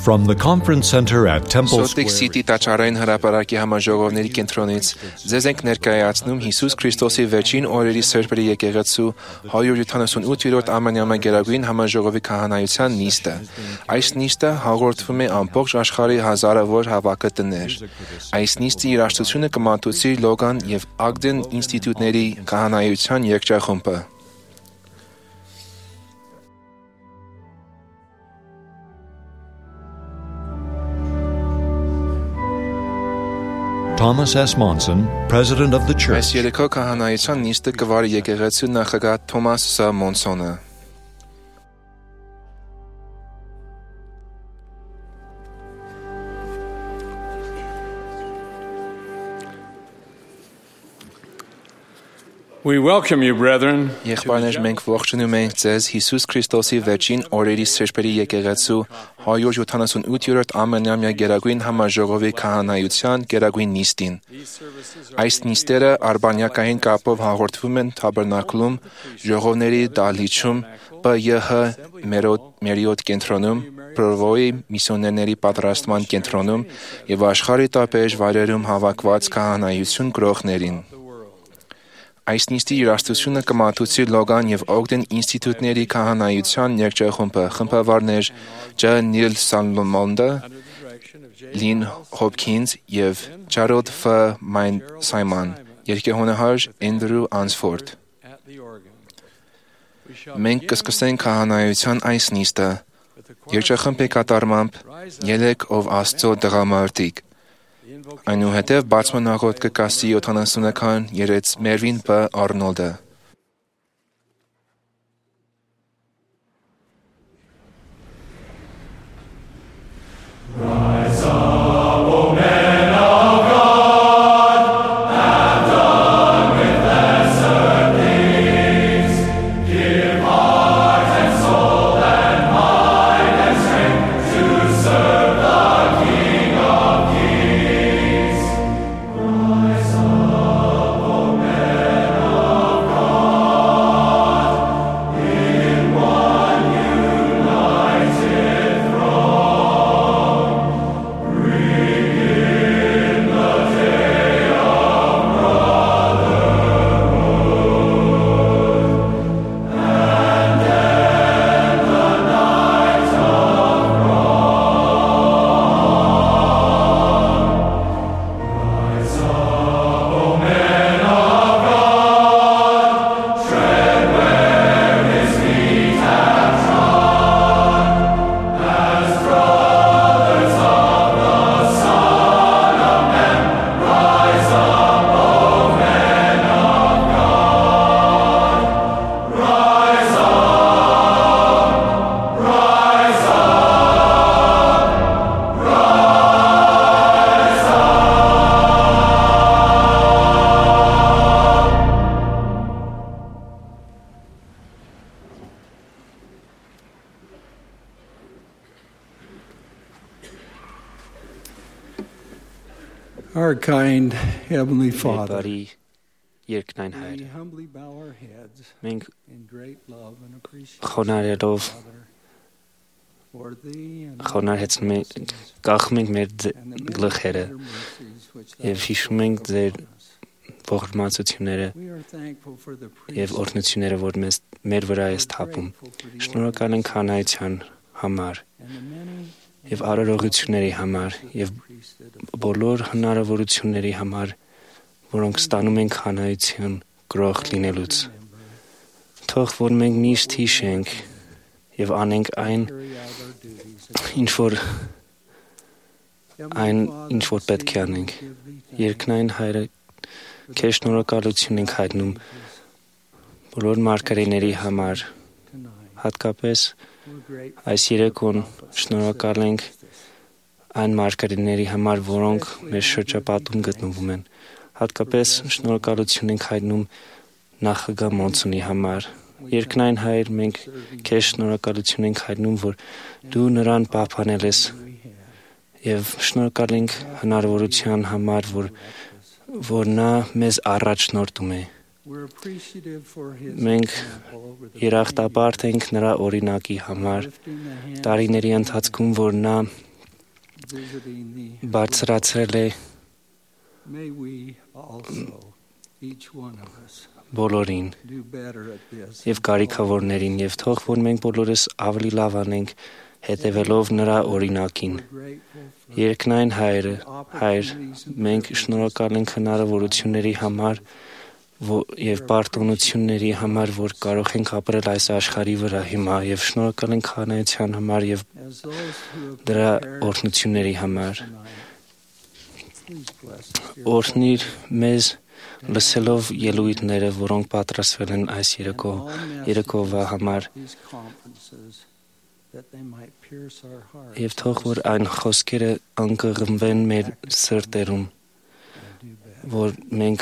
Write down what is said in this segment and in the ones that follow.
From the conference center at Temple Salt City տաճարային հրապարակի համաժողովների կենտրոնից ձեզ ենք ներկայացնում Հիսուս Քրիստոսի վերջին օրերի սրբերի եկեղեցու 178-րդ ամենամեգերագույն համաժողովի քահանայության նիստը։ Այս նիստը հաղորդվում է ամբողջ աշխարհի հազարավոր հավաքը տներ։ Այս նիստի երաժշտությունը կմատուցի Լոգան եւ Ագդեն ինստիտուտների քահանայության երգչախումբը։ Thomas S. Monson, President of the Church. Այս երեկո քահանայության նիստը կվարի եկեղեցու նախագահ Թոմաս Ս. Մոնսոնը։ We welcome you, brethren. Եղբայրներ, մենք ողջունում ենք ձեզ Հիսուս Քրիստոսի վերջին օրերի սրբերի եկեղեցու 178-րդ ամենամյա գերագույն համաժողովի քահանայության գերագույն նիստին։ Այս նիստերը արբանյակային կապով հաղորդվում են Թաբերնակլում, ժողովների դահլիճում, ՊՅՀ Մերիոտ կենտրոնում, Պրովոյի միսիոներների պատրաստման կենտրոնում եւ աշխարհի տարբեր վայրերում հավաքված քահանայություն գրողներին։ Այս նիստի երաժշտությունը կմատուցի Լոգան եւ Օգդեն ինստիտուտների քահանայության երգչախումբը, խմբավարներ Ջ. Նիլ Սալմոնդը, Լին Հոփքինս եւ Ջարոդ Ֆ. Սայման, երգեհոնահար Էնդրու Անսֆորդ։ Մենք կսկսենք քահանայության այս նիստը երգչախմբի կատարմամբ «Ելեք ով Աստծո տղամարդիկ»։ Այնուհետև բացման աղոթք կկասի 70-ական երեց Մերվին Բ. Արնոլդը։ Our kind Heavenly Father, Բարի երկնային we Հայր, humbly bow our heads մենք in great love and appreciation խոնարհելով for Thee and խոնարհեցնում ենք, կախում ենք մեր գլխերը եւ հիշում ենք ձեր ողորմածությունները we are thankful for the եւ օրհնությունները, որ մեր վրա ես թափում։ Շնորհակալ ենք հանրայության համար եւ արարողությունների համար եւ բոլոր հնարավորությունների համար, որոնք ստանում ենք հանրայության գրող լինելուց։ Թող որ մենք միշտ հիշենք եւ անենք այն, ինչ որ պետք է անենք։ Երկնային Հայրը, քեզ շնորհակալություն ենք հայտնում բոլոր մարգարեների համար, հատկապես այս երեկոն շնորհակալ ենք այն մարգարեների համար, որոնք մեր շրջապատում գտնվում են։ Հատկապես շնորհակալություն ենք հայտնում նախագահ Մոնսոնի համար։ Երկնային Հայր, մենք քեզ շնորհակալություն ենք հայտնում, որ դու նրան պահպանել ես եւ շնորհակալ ենք հնարավորության համար, որ նա մեզ առաջնորդում է։ Մենք երախտապարտ ենք նրա օրինակի համար, տարիների ընթացքում, որ նա visiting the բարձրացրել է may we also, each one of us, բոլորին do better at this. եւ կարիքավորներին եւ թող որ մենք բոլորս ավելի լավ անենք հետևելով նրա օրինակին։ We're grateful for Երկնային Հայր, մենք շնորհակալ ենք հնարավորությունների համար եւ պարտունությունների համար, որ կարող ենք ապրել այս աշխարհի վրա հիմա եւ շնորհակալ ենք քահանայության համար եւ as those who have դրա prepared օրհնությունների համար։ tonight. Please bless us, dear Օրհնիր մեզ լսելով ելույթները, որոնք պատրաստվել են այս երեկովա համար these conferences, that they might pierce our hearts եւ թող որ այն խոսքերը անկղմվեն մեր սրտերում, and do better. որ մենք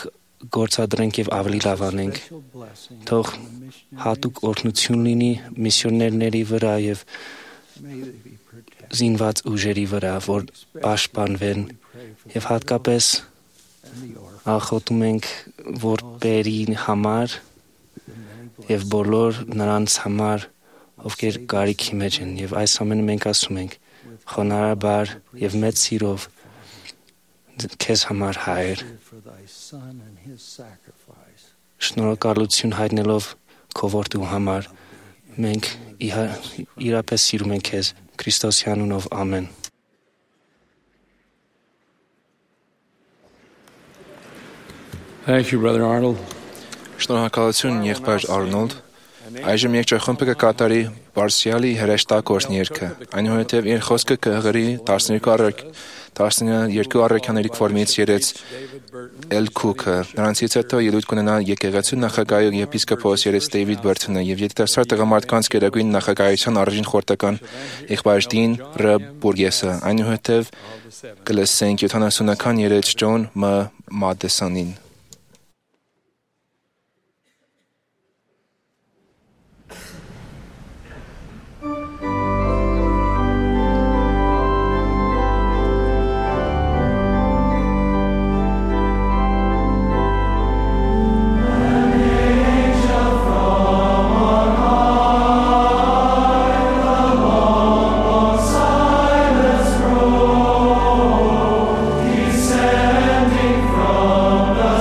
գործադրենք եւ ավելի լավ անենք։ Special blessing Թող on the missionaries. հատուկ օրհնություն լինի միսիոներների վրա եւ May they be protected. զինված ուժերի վրա, որ պաշտպանվեն We pray for եւ the հատկապես and the orphans, ախոտում ենք որպերի համար the many եւ բոլոր նրանց համար, ովքեր կարիքի մեջ են եւ այս ամենը մենք ասում ենք խոնարհաբար եւ մեծ սիրով քեզ համար Հայր, blessing for thy son and his sacrifice. շնորհակալություն հայտնելով քո որդու համար, մենք իրապես սիրում ենք քեզ Քրիստոսի անունով, ամեն։ Thank you, Brother Arnold. Շնորհակալություն եղբայր Արնոլդ։ Այժմ երգչախումբը կկատարի Բարսիալի հրեշտակորսն երգը, այնուհետև իր խոսքը կհղրի 12 առաքյաների կողմից երեց Էլ Քուքը։ Նրանցից հետո ելույթ կունենա եկեղեցու նախագահ եպիսկոպոս երեց Դեյվիդ Բերթոնը եւ երիտասարդ տղամարդկանց գերագույն նախագահության առաջին խորհրդական եղբայր Դին Ռ. Բուրգեսը։ Այնուհետև կլսենք 70-ական երեց Ջոն Մ. Մադեսոնին։ Descending from the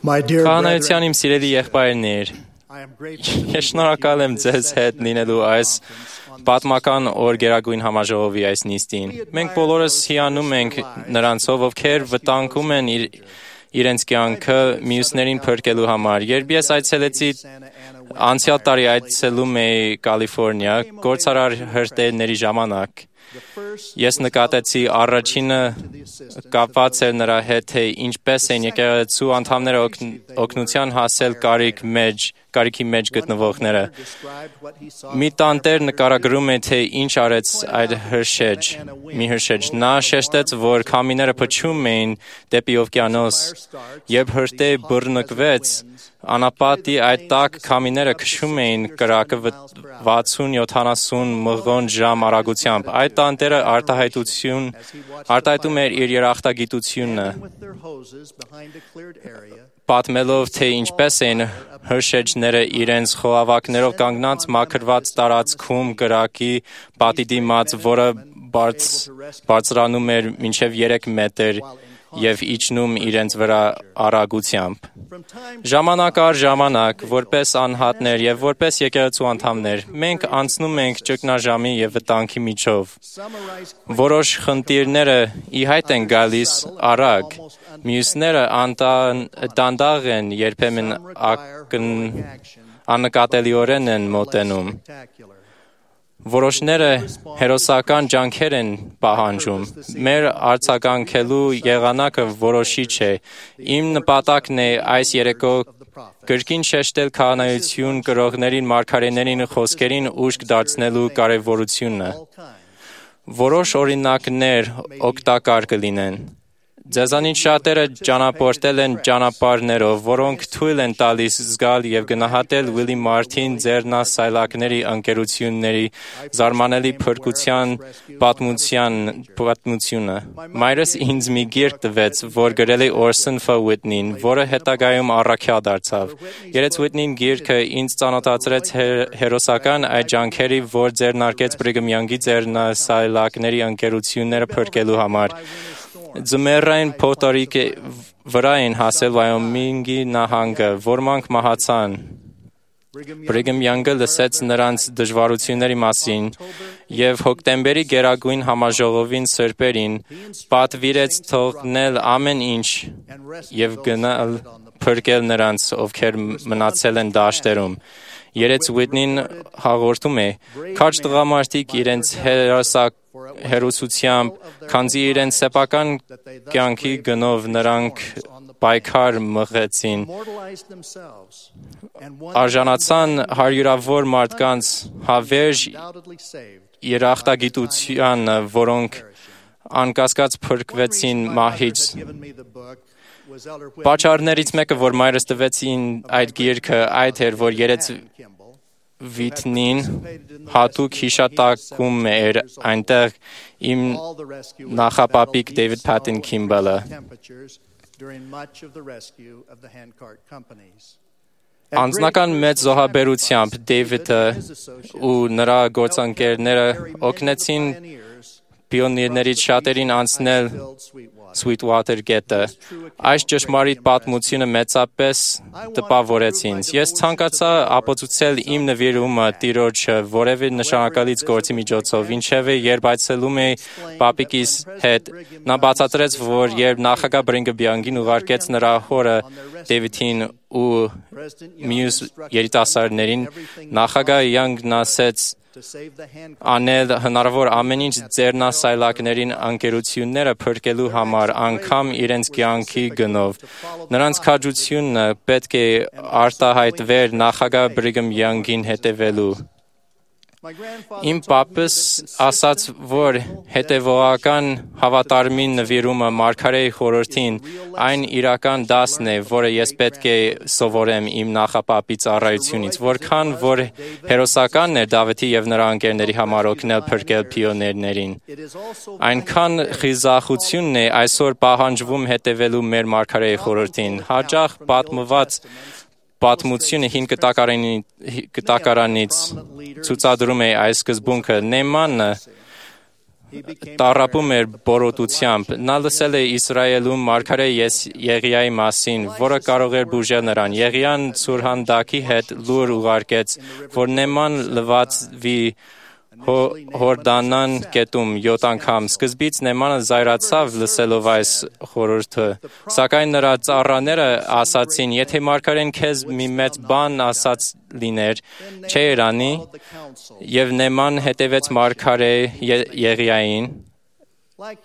Քահանայության իմ սիրելի եղբայրներ, ես շնորհակալ եմ ձեզ հետ լինելու այս պատմական օր գերագույն համաժողովի այս նիստին։ Մենք բոլորս հիանում ենք նրանցով, ովքեր վտանգում են իրենց կյանքը մյուսներին փրկելու համար։ Երբ ես այցելեցի անցյալ տարի այցելում էի Կալիֆոռնիա գործարար հրտեհների ժամանակ, ես նկատեցի առաջինը կապված էր նրա հետ, թե ինչպես են եկեղեցու անդամները օգնության հասել կարիքի մեջ գտնվողները։ Մի տանտեր նկարագրում է, թե ինչ արեց այդ մի հրշեջ։ Նա շեշտեց, որ քամիները փչում էին դեպի օվկիանոս, երբ հրտեհը բռնկվեց, անապատի այդ տաք քամիները քշում էին կրակը 60-70 մղոն/ժամ արագությամբ։ Այդ տանտերը արտահայտում էր իր երախտագիտությունը, պատմելով, թե ինչպես էին հրշեջները իրենց խողովակներով կանգնած մաքրված տարածքում կրակի պատի դիմաց, որը բարձրանում էր մինչև 3 մետր և իջնում իրենց վրա արագությամբ։ Ժամանակ առ ժամանակ, որպես անհատներ և որպես եկեղեցու անդամներ, մենք անցնում ենք ճգնաժամի և վտանգի միջով։ Որոշ խնդիրները ի հայտ են գալիս արագ, մյուսները դանդաղ են, երբեմն աննկատելիորեն են մոտենում։ Որոշները հերոսական ջանքեր են պահանջում։ Մեր արձագանքելու եղանակը որոշիչ է։ Իմ նպատակն է այս երեկո կրկին շեշտել քահանայություն կրողներին մարգարեներին խոսքերին ուշք դարձնելու կարևորությունը։ Որոշ օրինակներ օգտակար կլինեն։ Ձեզանից շատերը ճանապարհորդել են ճանապարհներով, որոնք թույլ են տալիս զգալ և գնահատել Ուիլի Մարթին ձեռնասայլակների ընկերությունների զարմանալի փրկության պատմությունը։ Մայրս ինձ մի գիրք տվեց, որ գրել է Օրսոն Ֆ. Ուիթնին, որը հետագայում առաքյալ դարձավ։ Երեց Ուիթնին գիրքը ինձ ծանոթացրեց հերոսական այդ ջանքերի, որ ձեռնարկեց Բրիգհամ Յանգի ձեռնասայլակների ընկերությունները փրկելու համար։ Ձմեռային փոթորիկի վրա էին հասել Վայոմինգի նահանգը, ոմանք մահացան։ Բրիգհամ Յանգը լսեց նրանց դժվարությունների մասին և հոկտեմբերի գերագույն համաժողովին սրբերին պատվիրեց թողնել ամեն ինչ և գնալ փրկել նրանց, ովքեր մնացել են դաշտերում։ Երեց Ուիթնին հաղորդում է. «Քաջ տղամարդիկ իրենց հերոսությամբ, քանզի իրենց սեփական կյանքի գնով նրանք պայքար մղեցին, արժանացան հարյուրավոր մարդկանց հավերժ երախտագիտությանը, որոնք անկասկած փրկվեցին մահից»։ Պատճառներից մեկը, որ մայրս տվեց այդ գիրքը, այդ էր, որ երեց Ուիթնին հատուկ հիշատակում էր այնտեղ իմ նախապապիկ Դեյվիդ Փաթին Քիմբելը։ Անձնական մեծ զոհաբերությամբ Դեյվիդը ու նրա գործընկերները օգնեցին պիոներներից շատերին անցնել Sweetwater գետը։ Այս ճշմարիտ պատմությունը մեծապես տպավորեց ինձ։ Ես ցանկացա ապացուցել իմ նվիրումը Տիրոջը որևէ նշանակալից գործի միջոցով, ինչևէ երբ այցելում էի պապիկիս հետ, նա բացատրեց, որ երբ նախագահ Բրիգհամ Յանգին ուղարկեց նրա հորը Դեյվիդին ու մյուս երիտասարդներին, նախագահ Յանգն ասեց անել հնարավոր ամեն ինչ ձեռնասայլակներին ընկերությունները փրկելու համար, անգամ իրենց կյանքի գնով։ Նրանց քաջությունը պետք է արտահայտվեր նախագահ Բրիգհամ Յանգին հետևելու։ Իմ պապս ասաց, որ հետևողական հավատարմին նվիրումը մարգարեի խորհրդին այն իրական դասն է, որը ես պետք է սովորեմ իմ նախապապի ծառայությունից, որքան որ հերոսականն էր Դավթի և նրա ընկերների համար օգնել փրկել պիոներներին։ Այնքան խիզախությունն է այսօր պահանջվում հետևելու մեր մարգարեի խորհրդին։ Հաճախ պատմված պատմությունը հին կտակարանից ցուցադրում է այս սկզբունքը. Նեյմանը տառապում էր բորոտությամբ։ Նա լսել է Իսրայելում մարգարե Եղիայի մասին, որը կարող էր բուժել նրան։ Եղիան Սուրհանդակի հետ լուր ուղարկեց, որ Նեման լվացվի Հորդանան գետում 7 անգամ։ Սկզբից Նեմանը զայրացավ լսելով այս խորհուրդը, սակայն նրա ծառաները ասացին. «Եթե մարգարեն քեզ մի մեծ բան ասած լիներ, չէր անի»։ Եվ Նեման հետևեց մարգարե Եղիային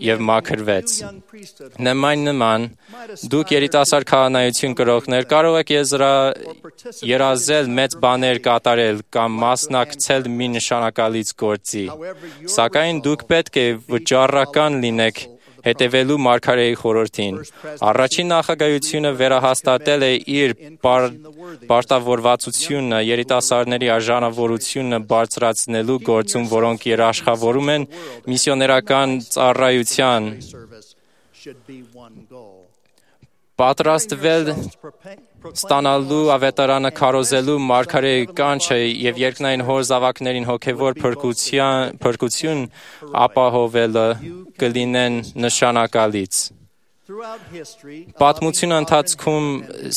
և մաքրվեց։ Նման դուք երիտասարդ քահանայություն կրողներ կարող եք երազել մեծ բաներ կատարել կամ մասնակցել մի նշանակալից գործի, սակայն դուք պետք է վճռական լինեք հետևելու մարգարեի խորհրդին։ Առաջին նախագահությունը վերահաստատել է իր պարտավորվածությունը երիտասարդների արժանավորությունը բարձրացնելու գործում, որոնք երաշխավորում են միսիոներական ծառայության։ Պատրաստվել ստանալու ավետարանը քարոզելու մարգարեի կանչը և երկնային հոր զավակներին հոգևոր փրկություն ապահովելը կլինեն նշանակալից։ Պատմության ընթացքում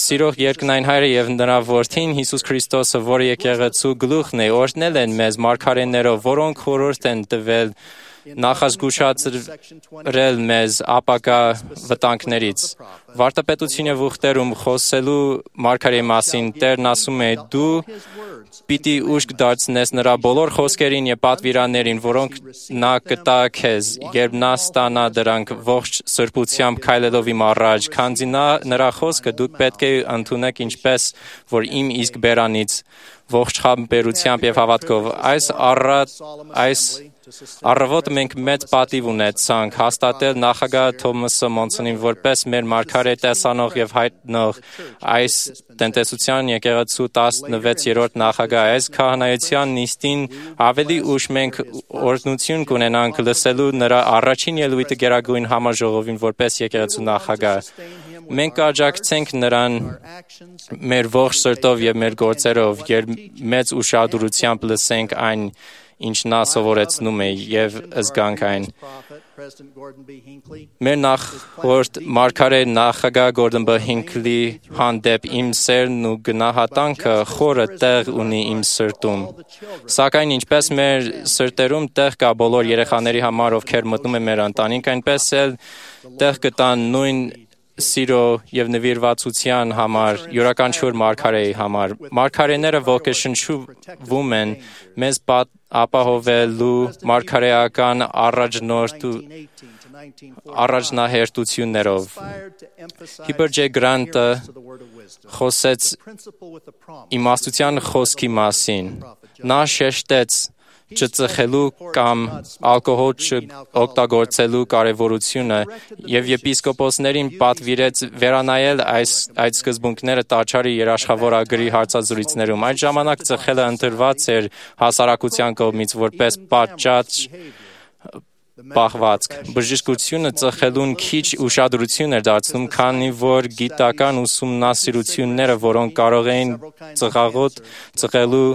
սիրող երկնային հայրը և նրա որդին Հիսուս Քրիստոսը, որը եկեղեցու գլուխն է, օրհնել են մեզ մարգարեներով, որոնք խորհուրդ են տվել նախազգուշացրել մեզ ապագա վտանգներից։ Վարդապետության ուխտերում խոսելու մարգարեի մասին Տերն ասում է. «Դու պիտի ուշք դարձնես նրա բոլոր խոսքերին և պատվիրաններին, որոնք նա կտա քեզ, երբ նա ստանա դրանք ողջ սրբությամբ քայլելով իմ առաջ, քանզի նրա խոսքը դուք պետք է ընդունեք ինչպես, որ իմ իսկ բերանից ողջ խաբերությամբ և հավատքով»։ Այս առավոտը մենք մեծ պատիվ ունեցանք հաստատել նախագահ Թոմասը Մոնսոնին որպես մեր մարգարե տեսանող և հայտնող այս տնտեսության եկեղեցու 16-րդ նախագահ։ Այս քահանայության նիստին ավելի ուշ մենք օրհնություն կունենանք լսելու նրա առաջին ելույթը Գերագույն համաժողովին որպես եկեղեցու նախագահ։ Մենք կաջակցենք նրան մեր ողջ սրտով և մեր գործերով, երբ մեծ ուշադրությամբ լսենք այն, ինչ նա սովորեցնում է և զգանք այն։ Մեր նախորդ մարգարե նախագահ Գորդոն B. Հինքլի հանդեպ իմ սերն ու գնահատանքը խորը տեղ ունի իմ սրտում։ Սակայն ինչպես մեր սրտերում տեղ կա բոլոր երեխաների համար, ովքեր մտնում են մեր ընտանիք, այնպես էլ տեղ կտան նույն սիրո և նվիրվածության համար յուրաքանչյուր մարգարեի համար։ Մարգարեները ոգեշնչվում են մեզ ապահովելու մարգարեական առաջնահերթություններով։ Հիբեր Ջ. Գրանտը խոսեց իմաստության խոսքի մասին։ Նա շեշտեց չծխելու կամ ալկոհոլ չօգտագործելու կարևորությունը և եպիսկոպոսներին պատվիրեց վերանայել այդ սկզբունքները տաճարի երաշխավորագրի հարցազրույցներում։ Այդ ժամանակ ծխելը ընտրված էր հասարակության կողմից որպես պատշաճ պահվածք։ Բժշկությունը ծխելուն քիչ ուշադրություն էր դարձնում, քանի որ գիտական ուսումնասիրությունները, որոնք կարող էին ծխելու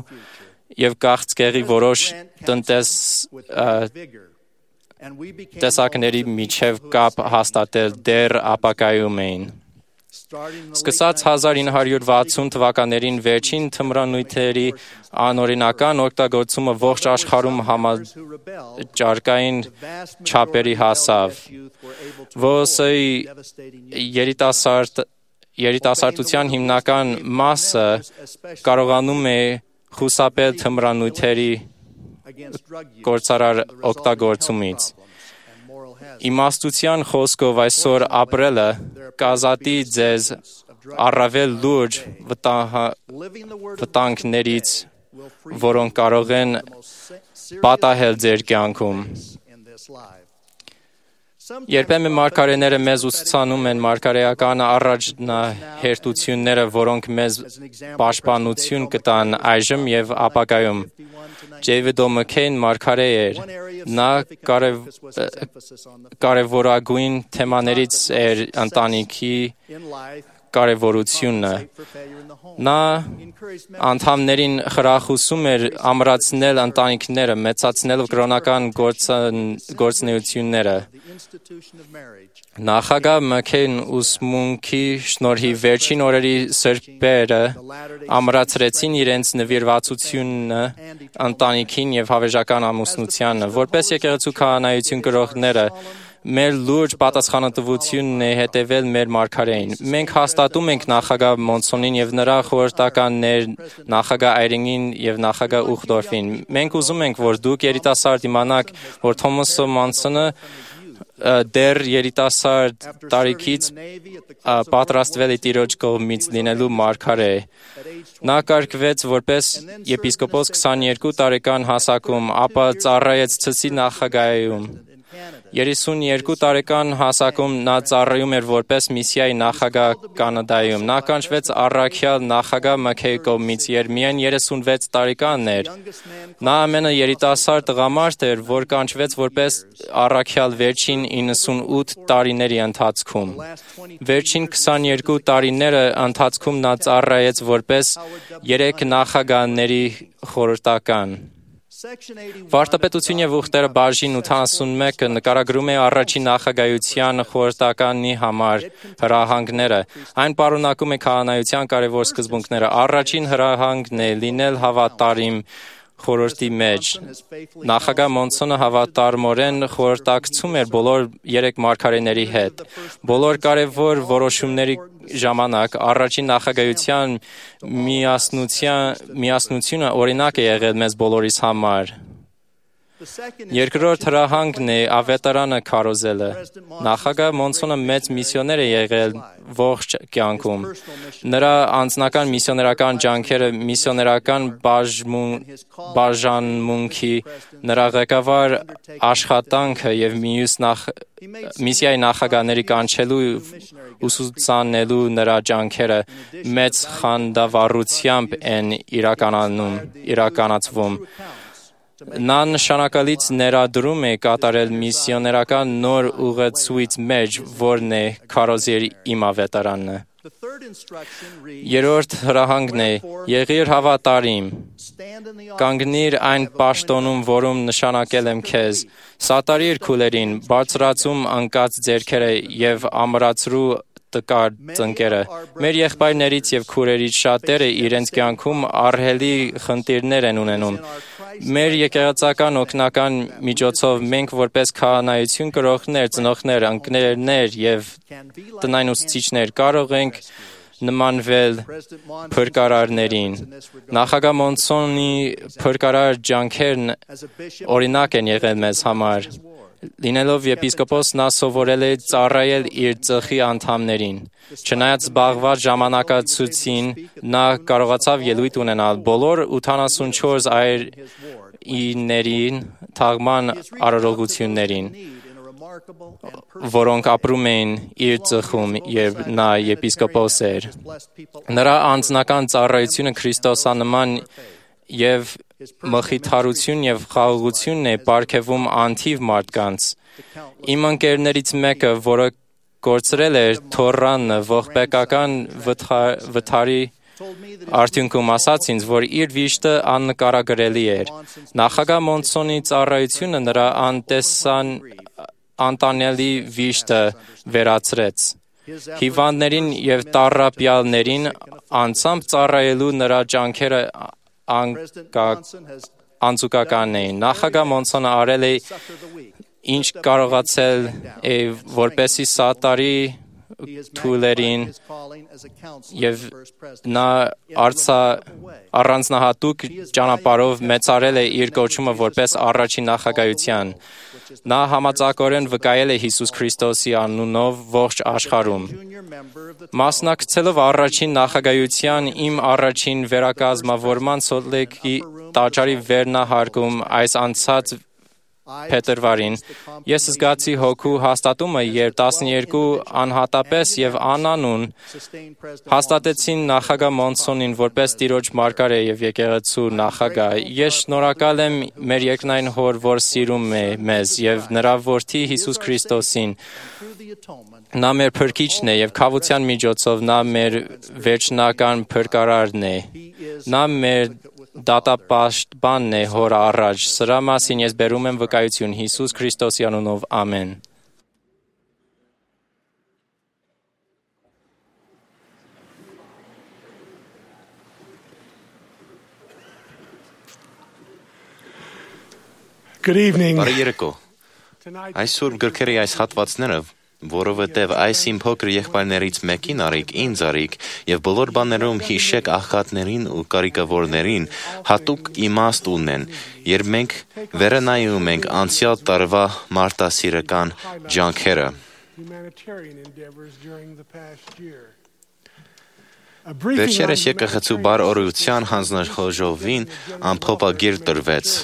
և քաղցկեղի որոշ տեսակների միջև կապ հաստատել դեռ ապագայում էին։ Սկսած 1960 թվականներին վերջին թմրանյութերի անօրինական օգտագործումը ողջ աշխարհում համաճարակային չափերի հասավ։ ՈՍՕ-ի երիտասարդության հիմնական մասը կարողանում է խուսափել թմրանյութերի կործարար օգտագործումից։ Իմաստության խոսքով այսօր ապրելը կազատի ձեզ առավել լուրջ վտանգներից, որոնք կարող են պատահել ձեր կյանքում։ Երբեմն մարգարեները մեզ ուսուցանում են մարգարեական առաջնահերթությունները, որոնք մեզ պաշտպանություն կտան այժմ և ապագայում։ Ջեյվիդ Օ'Մաքքեյն մարգարե էր։ Նա կարևորագույն թեմաներից էր ընտանիքի կարևորությունը։ Նա անդամներին խրախուսում էր ամրացնել ընտանիքները, մեծացնելով կրոնական գործունեությունները։ Նախագահ Մաքքեյն ուսմունքի շնորհիվ վերջին օրերի սրբերը ամրացրեցին իրենց նվիրվածությունը ընտանիքին եւ հավերժական ամուսնությանը։ Որպես եկեղեցու քահանայություն կրողները, մեր լուրջ պատասխանատվությունն է հետևել մեր մարգարեին։ Մենք հաստատում ենք նախագահ Մոնսոնին եւ նրա խորհրդականներ նախագահ Այրինգին եւ նախագահ Ուխդորֆին։ Մենք ուզում ենք, որ դուք երիտասարդ իմանաք, որ Թոմաս Մոնսոնը դեռ երիտասարդ տարիքից պատրաստվել է Տիրոջ կողմից լինելու մարգարե։ Նա կարգվեց որպես եպիսկոպոս 22 տարեկան հասակում, ապա ծառայեց Ցսի նախագահայում։ 32 տարեկան հասակում նա ծառայում էր որպես միսիայի նախագահ Կանադայում։ Նա կանչվեց առաքյալ նախագահ Մաքքեյի կողմից, երբ միայն 36 տարեկան էր։ Նա ամենաերիտասարդ տղամարդ էր, որ կանչվեց որպես առաքյալ վերջին 98 տարիների ընթացքում։ Վերջին 22 տարիները ընթացքում նա ծառայեց որպես 3 նախագահների խորհրդական։ Վարդապետություն եւ ուխտերը բաժին 81-ը նկարագրում է առաջին նախագահության խորհրդականի համար հրահանգները։ Այն պարունակում է քահանայության կարևոր սկզբունքները։ Առաջին հրահանգն է լինել հավատարիմ խորհրդի մեջ։ Նախագահ Մոնսոնը հավատարմորեն խորհրդակցում էր բոլոր 3 մարգարեների հետ։ Բոլոր կարևոր որոշումների ժամանակ առաջին նախագահության միասնությունը օրինակ է եղել մեզ բոլորիս համար։ Երկրորդ հրահանգն է ավետարանը քարոզելը։ Նախագահ Մոնսոնը մեծ միսիոներ է եղել ողջ կյանքում։ Նրա անձնական միսիոներական ջանքերը, միսիոներական բաժանմունքի, նրա ղեկավար աշխատանքը եւ միսիայի նախագահների կանչելու ուսուցանելու նրա ջանքերը մեծ խանդավառությամբ են իրականացվում։ Նա նշանակալից ներդրում է կատարել միսիոներական նոր ուղեցույց մեջ, որն է քարոզիր իմ ավետարանը։ Երրորդ հրահանգն է. եղիր հավատարիմ, կանգնիր այն պաշտոնում, որում նշանակել եմ քեզ, սատարիր քուլերին, բարձրացում ընկած ձեռքերը եւ ամրացրու տկար ծնկերը։ Մեր եղբայրներից եւ քուրերից շատերը իրենց կյանքում ահռելի խնդիրներ են ունենում։ Մեր եկեղեցական օգնական միջոցով մենք որպես քահանայություն կրողներ, ծնողներ, ընկերներ եւ տնային ուսուցիչներ կարող ենք նմանվել փրկարարներին։ Նախագահ Մոնսոնի փրկարար ջանքերն օրինակ են եղել մեզ համար։ Լինելով եպիսկոպոս, նա սովորել է ծառայել իր ծխի անդամներին։ Չնայած զբաղված ժամանակացույցին, նա կարողացավ ելույթ ունենալ բոլոր 84 այրիներին թաղման արարողություններին, որոնք ապրում էին իր ծխում, եւ նա եպիսկոպոս էր։ Նրա անձնական ծառայությունը քրիստոսանման եւ մխիթարություն եւ խաղաղությունն է պարգևում անթիվ մարդկանց։ Իմ ընկերներից մեկը, որը կորցրել էր թոռանը ողբեկական վթարի արդյունքում, ասաց ինձ, որ իր վիշտը աննկարագրելի էր։ Նախագահ Մոնսոնի ծառայությունը նրա անտանելի վիշտը վերացրեց։ Հիվանդներին եւ տառապյալներին անձամբ ծառայելու նրա ջանքերը անձուկական էին։ Նախագահ Մոնսոնը արել է ինչ կարողացել է, որպեսզի սատարի թույլերին եւ նա առանձնահատուկ ճանապարհով մեծարել է իր կոչումը որպես առաջին նախագահության։ Նա համաձայնորեն վկայել է Հիսուս Քրիստոսի անունով ողջ աշխարհում։ Մասնակցելով առաջին նախագահության իմ առաջին վերակազմավորման Սոլտ Լեյքի տաճարի վերնահարկում այս անցած փետրվարին ես զգացի հոգու հաստատումը, երբ 12 անհատապես եւ անանուն հաստատեցին նախագահ Մոնսոնին որպես Տիրոջ մարգարե եւ եկեղեցու նախագահ։ Ես շնորհակալ եմ մեր երկնային Հոր, որ սիրում է մեզ, եւ նրա որդի Հիսուս Քրիստոսին։ Նա մեր փրկիչն է եւ քավության միջոցով նա մեր վերջնական փրկարարն է։ Նա մեր դատապաշտպանն է Հոր առաջ։ Սրա մասին ես բերում եմ վկայություն Հիսուս Քրիստոսի անունով, ամեն։ Good evening. Բարի երեկո։ Այսօր գրքերի այս հատվածները, որովհետև այս իմ փոքր եղբայրներից մեկին արիք, ինձ արիք, եւ բոլոր բաներում հիշեք աղքատներին ու կարիքավորներին, հատուկ իմաստ ունեն, երբ մենք վերը նայում ենք անցյալ տարվա մարտահրավերական ջանքերը։ Վերջերս եկեղեցու բարօրության հանձնաժողովին ամփոփագիր տրվեց։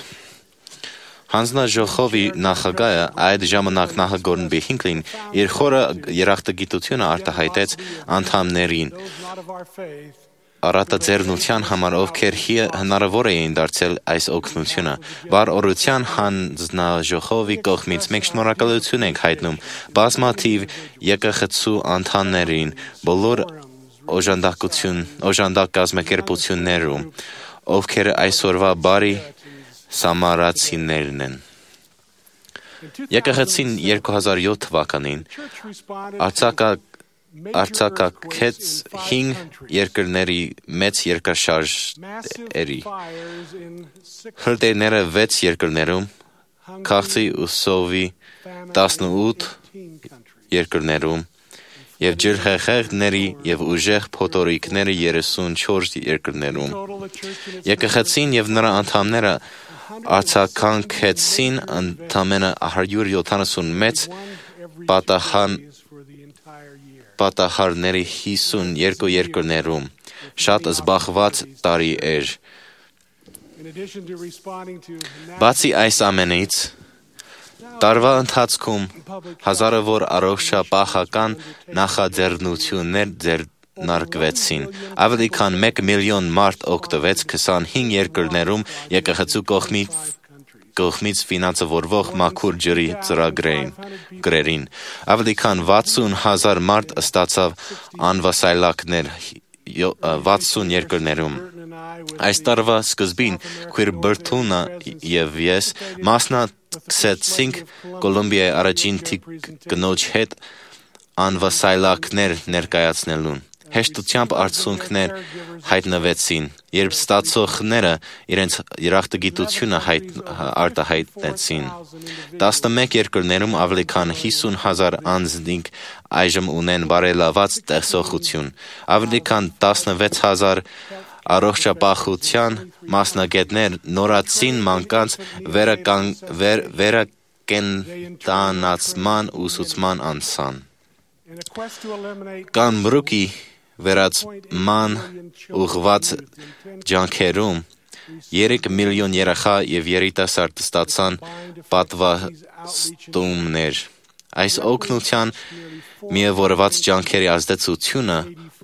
Հանձնաժողովի նախագահը այդ ժամանակ նախագահ Բիհինքլին իր խորը երախտագիտությունը արտահայտեց անդամներին առատաձեռնության համար, ովքեր հնարավոր էին դարձել այս օգնությունը։ Բարօրության հանձնաժողովի կողմից մենք շնորհակալություն ենք հայտնում բազմաթիվ եկեղեցու անդամներին բոլոր օժանդակ կազմակերպություններում, ովքեր այսօրվա բարի սամարացիներն են։ Եկեղեցին 2007 թվականին արձակագեց 5 երկրների մեծ երկրաշարժերի։ Հրդեհները 6 երկրներում, քաղցի ու սովի 18 երկրներում եւ ջրհեղեղների եւ ուժեղ փոթորիկների 34 երկրներում։ Եկեղեցին եւ նրա անդամները արձագանքեցին ընդամենը 176 պատահարների 52 երկրներում։ Շատ զբաղված տարի էր։ Բացի այս ամենից, տարվա ընթացքում հազարավոր առողջապահական նախաձեռնություններ ձեռնարկվեցին։ Ավելի քան 1 միլիոն մարդ օգտվեց 25 երկրներում եկեղեցու կողմից ֆինանսավորվող մաքուր ջրի ծրագրերին։ Ավելի քան 60,000 մարդ ստացավ անվասայլակներ 60 երկրներում։ Այս տարվա սկզբին Քույր Բրթունը եւ ես մասնակցեցինք Կոլումբիայի առաջին կնոջ հետ անվասայլակներ ներկայացնելուն։ Հեշտությամբ արդյունքներ հայտնվեցին, երբ ստացողները իրենց երախտագիտությունը արտահայտեցին։ 11 երկրներում ավելի քան 50,000 անձինք այժմ ունեն բարելաված տեսողություն։ Ավելի քան 16,000 առողջապահության մասնագետներ նորացին մանկանց վերակենդանացման ուսուցման անցան։ Կանբրուկի վերացման ուղղված ջանքերում 3 միլիոն երեխա եւ երիտասարդ ստացան պատվաստումներ։ Այս օգնության միավորված ջանքերի ազդեցությունը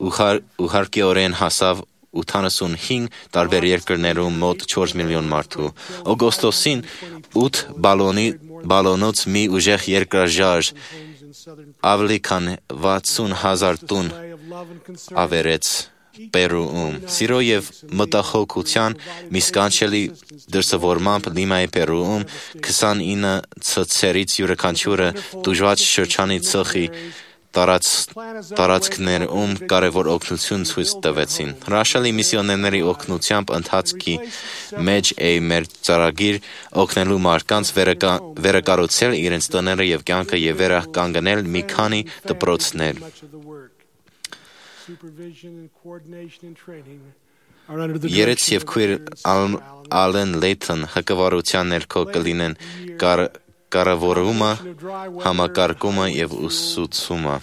ուղղակիորեն հասավ 85 տարբեր երկրներում մոտ 4 միլիոն մարդու։ Օգոստոսին 8 բալոնոց մի ուժեղ երկրաժարժ ավելի քան 60,000 տուն ավերեց Պերուում։ Սիրո եւ մտահոգության մի սկանչելի դրսևորմամբ Լիմայի Պերուում 29 ցցերից յուրաքանչյուրը դժվար շրջանի ծխի տարածքներում կարևոր օգնություն ցույց տվեցին։ Հրաշալի միսիոներների օգնությամբ ընթացքի մեջ է մեր ծրագիր օգնելու մարդկանց վերակառուցել իրենց տները եւ կյանքը եւ վերականգնել մի քանի դպրոցներ։ Երեց եւ Քույր Ալեն Լեյթոն հակավարության ներքո կլինեն կառավարումը, համակարգումը եւ ուսուցումը։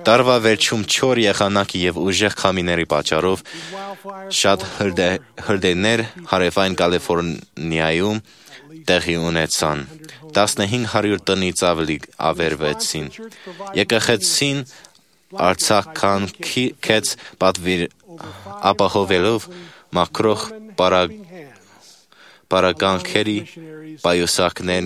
Տարվա վերջում 4 եղանակի եւ ուժեղ քամիների պատճառով շատ հրդեհներ հարավային Կալիֆոռնիայում, տեղի ունեցան։ 1500 տնից ավելի ավերվեցին։ Եկեղեցին արձագանքեց պատվիր ապահովելով մաքրող պարագանքերի պայուսակներ,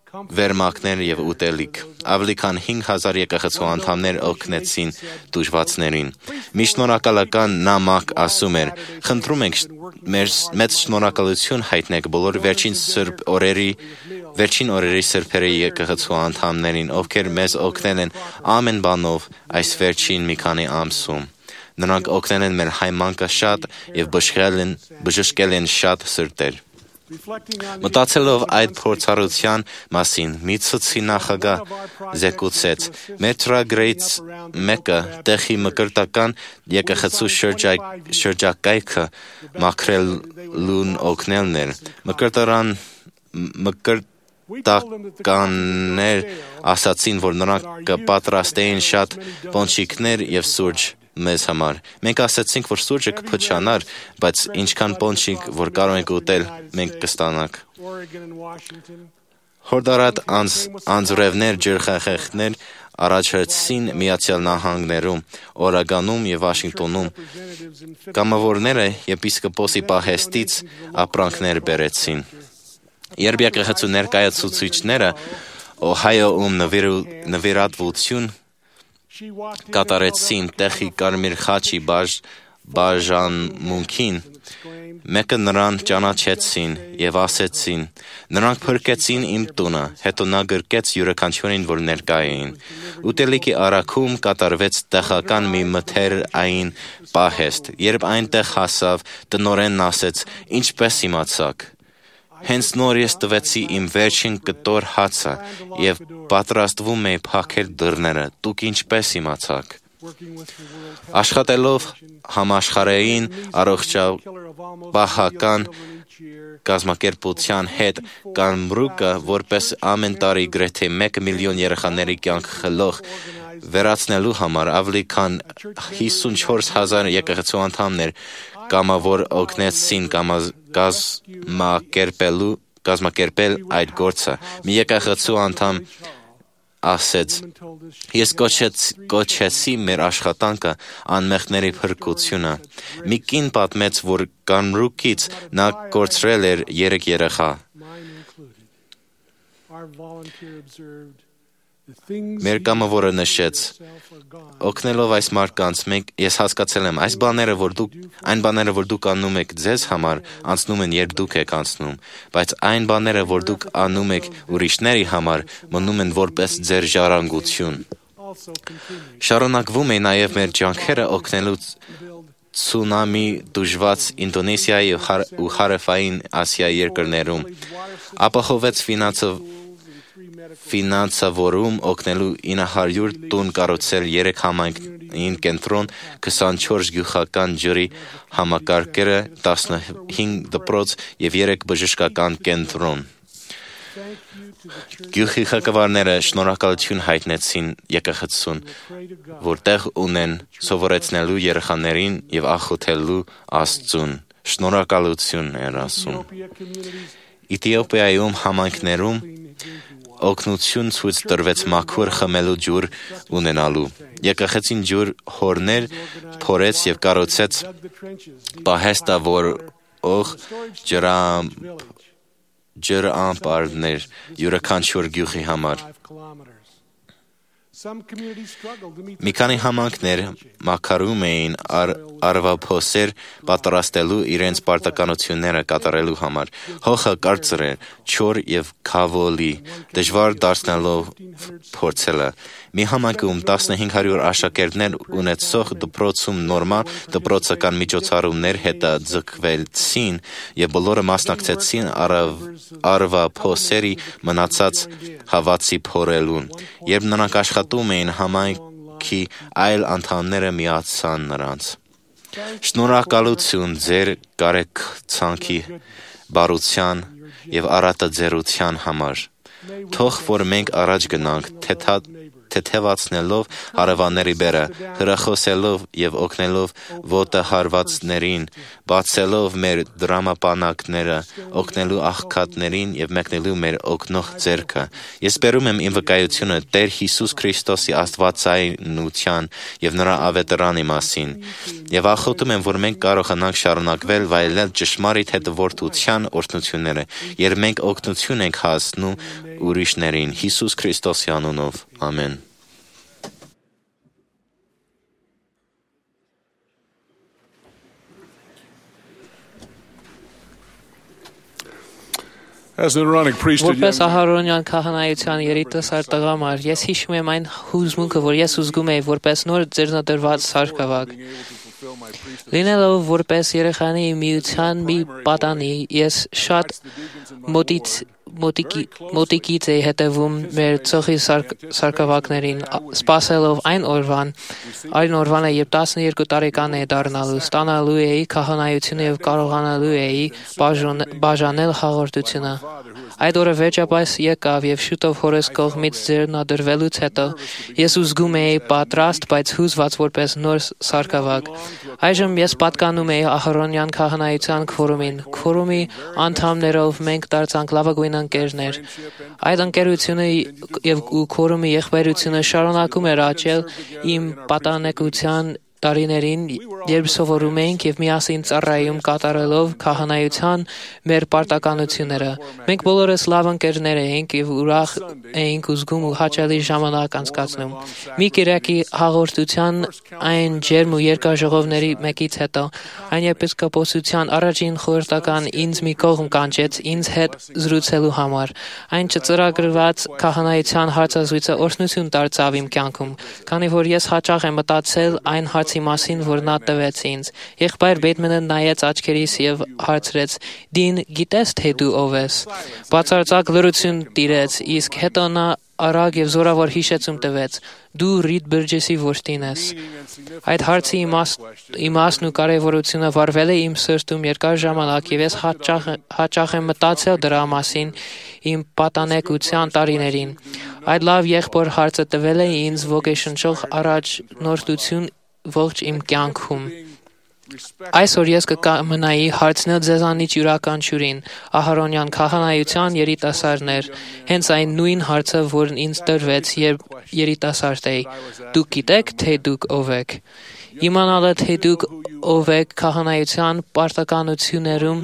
վերմակներ և ուտելիք։ Ավելի քան 5000 եկեղեցու անդամներ օգնեցին տուժվածներին։ Մի շնորհակալական նամակ ասում էր. «Խնդրում ենք մեծ շնորհակալություն հայտնեք բոլոր վերջին օրերի սրբերի եկեղեցու անդամներին, ովքեր մեզ օգնել են ամեն բանով այս վերջին մի քանի ամսում։ Նրանք օգնել են մեր հայմանկը շատ և բժշկել են շատ սրտեր»։ Մտածելով այդ փորձառության մասին, մի ցցի նախագահ զեկուցեց. «Մեր ծրագրերից մեկը տեղի մկրտական եկեղեցու շրջակայքը մաքրելուն օգնելն էր։ Մկրտականներ ասացին, որ նրանք կպատրաստեին շատ պոնչիկներ և սուրճ մեզ համար։ Մենք ասացինք, որ սուրճը կփչանար, բայց ինչքան պոնչիկ, որ կարող ենք ուտել, մենք կստանանք։ Հորդարատ անձրևներ, ջրխեղեղներ առաջացրին Միացյալ Նահանգներում, Օրեգոնում և Վաշինգտոնում։ Կամավորները եպիսկոպոսի պահեստից ապրանքներ բերեցին։ Երբ եկեղեցու ներկայացուցիչները Օհայոում նվիրատվություն կատարեցին տեղի Կարմիր խաչի բաժանմունքին, մեկը նրան ճանաչեցին և ասեցին. «Նրանք փրկեցին իմ տունը», հետո նա գրկեց յուրաքանչյուրին, որ ներկա էին։ Ուտելիքի առաքում կատարվեց տեղական մի մթերային պահեստ։ Երբ այնտեղ հասավ, տնօրենն ասեց. «Ինչպես իմացաք»։ Հենց նոր ես տվեցի իմ վերջին կտոր հացը և պատրաստվում էի փակել դռները, դուք ինչպես իմացաք։ Աշխատելով համաշխարհային առողջապահական կազմակերպության հետ, Կամբրուկը, որպես ամեն տարի գրեթե 1 միլիոն երեխաների կյանք խլող, վերացնելու համար ավելի քան 54,000 եկեղեցու անդամներ կամավոր օգնեցին կազմակերպել այդ գործը։ Մի եկեղեցու անդամ ասեց. «Ես կոչեցի մեր աշխատանքը անմեղների փրկությունը»։ Մի կին պատմեց, որ Կամբրուկից նա կորցրել էր 3 երեխա։ Մեր կամավորը նշեց. «Օգնելով այս մարդկանց, ես հասկացել եմ, այն բաները, որ դուք անում եք ձեզ համար, անցնում են, երբ դուք եք անցնում, բայց այն բաները, որ դուք անում եք ուրիշների համար, մնում են որպես ձեր ժառանգություն»։ Շարունակվում է նաև մեր ջանքերը օգնելու ցունամի դժված Ինդոնեզիայի ու Հարավային Ասիայի երկրներում։ Ապահովեց ֆինանսավորում օգնելու 900 տուն կառուցել 3 համայնքային կենտրոն, 24 գյուղական ջրի համակարգերը, 15 դպրոց և 3 բժշկական կենտրոն։ Գյուղի ղեկավարները շնորհակալություն հայտնեցին եկեղեցուն, որ տեղ ունեն սովորեցնելու երեխաներին և աղոթելու Աստծուն։ Շնորհակալություն էր ասում։ Եթիոպիայում համայնքներում օգնություն ցույց տրվեց մաքուր խմելու ջուր ունենալու։ Եկեղեցին ջուր հորներ փորեց և կառուցեց պահեստավորող ջրամբարներ յուրաքանչյուր գյուղի համար։ Մի քանի համայնքներ մաքարում էին արվափոսեր պատրաստելու իրենց պարտականությունները կատարելու համար։ Հողը կարծր էր, չոր և քավոլի, դժվար դարձնելով փորձելը։ Մի համայնքում 1500 աշակերտներ ունեցող դպրոցում նորմալ դպրոցական միջոցառումներ հետաձգվեցին և բոլորը մասնակցեցին արվափոսերի մնացած հավացի փորելուն։ Երբ նրանք աշխատում էին, համայնքի այլ անդամները միացան նրանց։ Շնորհակալություն ձեր կարեկցանքի, բարության և առատաձեռության համար։ Թող որ մենք առաջ գնանք թեթևացնելով հարևանների բերը, հրախոսելով եւ օգնելով ոտահարվածներին, բացելով մեր դրամապանակները, օգնելու աղքատներին եւ մեկնելու մեր օգնող ձեռքը։ Ես բերում եմ իմ վկայությունը Տեր Հիսուս Քրիստոսի աստվածայնության եւ նրա ավետարանի մասին եւ ախոտում եմ, որ մենք կարողանանք շարունակվել վայելել ճշմարիտ հետևորդության օրհնությունները, երբ մենք օգնություն ենք հասնում ուրիշներին Հիսուս Քրիստոսի անունով։ Ամեն։ Որպես Ահարոնյան քահանայության երիտասարդ տղամարդ, ես հիշում եմ այն հուզմունքը, որ ես ուզում էի որպես նոր ձեռնադրված սարքավակ։ Լինելով որպես երեխանի միության մի պատանի, ես շատ մոտիկից էի հետևում մեր ծխի սարքավակներին, սպասելով այն օրվանը, երբ 12 տարեկան էի դառնալու, ստանալու էի քահանայությունը եւ կարողանալու էի բաժանել հաղորդությունը։ Այդ օրը վերջապես եկավ եւ շուտով հորս կողմից ձեռնադրվելուց հետո ես զգում էի պատրաստ, բայց հուզված որպես նոր սարքավակ։ Այժմ ես պատկանում էի Ահարոնյան քահանայության քվորումին։ Քվորումի անդամներով մենք դարձանք լավագույն ընկերներ։ Այդ ընկերությունը եւ քվորումի եղբայրությունը շարունակում էր աճել իմ պատանեկության տարիներին, երբ սովորում էինք եւ միասին ծառայում կատարելով քահանայության մեր պարտականությունները։ Մենք բոլորս լավ ընկերներ էինք եւ ուրախ էինք զգում ու հաճելի ժամանակ անցկացնում։ Մի կիրակի հաղորդության այն ջերմ ու երկար ժողովների մեկից հետո այն եպիսկոպոսության առաջին խորհրդական ինձ մի կողմ կանչեց ինձ հետ զրուցելու համար։ Այն չծրագրված քահանայության հարցազրույցը օրհնություն դարձավ իմ կյանքում, քանի որ ես հաճախ եմ մտածել այն հարցի մասին, որ նա տվեց ինձ։ Եղբայր Բեյթմենը նայեց աչքերիս եւ հարցրեց. «Դին, գիտես թե դու ով ես»։ Բացարձակ լռություն տիրեց, իսկ հետո նա արագ եւ զորավոր հիշեցում տվեց. «Դու Ռիդ Բըրջեսի որդին ես»։ Այդ հարցի իմաստն ու կարևորությունը վառվել է իմ սրտում երկար ժամանակ եւ ես հաճախ եմ մտածել դրա մասին իմ պատանեկության տարիներին։ Այդ լավ եղբոր հարցը տվել է ինձ ոգեշնչող առաջնորդություն ողջ իմ կյանքում։ Այսօր ես կկամենայի հարցնել ձեզանից յուրաքանչյուրին Ահարոնյան քահանայության երիտասարդներ, հենց այն նույն հարցը, որն ինձ տրվեց, երբ երիտասարդ էի. դուք գիտեք, թե դուք ով եք։ Իմանալը, թե դուք ով եք քահանայության պարտականություններում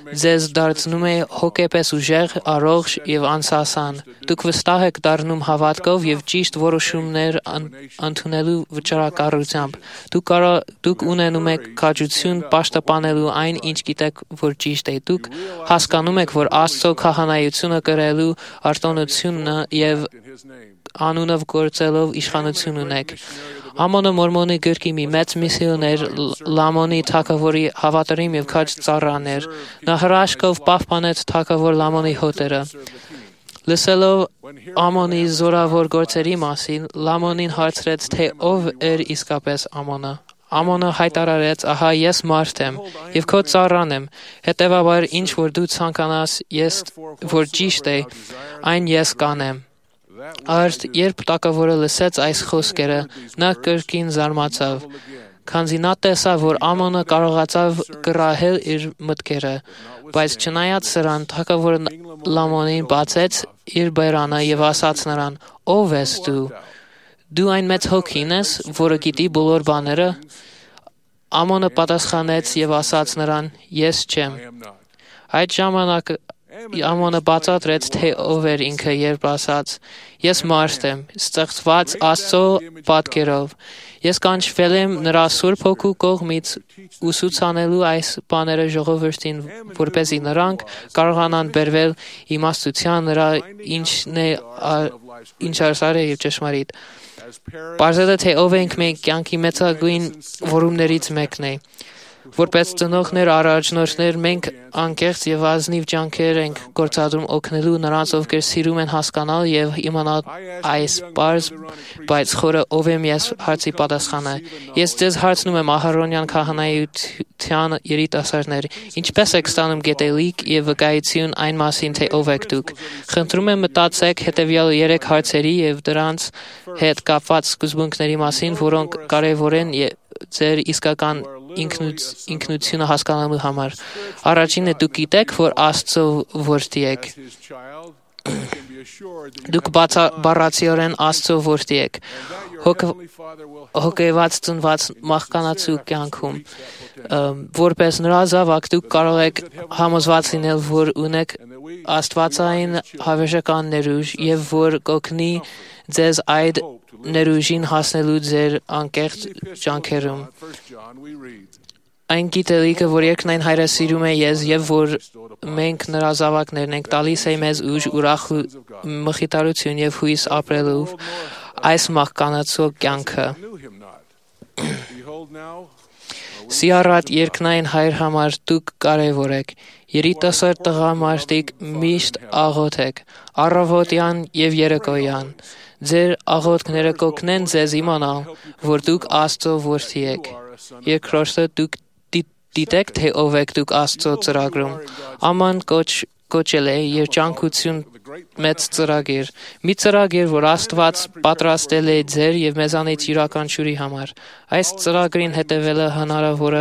ձեզ դարձնում է հոգեպես ուժեղ, առողջ եւ անսասան։ Դուք վստահ եք դառնում հավատքով եւ ճիշտ որոշումներ ընդունելու վճռակարությամբ։ Դուք ունենում եք քաջություն պաշտպանելու այն, ինչ գիտեք, որ ճիշտ է։ Դուք հասկանում եք, որ Աստծո քահանայությունը կրելու արտոնությունը եւ անունով գործելով իշխանություն ունեք։ Ամոնը Մորմոնի գրքի մի մեծ միսիոներ Լամոնի թագավորի հավատարիմ եւ քաջ ծառան էր։ Նա հրաշքով պահպանեց թագավոր Լամոնի հոտերը։ Լսելով Ամոնի զորավոր գործերի մասին, Լամոնին հարցրեց, թե ով էր իսկապես Ամոնը։ Ամոնը հայտարարեց. «Ահա ես մարդ եմ եւ քո ծառան եմ, հետեւաբար ինչ որ դու ցանկանաս, որ ճիշտ է, այն ես կանեմ»։ Արդ երբ թագավորը լսեց այս խոսքերը, նա կրկին զարմացավ, քանզի նա տեսավ, որ Ամոնը կարողացավ կռահել իր մտքերը, բայց չնայած սրան, թագավորը Լամոնին բացեց իր բերանը եւ ասաց նրան. «Ով ես դու։ Դու այն մեծ հոգին ես, որը գիտի բոլոր բաները»։ Ամոնը պատասխանեց եւ ասաց նրան. «Ես չեմ»։ Այդ ժամանակ Ամոնը բացատրեց, թե ով էր ինքը, երբ ասաց. «Ես մարդ եմ, ստեղծված Աստծո պատկերով։ Ես կանչվել եմ նրա Սուրբ Հոգու կողմից ուսուցանելու այս բաները ժողովրդին, որպեսզի նրանք կարողանան բերվել իմաստության նրա ինչ արսարը եւ ճշմարիտ»։ Պարզելը, թե ով ենք մենք, կյանքի մեծագույն որումներից մեկն է։ Որպես ծնողներ, առաջնորդներ, մենք անկեղծ եւ ազնիվ ջանքեր ենք գործադրում օգնելու նրանց, ովքեր սիրում են հասկանալ եւ իմանալ այս բարձ, բայց խորը ով եմ ես հարցի պատասխանը։ Ես ձեզ հարցնում եմ Ահարոնյան քահանայության երիտասարդներ, ինչպես եք ստանում գիտելիք եւ վկայություն այն մասին, թե ով եք դուք։ Խնդրում եմ մտածեք հետեւյալ 3 հարցերի եւ դրանց հետ կապված սկզբունքների մասին, որոնք կարեւոր են ձեր իսկական ինքնությունը հասկանալու համար։ Առաջինը դուք գիտեք, որ Աստծո որդի եք։ Դուք բառացիորեն Աստծո որդի եք։ Հոգեված ծնված մարդկանացու կյանքում որպես նրա զավակ դուք կարող եք համոզված լինել, որ ունեք աստվածային հավերժական ներուժ եւ որ կօգնի ձեզ այդ ներուժին հասնելու ձեր անկեղծ ջանքերում։ Այն գիտելիքը, որ երկնային Հայրը սիրում է ես եւ որ մենք նրա զավակներն ենք, տալիս է մեզ ուժ, ուրախ մխիթարություն եւ հույս ապրելու այս մարդկանացու կյանքը։ Սիրառատ երկնային Հայր համար դուք կարևոր եք։ Երիտասարդ տղամարդիկ միշտ աղոթ եք, առավոտյան եւ երեկոյան։ Ձեր աղոթքները կօգնեն ձեզ իմանալ, որ դուք Աստծո որդի եք։ Երկրորդը դուք դիտեք, թե ով եք դուք Աստծո ծրագրում։ Աման կոչել է երջանկություն մեծ ծրագիր։ Մի ծրագիր, որ Աստված պատրաստել է ձեր եւ մեզանից յուրաքանչյուրի համար։ Այս ծրագրին հետևելը հնարավոր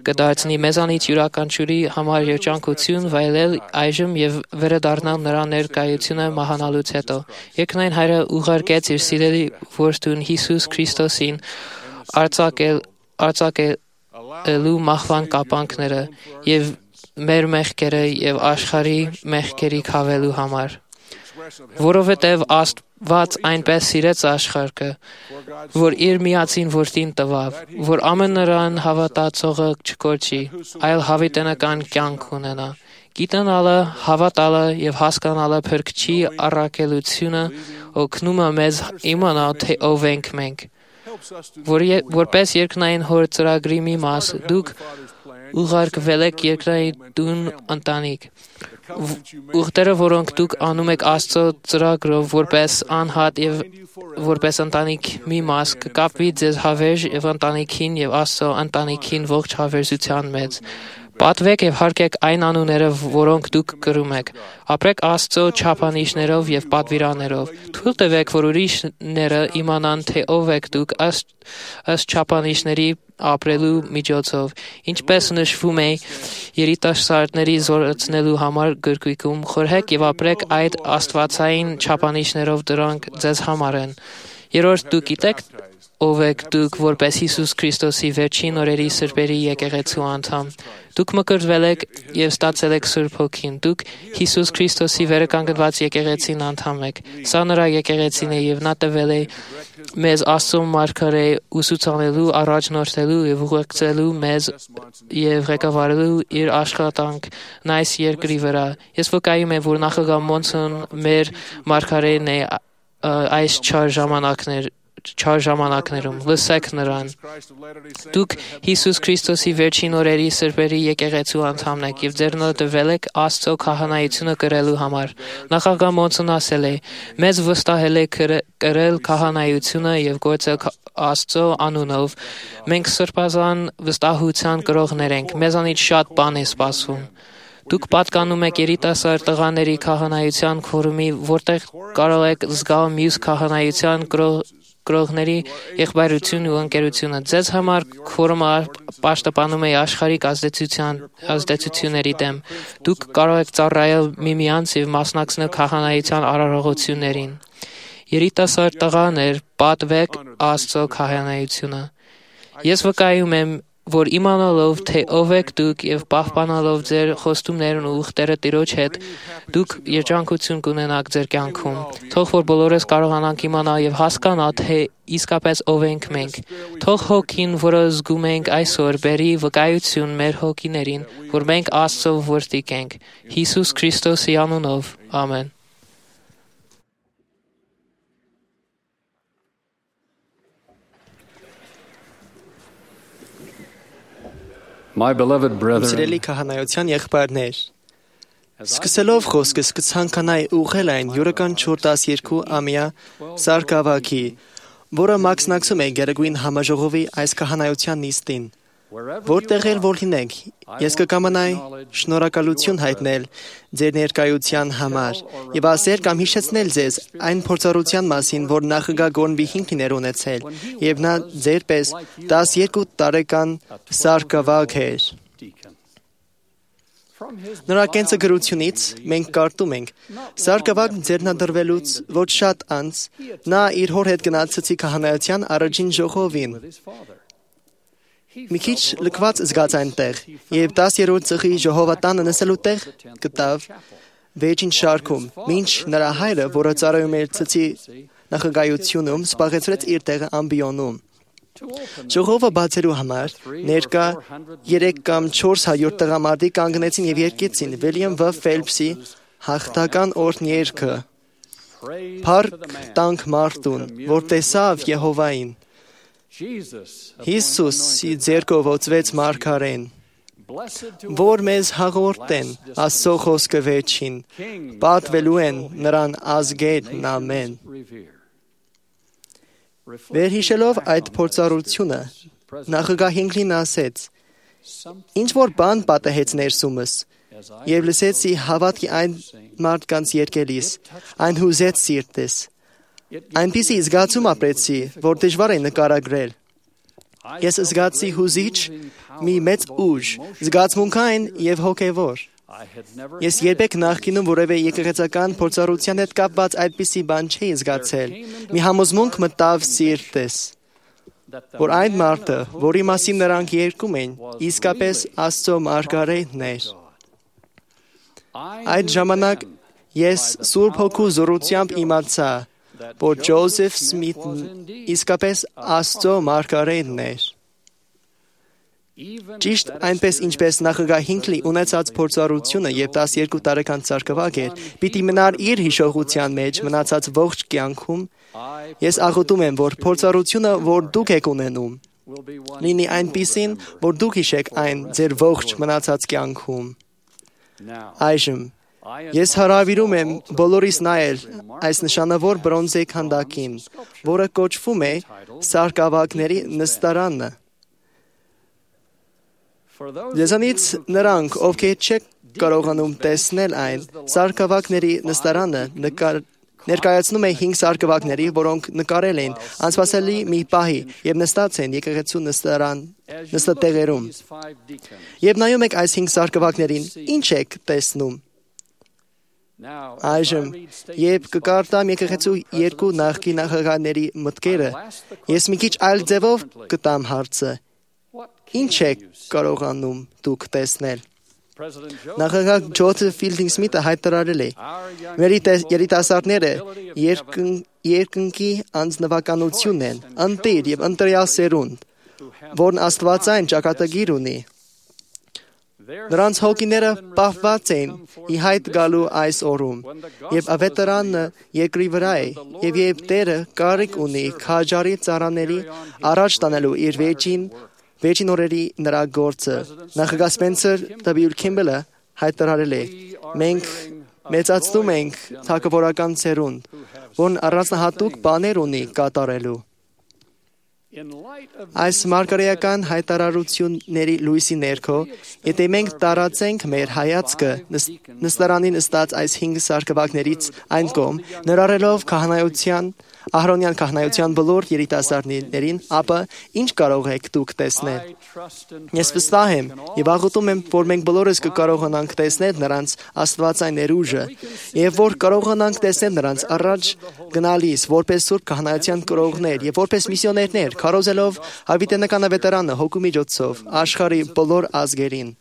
կդարձնի մեզանից յուրաքանչյուրի համար երջանկություն վայելել այժմ եւ վերադառնալ նրա ներկայությունը մահանալուց հետո։ Երկնային Հայրը ուղարկեց իր սիրելի որդուն Հիսուս Քրիստոսին արձակելու մահվան կապանքները եւ մեր մեղքերը եւ աշխարհի մեղքերի քավելու համար։ Որովհետև Աստված այնպես սիրեց աշխարհը, որ իր միածին որդին տվավ, որ ամեն նրան հավատացողը չկորչի, այլ հավիտենական կյանք ունենա։ Գիտենալը, հավատալը եւ հասկանալը փրկչի առաքելությունը օգնում է մեզ իմանալ, թե ով ենք մենք։ Որպես երկնային հոր ծրագրի մի մաս, դուք ուղարկվել եք երկրային տուն ընտանիք։ Ուխտերը, որոնք դուք անում եք Աստծո ծրագրով որպես անհատ եւ որպես ընտանիք մի մաս, կկապվի ձեզ հավերժ եւ ընտանիքին եւ Աստծո ընտանիքին ողջ հավերժության մեջ։ Պատվեք եւ հարգեք այն անունները, որոնք դուք կրում եք։ Ապրեք Աստծո չափանիշներով եւ պատվիրաններով։ Թույլ տվեք, որ ուրիշները իմանան, թե ով եք դուք ըստ չափանիշների ապրելու միջոցով, ինչպես նշվում է երիտասարդների զորացնելու համար գրքույկում, խորհեք եւ ապրեք այդ աստվածային չափանիշներով, դրանք ձեզ համար են։ Երրորդ, դուք գիտեք ով եք դուք որպես Հիսուս Քրիստոսի վերջին օրերի սրբերի եկեղեցու անդամ։ Դուք մկրտվել եք եւ ստացել եք Սուրբ Հոգին։ Դուք Հիսուս Քրիստոսի վերականգնված եկեղեցին անդամ եք։ Սա նրա եկեղեցին է եւ նա տվել է մեզ Աստծո մարգարե ուսուցանելու, առաջնորդելու եւ ուղեկցելու մեզ եւ ղեկավարելու իր աշխատանքն այս երկրի վրա։ Ես վկայում եմ, որ նախագահ Մոնսոն մեր մարգարեն է այս չար ժամանակներում, լսեք նրան։ Դուք Հիսուս Քրիստոսի վերջին օրերի սրբերի եկեղեցու անդամն եք եւ ձեռնադրվել եք Աստծո քահանայությունը կրելու համար։ Նախագահ Մոնսոն ասել է. մեզ վստահել է կրել քահանայությունը եւ գործել Աստծո անունով։ Մենք սրբազան վստահության կրողներ ենք, մեզանից շատ բան է սպասվում։ Դուք պատկանում եք երիտասարդ տղաների քահանայության քորումի, որտեղ կարող եք զգալ մյուս քահանայության կրողների եղբայրությունն ու ընկերությունը։ Ձեզ համար քորումը պաշտպանում է աշխարհիկ ազդեցությունների դեմ։ Դուք կարող եք ծառայել միմյանց եւ մասնակցել քահանայության արարողություններին։ Երիտասարդ տղաներ, պատվեք Աստծո քահանայությունը։ Ես վկայում եմ, որ իմանալով, թե ով եք դուք եւ պահպանալով ձեր խոստումներն ու ուխտերը Տիրոջ հետ, դուք երջանկություն կունենաք ձեր կյանքում։ Թող որ բոլորս կարողանանք իմանալ եւ հասկանալ, թե իսկապես ով ենք մենք։ Թող հոգին, որը զգում ենք այսօր, բերի վկայություն մեր հոգիներին, որ մենք Աստծո որդիք ենք։ Հիսուս Քրիստոսի անունով։ Ամեն։ My beloved brethren, Սիրելի քահանայության եղբայրներ, սկսելով խոսքս կցանկանայի ուղղել այն յուրաքանչյուր 12 ամյա սարգսակի, որը մաքսնակցում է Գերագույն համաժողովի այս քահանայության նիստին, որտեղ էլ որ լինեք, ես կկամանայի շնորհակալություն հայտնել ձեր ներկայության համար եւ ասել կամ հիշեցնել ձեզ այն փորձառության մասին, որ նախագահ Գորնվի 5 լիներ ունեցել եւ նա ձեր պես 12 տարեկան սարգսակ էր։ Նրա կենսագրությունից մենք կարդում ենք. Սարգսակն ձեռնադրվելուց ոչ շատ անց նա իր հոր հետ գնաց ցցի քահանայության առաջին ժողովին։ Մի քիչ լքված զգաց այնտեղ եւ 10-րդ ծխի ժողովատանը նստելու տեղ գտավ վերջին շարքում, մինչ նրա հայրը, որը ծառայում էր ցցի նախագահությունում, սպառեցրեց իր տեղը ամբիոնում։ Ժողովը բացելու համար ներկա 3 կամ 400 տղամարդիկ կանգնեցին եւ երգեցին Վիլյամ Վ. Ֆելփսի հաղթական օրհներգը։ Փառք տանք մարդուն, որ տեսավ Եհովային։ Հիսուսի ձեռքով ոցվեց մարգարեն, որ մեզ հաղորդեն Աստծո խոսքը վերջին, պատվելու են նրան ազգերն ամեն։ Վերհիշելով այդ փորձառությունը, նախագահ Հինքլին ասեց. Ինչ որ բան պատահեց ներսումս, եւ լսեցի հավատքի այն մարդկանց երգելիս, այն հուզեց սիրտս։ Այնպիսի զգացում ապրեցի, որ դժվար է նկարագրել։ Ես զգացի հուզիչ մի մեծ ուժ, զգացմունքային եւ հոգեվոր։ Ես երբեք նախկինում որևէ եկեղեցական փորձառության հետ կապված այդպիսի բան չէի զգացել։ Մի համոզմունք մտավ սիրտս, որ այն մարդը, որի մասին նրանք երգում են, իսկապես Աստծո մարգարեթն էր։ Այդ ժամանակ ես Սուրբ Հոգու զորությամբ իմացա, որ Ջոզեֆ Սմիթն իսկապես Աստծո մարգարեթն էր։ Ճիշտ այնպես ինչպես նախագահ Հինքլի ունեցած փորձառությունը եւ 12 տարեկան սարգսակ էր, պիտի մնար իր հիշողության մեջ մնացած ողջ կյանքում, ես աղոթում եմ, որ փորձառությունը, որ դուք եք ունենում, լինի այնպիսին, որ դուք հիշեք այն ձեր ողջ մնացած կյանքում։ Այժմ ես հրավիրում եմ բոլորիս նայել այս նշանավոր բրոնզե քանդակին, որը կոչվում է Սարգսակների նստարանը։ Ձեզանից նրանք, ովքեր չեք կարողանում տեսնել այն, Սարգսակների նստարանը ներկայացնում է 5 սարգսակների, որոնք նկարել են անսպասելի մի պահի եւ նստած են եկեղեցու նստատեղերում։ Եվ նայում եք այս 5 սարգսակներին, ինչ եք տեսնում։ Այժմ, երբ կկարտամ եկեղեցու 2 նախկին նախագահների մտքերը, ես մի քիչ այլ ձևով կտամ հարցը. Ինչ եք կարողանում դուք տեսնել։ Նախագահ Ջոզեֆ Ֆիլդինգ Սմիթը հայտարարել է. Մեր երիտասարդները երկնքի անձնվականություն են, ընտիր եւ ընտրյալ սերունդ, որն աստվածային ճակատագիր ունի։ Նրանց հոգիները պահված են ի հայտ գալու այս օրում, եւ ավետարանը երկրի վրա է, եւ երբ Տերը կարիք ունի քաջարի ծառաների առաջ տանելու իր վերջին օրերի նրա գործը, նախագահ Սպենսեր W. Քիմբելը հայտարարել է. Մենք մեծացնում ենք թագավորական սերունդ, որն առանձնահատուկ բաներ ունի կատարելու։ Այս մարգարեական հայտարարությունների լույսի ներքո, եթե մենք տարածենք մեր հայացքը նստարանին նստած այս 5 սարգսակներից այն կողմ, ներառելով Ահրոնյան քահանայության բոլոր երիտասարդներին, ապա ինչ կարող եք դուք տեսնել։ Ես վստահ եմ եւ աղոթում եմ, որ մենք բոլորս կկարողանանք տեսնել նրանց աստվածային ներուժը եւ որ կարողանանք տեսնել նրանց առաջ գնալիս որպես սուրբ քահանայության կրողներ եւ որպես միսիոներներ, քարոզելով հավիտենական ավետարանը հոգու միջոցով աշխարհի բոլոր ազգերին,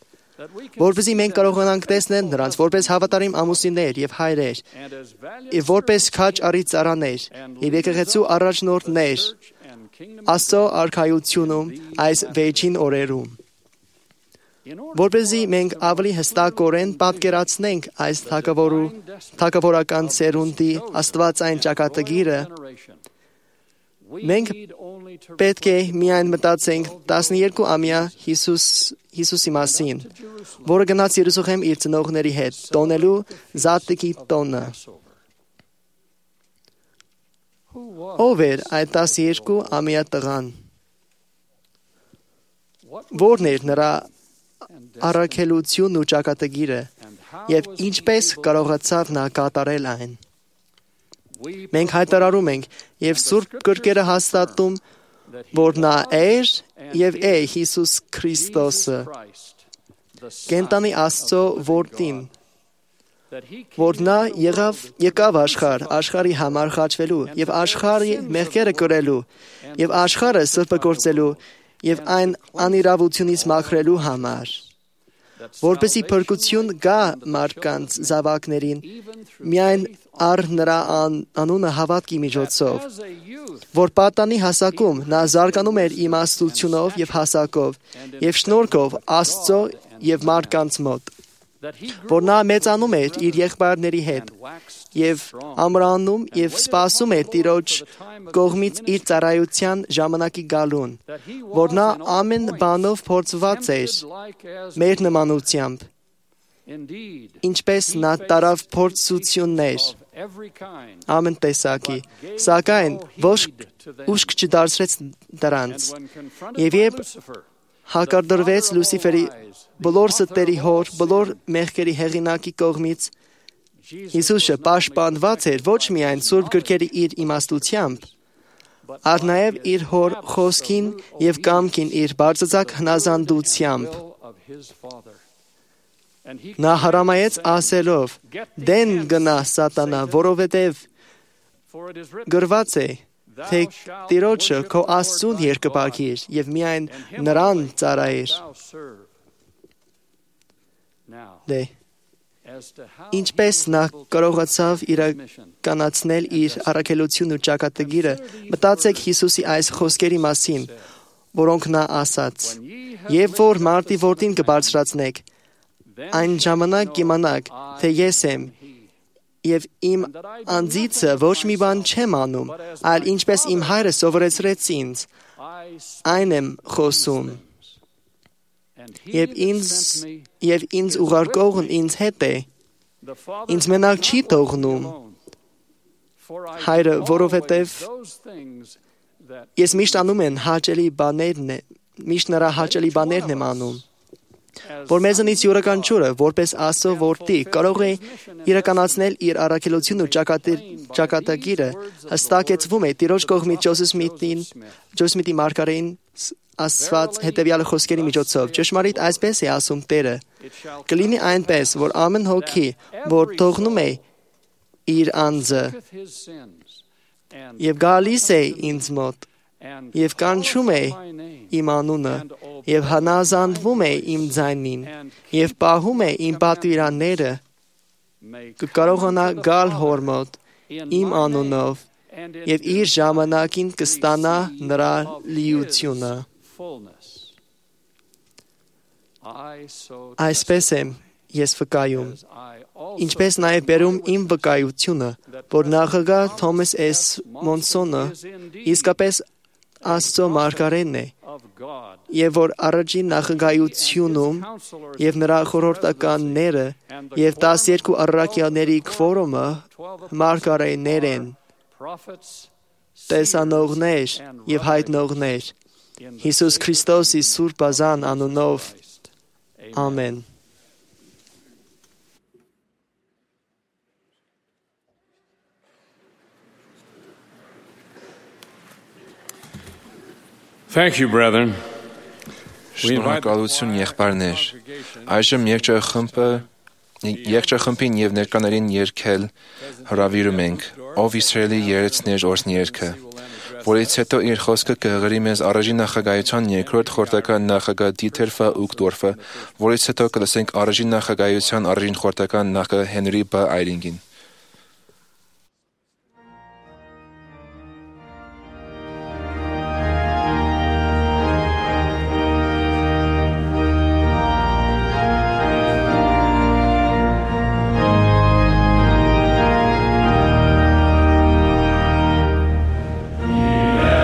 որպեսզի մենք կարողանանք տեսնել նրանց որպես հավատարիմ ամուսիններ եւ հայրեր, եւ որպես քաջ արի ծառաներ եւ եկեղեցու առաջնորդներ Աստծո արքայությունում այս վերջին օրերում, որպեսզի մենք ավելի հստակորեն պատկերացնենք այս թագավորական սերունդի աստվածային ճակատագիրը, Մենք պետք է միայն մտածենք 12-ամյա Հիսուսի մասին, որը գնաց Երուսաղեմ իր ծնողների հետ, տոնելու զատկի տոնը։ Ով էր այդ 12-ամյա տղան։ Որն էր նրա առաքելությունն ու ճակատագիրը, եւ ինչպես կարողացավ նա կատարել այն։ Մենք հայտարարում ենք եւ Սուրբ Գրքերը հաստատում, որ նա էր եւ է Հիսուս Քրիստոսը, կենտանի Աստծո որդին, որ նա եկավ աշխարհի համար խաչվելու եւ աշխարհի մեղքերը կրելու եւ աշխարհը սրբագործելու եւ այն անիրավությունից մաքրելու համար, որպեսզի փրկություն գա մարդկանց զավակներին միայն առ նրա անունը հավատքի միջոցով, որ պատանի հասակում նա զարգանում էր իմաստությունով եւ հասակով եւ շնորհքով Աստծո եւ մարդկանց մոտ, որ նա մեծանում էր իր եղբայրների հետ եւ ամրանում եւ սպասում էր Տիրոջ կողմից իր ծառայության ժամանակի գալուն, որ նա ամեն բանով փորձված էր մեր նմանությամբ, ինչպես նա տարավ փորձություններ ամեն տեսակի, սակայն ոչ ուշք չդարձրեց դրանց, եւ երբ հակարդրվեց Լուսիֆերի բոլոր ստերի հոր, բոլոր մեղքերի հեղինակի կողմից, Հիսուսը պաշտպանված էր ոչ միայն Սուրբ Գրքերի իր իմաստությամբ, այլ նաև իր հոր խոսքին եւ կամքին իր բարձրացակ հնազանդությամբ։ Նա հրամայեց ասելով. «Դեն գնա Սատանա, որովհետև գրված է, թե Տիրոջը քո Աստծուն երկպագիր եւ միայն նրան ծառայիր»։ Ինչպես նա կարողացավ իրականացնել իր առաքելությունն ու ճակատագիրը, մտածեք Հիսուսի այս խոսքերի մասին, որոնք նա ասաց. «Եվ որ մարդի որդին կբարձրացնեք, այն ժամանակ կիմանաք, թե ես եմ, եւ իմ անձիցը ոչ մի բան չեմ անում, այլ ինչպես իմ հայրը սովորեցրեց ինձ, այն եմ խոսում։ Եվ ինձ ուղարկողն ինձ հետ է, ինձ մենակ չի թողնում հայրը, որովհետև ես միշտ անում եմ միշտ նրա հաճելի բաներն եմ անում, որ մեզանից յուրաքանչյուրը, որպես Աստծո որդի, կարող է իրականացնել իր առաքելությունն ու ճակատագիրը, հստակեցվում է Տիրոջ կողմից Ջոզեֆ Սմիթի մարգարեին ասված հետևյալ խոսքերի միջոցով. «Ճշմարիտ այսպես է ասում Տերը. կլինի այնպես, որ ամեն հոգի, որ թողնում է իր անձը եւ գալիս է ինձ մոտ եւ կանչում է իմ անունը եւ հնազանդվում է իմ ձայնին եւ պահում է իմ պատվիրանները, կկարողանա գալ հոր մոտ իմ անունով եւ իր ժամանակին կստանա նրա լիությունը»։ Այսպես եմ ես վկայում, ինչպես նաև բերում իմ վկայությունը, որ նախագահ Թոմաս S. Մոնսոնը իսկապես Աստծո մարգարեն է, եւ որ առաջին նախագահությունում եւ նրա խորհրդականները եւ 12 առաքյալների քվորումը մարգարեներ են, տեսանողներ եւ հայտնողներ, Հիսուս Քրիստոսի Սուրբ Ազան անունով, ամեն։ Thank you, brethren. Շնորհակալություն եղբայրներ։ Այժմ երգչախմբին եւ ներկաներին երգել հրավիրում ենք «Ով Իսրայելի երեցներ օրհներքը», որից հետո իր խոսքը կհղերի մեզ առաջին նախագահության երկրորդ խորհրդական նախագահ Դիթեր Ֆ. Ուգտորֆը, որից հետո կլսենք առաջին նախագահության առաջին խորհրդական նախագահ Հենրի B. Այրինգին։ Yeah.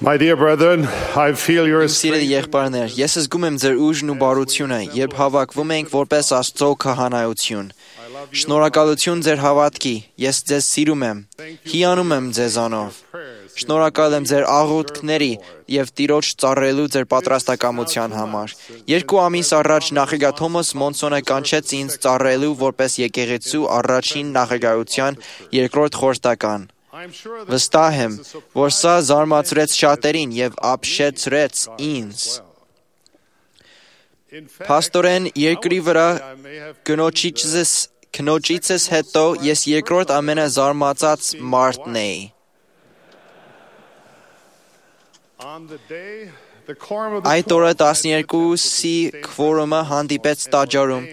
My dear brethren, I feel your Սիրելի եղբայրներ, ես զգում եմ ձեր ուժն ու բարությունը, երբ հավաքվում ենք որպես Աստծո քահանայություն։ Շնորհակալություն ձեր հավատքի, ես ձեզ սիրում եմ, հիանում եմ ձեզանով։ Շնորհակալ եմ ձեր աղոթքների եւ Տիրոջ ծառայելու ձեր պատրաստակամության համար։ 2 ամիս առաջ նախագահ Թոմաս Մոնսոնը կանչեց ինձ ծառայելու որպես եկեղեցու առաջին նախագահության երկրորդ խորհրդական։ Վստահ եմ, որ սա զարմացրեց շատերին եւ ապշեցրեց ինձ։ Փաստորեն երկրի վրա կնոջիցս հետո ես երկրորդ ամենազարմացած մարդն էի։ Այդ օրը 12-ի քվորումը հանդիպեց տաճարում,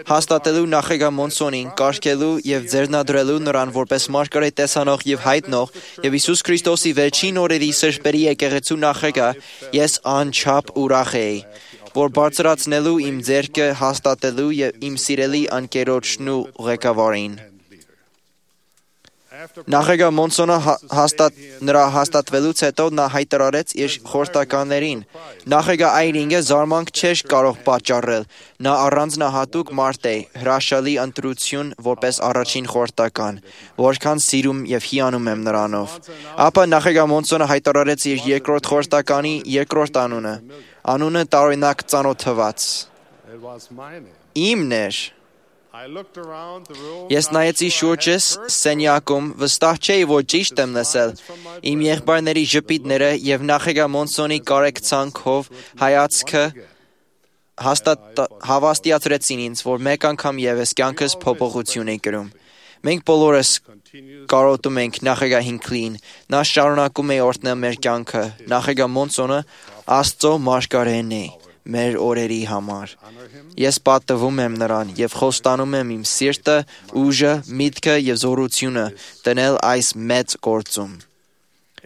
հաստատելու նախագահ Մոնսոնին, կարգելու եւ ձեռնադրելու նրան որպես մարգարետ տեսանող եւ հայտնող եւ Հիսուս Քրիստոսի վերջին օրերի սրբերի եկեղեցու նախագահ, ես անչափ ուրախ էի, որ բարձրացնելու իմ ձեռքը հաստատելու եւ իմ սիրելի անկերոջն ու ղեկավարին։ Նախագահ Մոնսոնը նրա հաստատվելուց հետո նա հայտարարեց իր խորհրդականներին. նախագահ Այրինգը զարմանք չէր կարող պատճառել, նա առանձնահատուկ մարդ է, հրաշալի ընտրություն որպես առաջին խորհրդական, որքան սիրում եւ հիանում եմ նրանով։ Ապա նախագահ Մոնսոնը հայտարարեց իր երկրորդ խորհրդականի երկրորդ անունը տարօրինակ ծանոթված։ Իմն էր։ Ես նայեցի շուրջս սենյակում, վստահ չէի, որ ճիշտ եմ լսել։ Իմ եղբայրների ժպիտները եւ նախագահ Մոնսոնի կարեկցանքով հայացքը հավաստիացրեցին ինձ, որ մեկ անգամ եւս կյանքս փոփոխություն է կրում։ Մենք բոլորս կարոտում ենք նախագահ Հինքլին, նա շարունակում է օրհնել մեր կյանքը։ Նախագահ Մոնսոնը Աստծո մարգարեն է մեր օրերի համար։ Ես պատվում եմ նրան եւ խոստանում եմ իմ սիրտը, ուժը, միտքը եւ զորությունը դնել այս մեծ գործում։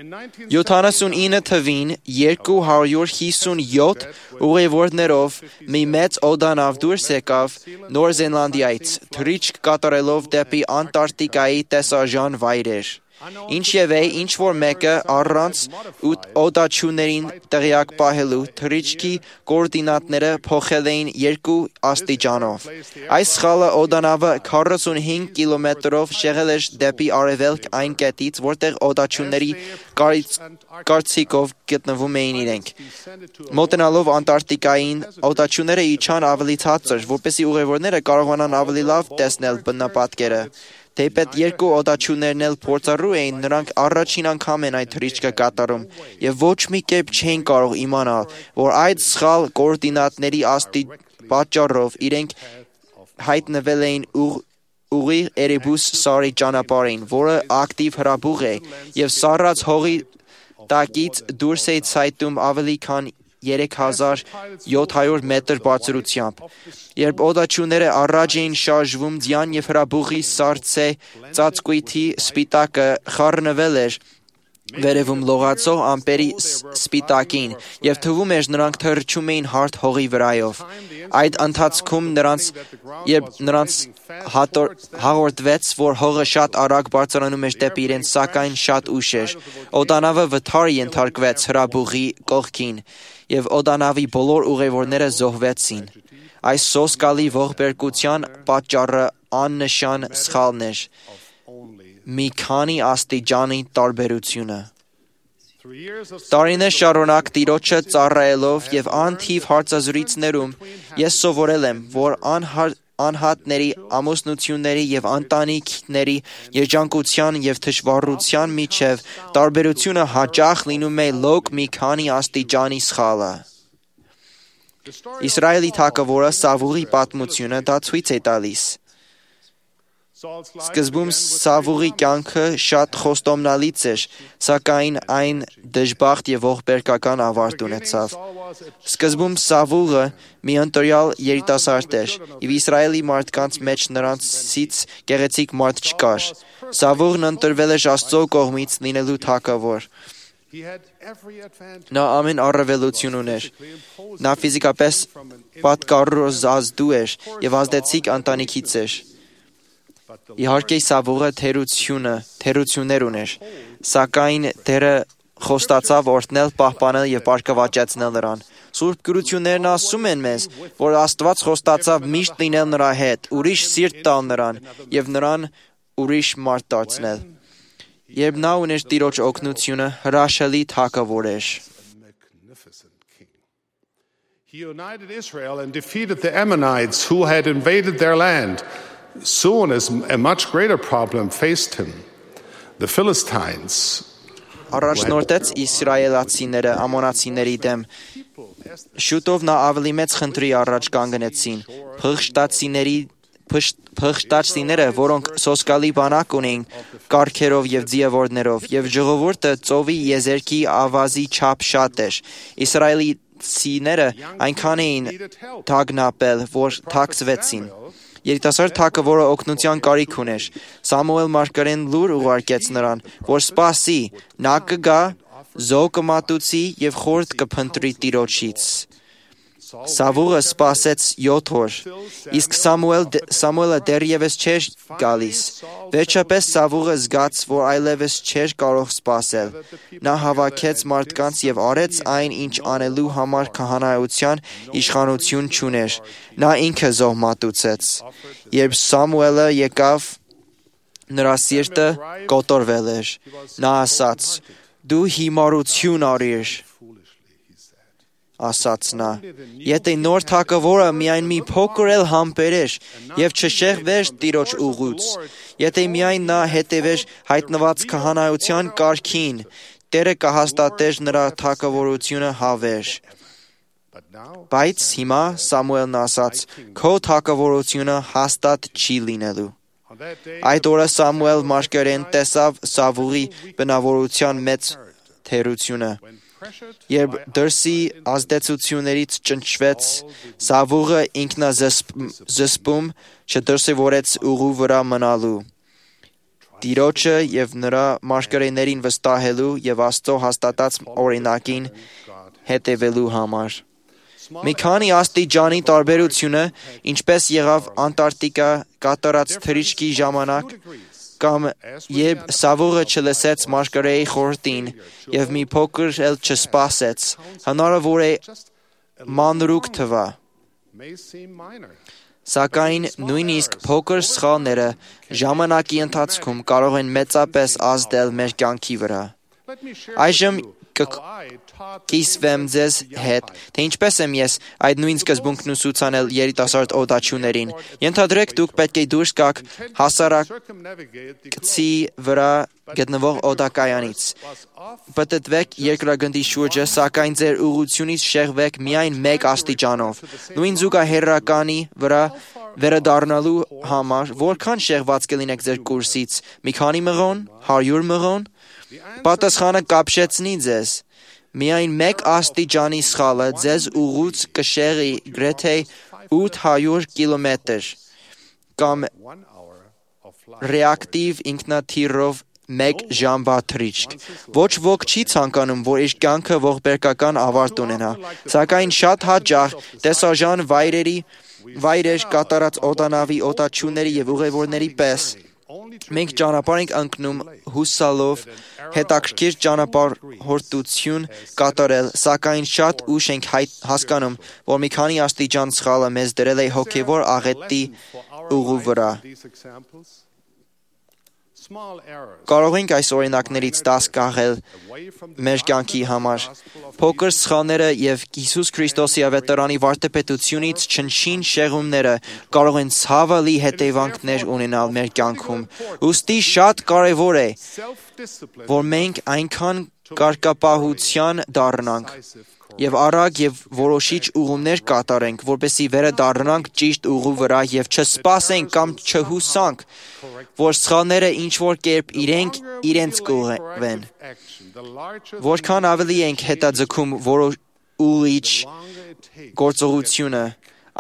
79 թվին 257 ուղևորներով մի մեծ օդանավ դուրս եկավ Նոր Զելանդիայից, թռիչք կատարելով դեպի Անտարկտիկայի տեսարժան վայրեր։ Ինչևէ, ինչ որ մեկը առանց օդաչուներին տեղյակ պահելու թռիչքի կոորդինատները փոխել էին 2 աստիճանով։ Այս սխալը օդանավը 45 կիլոմետրով շեղել էր դեպի արևելք այն կետից, որտեղ օդաչուների կարծիքով գտնվում էին իրենք։ Մոտենալով Անտարկտիկային, օդաչուները իջան ավելի ցածր, որպեսզի ուղևորները կարողանան ավելի լավ տեսնել բնապատկերը։ Թեպետ 2 օդաչուներն էլ փորձառու էին, նրանք առաջին անգամ են այդ թռիչքը կատարում եւ ոչ մի կերպ չէին կարող իմանալ, որ այդ սխալ կոորդինատների պատճառով իրենք հայտնվել էին ուղիղ Էրեբուս սարի ճանապարհին, որը ակտիվ հրաբուխ է եւ սառած հողի տակից դուրս է ցայտում ավելի քան 3700 մետր բարձրությամբ։ Երբ օդաչուները առաջ էին շարժվում, ձյան եւ հրաբուխի սառցե ծածկույթի սպիտակը խառնվել էր վերևում լողացող ամպերի սպիտակին եւ թվում էր նրանք թռչում էին հարթ հողի վրայով։ Այդ ընթացքում նրանց հաղորդվեց, որ հողը շատ արագ բարձրանում էր դեպի իրենց, սակայն շատ ուշ էր։ Օդանավը վթար ենթարկվեց հրաբուխի կողքին եւ օդանավի բոլոր ուղևորները զոհվեցին։ Այս սոսկալի ողբերգության պատճառը աննշան սխալն էր։ Մի քանի աստիճանի տարբերությունը։ Տարիներ շարունակ Տիրոջը ծառայելով եւ անթիվ հարցազրույցներում ես սովորել եմ, որ անհատների, ամուսնությունների եւ ընտանիքների երջանկության եւ թշվառության միջև տարբերությունը հաճախ լինում է լոկ մի քանի աստիճանի սխալը։ Իսրայելի թագավորը Սավուղի պատմությունը դա ցույց է տալիս։ Սկզբում Սավուղի կյանքը շատ խոստումնալից էր, սակայն այն դժբախտ եւ ողբերգական ավարտ ունեցավ։ Սկզբում Սավուղը մի ընտրյալ երիտասարդ էր, եւ Իսրայելի մարդկանց մեջ նրանցից գեղեցիկ մարդ չկար։ Սավուղն ընտրվել էր Աստծո կողմից լինելու թագավոր։ Նա ամեն առավելություն ուներ։ Նա ֆիզիկապես պատկառազդու էր եւ ազդեցիկ ընտանիքից էր։ Իհարկե Սավուղը թերություններ ուներ, սակայն դերը խոստացավ օրհնել, պահպանել եւ բարգավաճեցնել նրան։ Սուրբ գրություններն ասում են մեզ, որ Աստված խոստացավ միշտ լինել նրա հետ, ուրիշ սիրտ տալ նրան եւ նրան ուրիշ մարդ դարձնել։ Երբ նա ուներ Տիրոջ օգնությունը, հրաշալի թագավոր էր։ He united Israel and defeated the Ammonites who had invaded their land. Soon as a much greater problem faced him. The Philistines. Առաջնորդեց իսրայելացիները ամոնացիների դեմ։ Շուտով նա ավելի մեծ խնդրի առաջ կանգնեցին։ Փղշտացիները, որոնք սոսկալի բանակ ունեին, կառքերով եւ ձիավորներով, եւ ժողովուրդը ծովի եզերքի ավազի չափ շատ էր։ Իսրայելցիները այնքան էին թագնապել, որ թաքցվեցին։ Երիտասարդ թագավորը օգնության կարիք ուներ։ Սամուել մարգարեն լուր ուղարկեց նրան, որ սպասի, նա կգա, զոհ կմատուցի եւ խորհուրդ կփնտրի Տիրոջից։ Սավուղը սպասեց 7 օր, իսկ Սամուելը դեռևս չէր գալիս։ Վերջապես Սավուղը զգաց, որ այլևս չէր կարող սպասել։ Նա հավաքեց մարդկանց եւ արեց այն, ինչ անելու համար քահանայության իշխանություն չուներ։ Նա ինքը զոհ մատուցեց։ Երբ Սամուելը եկավ, նրա սիրտը կոտորվել էր։ Նա ասաց. «Դու հիմարություն արիր», ասաց նա։ Եթե նոր թագավորը միայն մի փոքր էլ համբերեր եւ չշեղվեր Տիրոջ ուղուց, եթե միայն նա հետևեր հայտնված քահանայության կարգին, Տերը կհաստատեր նրա թագավորությունը հավերժ։ Բայց հիմա Սամուելն ասաց. «Քո թագավորությունը հաստատ չի լինելու»։ Այդ օրը Սամուել մարգարեն տեսավ Սավուղի բնավորության մեծ թերությունը։ Երբ դրսի ազդեցություններից ճնշվեց, Սավուղը ինքնազսպում չդրսևորեց ուղու վրա մնալու, Տիրոջը եւ նրա մարգարեներին վստահելու եւ Աստծո հաստատած օրինակին հետևելու համար։ Մի քանի աստիճանի տարբերությունը, ինչպես եղավ Անտարկտիկա կատարած թռիչքի ժամանակ, կամ երբ Սավուղը չլսեց մարգարեի խորհրդին եւ մի փոքր էլ չսպասեց, հնարավոր է մանրուք թվա։ Սակայն նույնիսկ փոքր սխալները ժամանակի ընթացքում կարող են մեծապես ազդել մեր կյանքի վրա։ Այժմ կիսվեմ ձեզ հետ, թե ինչպես եմ ես այդ նույն սկզբունքն ուսուցանել երիտասարդ օդաչուներին։ Ենթադրեք դուք պետք է դուրս գաք հասարակցի վրա գտնվող օդակայանից։ Պտտվեք երկրագնդի շուրջը, սակայն ձեր ուղղությունից շեղվեք միայն 1 աստիճանով։ Նույն զուգահեռականի վրա վերադառնալու համար որքան շեղված կլինեք ձեր կուրսից։ Մի քանի մղոն, 100 մղոն։ Պատասխանը կապշեցնի ձեզ։ Միայն 1 աստիճանի սխալը ձեզ ուղուց կշեղի գրեթե 800 կիլոմետր կամ ռեակտիվ ինքնաթիռով 1 ժամվա թռիչք։ Ոչ ոք չի ցանկանում, որ իր կյանքը ողբերգական ավարտ ունենա, սակայն շատ հաճախ տեսարժան վայրեր կատարած օդանավի օդաչուների եւ ուղևորների պես մենք ճանապարհ ենք ընկնում հուսալով հետաքրքիր ճանապարհորդություն կատարել, սակայն շատ ուշ ենք հասկանում, որ մի քանի աստիճան սխալը մեզ դրել է հոգևոր աղետի ուղու վրա։ Կարող ենք այս օրինակներից 10 կաղել մեր կյանքի համար։ Փոքր սխալները եւ Հիսուս Քրիստոսի ավետարանի վարդապետությունից չնչին շեղումները կարող են ցավալի հետևանքներ ունենալ մեր կյանքում։ Ուստի շատ կարևոր է, որ մենք այնքան կարգապահության դառնանք եւ արագ եւ որոշիչ ուղումներ կատարենք, որպեսզի վերադառնանք ճիշտ ուղու վրա եւ չսպասենք կամ չհուսանք, որ սխալները ինչ-որ կերպ իրենց կուղղեն։ Որքան ավելի ենք հետաձգում ուղիչ գործողությունը,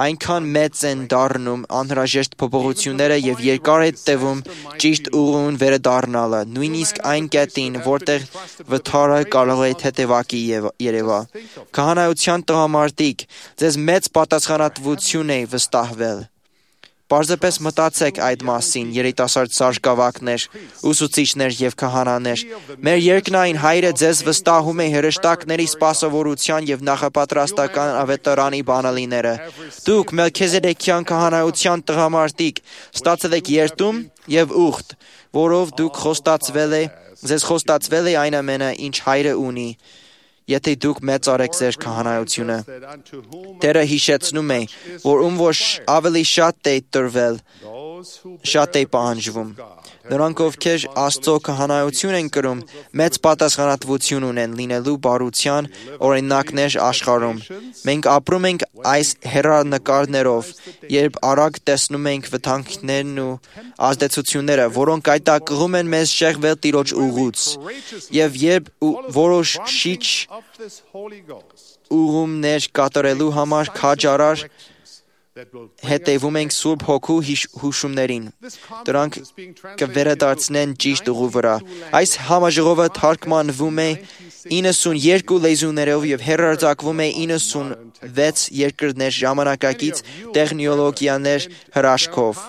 այնքան մեծ են դառնում անհրաժեշտ փոփոխությունները եւ երկար է տևում ճիշտ ուղուն վերադառնալը, նույնիսկ այն կետին, որտեղ վթարը կարող է թեթևակի երևա։ Քահանայության տղամարդիկ, ձեզ մեծ պատասխանատվություն է վստահվել։ Պարզապես մտածեք այդ մասին, երիտասարդ սարկավակներ, ուսուցիչներ եւ քահանաներ։ Մեր երկնային Հայրը ձեզ վստահում է հրեշտակների սպասավորության եւ նախապատրաստական ավետարանի բանալիները։ Դուք Մելքիզեդեկյան քահանայության տղամարդիկ ստացել եք երդում եւ ուխտ, որով դուք ձեզ խոստացվել է այն ամենը, ինչ Հայրը ունի, եթե դուք մեծարեք ձեր քահանայությունը։ Տերը հիշեցնում է, որ որ ավելի շատ է տրվել, շատ է պահանջվում։ Նրանք, ովքեր Աստծո քահանայություն են կրում, մեծ պատասխանատվություն ունեն լինելու բարության օրինակներ աշխարհում։ Մենք ապրում ենք այս հեռանկարներով, երբ արագ տեսնում ենք վտանգներն ու ազդեցությունները, որոնք այտակղում են մեզ շեղվել Տիրոջ ուղուց, եւ երբ որոշիչ ուղումներ կատարելու համար քաջարար հետևում ենք Սուրբ Հոգու հուշումներին։ Դրանք կվերադարձնեն ճիշտ ուղու վրա։ Այս համաժողովը թարգմանվում է 92 լեզուներով եւ հեռարձակվում է 96 երկրներ ժամանակակից տեխնոլոգիաներ հրաշքով։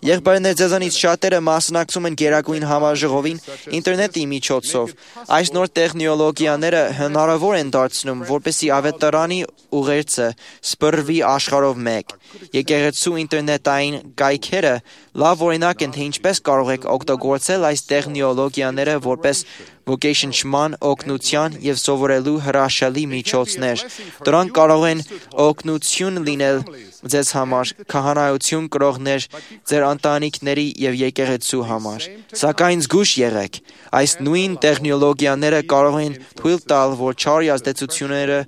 Եղբայրներ, ձեզանից շատերը մասնակցում են Գերագույն համաժողովին ինտերնետի միջոցով։ Այս նոր տեխնոլոգիաները հնարավոր են դարձնում, որպեսզի ավետարանի ուղերձը սփռվի աշխարհով մեկ։ Եկեղեցու ինտերնետային կայքերը լավ օրինակ են, թե ինչպես կարող եք օգտագործել այս տեխնոլոգիաները որպես ոգեշնչման, օգնության եւ սովորելու հրաշալի միջոցներ։ Դրանք կարող են օգնություն լինել ձեզ համար, քահանայություն կրողներ, ձեր ընտանիքների եւ եկեղեցու համար։ Սակայն զգույշ եղեք, այս նույն տեխնոլոգիաները կարող են թույլ տալ, որ չարի ազդեցությունները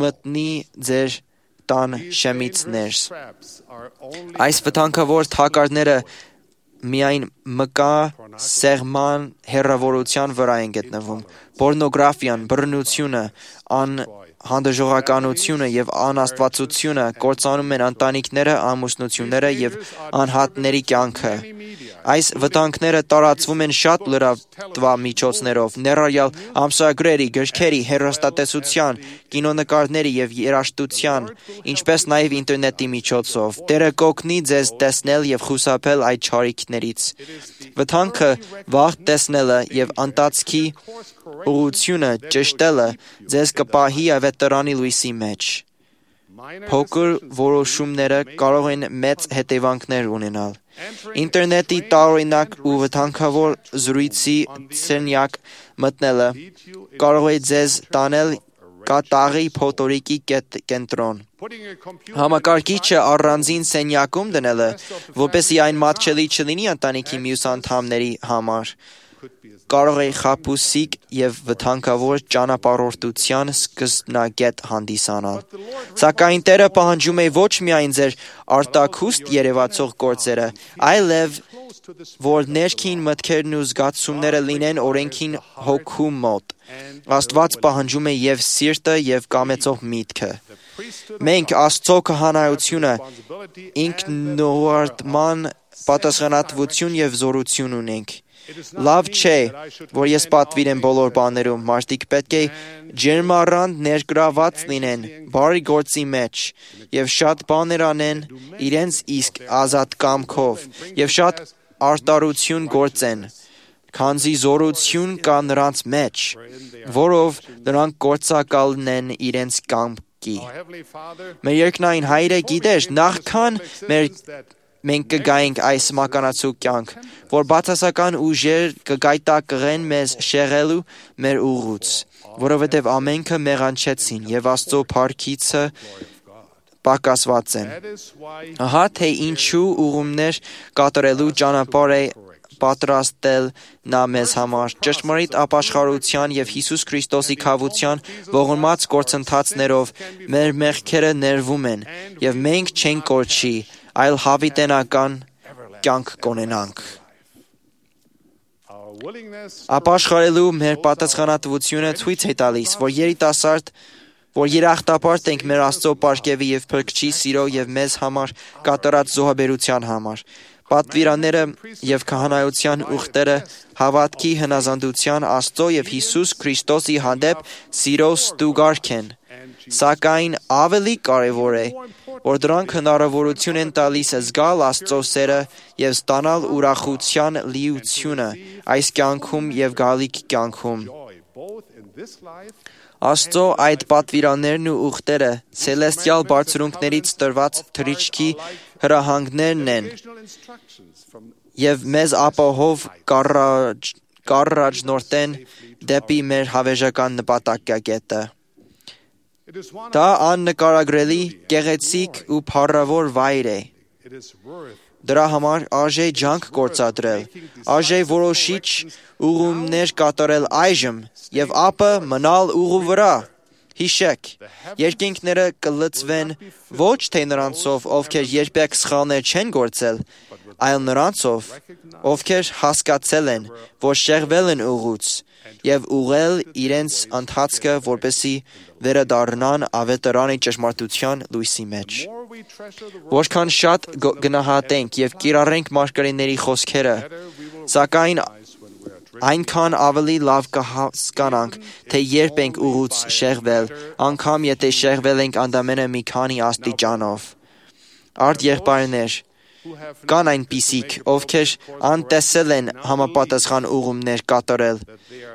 մտնի ձեր տան շեմից ներս։ Այս վտանգավոր թակարդները միայն մկա սեղման հեռավորության վրա են գտնվում։ Պորնոգրաֆիան, բռնությունը, անհանդժողականությունը եւ անաստվածությունը կործանում են ընտանիքները, ամուսնությունները եւ անհատների կյանքը։ Այս վտանգները տարածվում են շատ լրատվամիջոցներով, ներառյալ ամսագրերի, գրքերի, հեռուստատեսության, կինոնկարների եւ երաժշտության, ինչպես նաեւ ինտերնետի միջոցով։ Տերը կօգնի ձեզ տեսնել եւ խուսափել այդ չարիքներից։ Վտանգը վաղ տեսնելը եւ ընթացքի ուղղությունը ճշտելը ձեզ կպահի ավետարանի լույսի մեջ։ Փոքր որոշումները կարող են մեծ հետևանքներ ունենալ։ Ինտերնետի տարօրինակ ու վտանգավոր զրույցի սենյակ մտնելը կարող է ձեզ տանել կատաղի փոթորիկի կենտրոն։ Համակարգիչը առանձին սենյակում դնելը, որպեսզի այն մատչելի չլինի ընտանիքի մյուս անդամների համար, կարող է խաբուսիկ եւ վտանգավոր ճանապարհորդության սկզբնագետ հանդիսանալ։ Սակայն Տերը պահանջում է ոչ միայն ձեր արտաքուստ երևացող գործերը, այլև որ ներքին մտքերն ու զգացումները լինեն օրենքին հոգու մոտ։ Աստված պահանջում է եւ սիրտը եւ կամեցող միտքը։ Մենք Աստծո քահանայությունը ինքնուարտման պատասխանատվություն եւ զորություն ունենք։ Լավ չէ, որ ես պատվիրեմ բոլոր բաներում, մարդիկ պետք է ջերմառանդ ներգրաված լինեն բարի գործի մեջ եւ շատ բաներ անեն իրենց իսկ ազատ կամքով եւ շատ արտարություն գործեն, քանզի զորություն կա նրանց մեջ, որով նրանք գործակալն են իրենց կամքի։ Մեր երկնային Հայրը գիտեր, նախքան մենք կգայինք այս մականացու կյանք, որ բացասական ուժեր կգայթակղեն մեզ շեղելու մեր ուղուց, որովհետև ամենքը մեղանչեցին եւ Աստծո փառքիցը պակասված են։ Ահա թե ինչու ուղումներ կատարելու ճանապարհ է պատրաստել նա մեզ համար ճշմարիտ ապաշխարության եւ Հիսուս Քրիստոսի քավության ողորմած գործընթացներով մեր մեղքերը ներվում են եւ մենք չենք կորչի, այլ հավիտենական կյանք կունենանք։ Ապաշխարելու մեր պատասխանատվությունը ցույց է տալիս, որ երախտապարտ ենք մեր Աստծո պարգևի եւ Փրկչի սիրո եւ մեզ համար կատարած զոհաբերության համար։ Պատվիրանները եւ քահանայության ուխտերը հավատքի հնազանդության Աստծո եւ Հիսուս Քրիստոսի հանդեպ սիրո ստուգարք են։ Սակայն ավելի կարևոր է, որ դրանք հնարավորություն են տալիս զգալ Աստծո սերը եւ ստանալ ուրախության լիությունը այս կյանքում եւ գալիք կյանքում։ Աստծո այդ պատվիրաններն ու ուխտերը ցելեստիալ բարձրունքներից տրված թրիչքի հրահանգներն են եւ մեզ ապահով կառաջնորդեն դեպի մեր հավերժական նպատակակետը։ Դա աննկարագրելի, գեղեցիկ ու փառավոր վայր է։ Դրա համար արժե ջանք գործադրել, արժե որոշիչ ուղումներ կատարել այժմ եւ ապա մնալ ուղու վրա։ Հիշեք, երկինքները կլծվեն ոչ թե նրանցով, ովքեր երբեք սխալներ չեն գործել, այլ նրանցով, ովքեր հասկացել են, որ շեղվել են ուղուց եւ ուղղել իրենց ընթացքը, որպեսզի վերադառնան ավետարանի ճշմարտության լույսի մեջ։ Որքան շատ գնահատենք եւ կիրառենք մարգարեների խոսքերը, սակայն այնքան ավելի լավ կհասկանանք, թե երբ ենք ուղուց շեղվել, անգամ եթե շեղվել ենք ընդամենը մի քանի աստիճանով։ Արդ եղբայրներ, կան այնպիսիք, ովքեր անտեսել են համապատասխան ուղումներ կատարել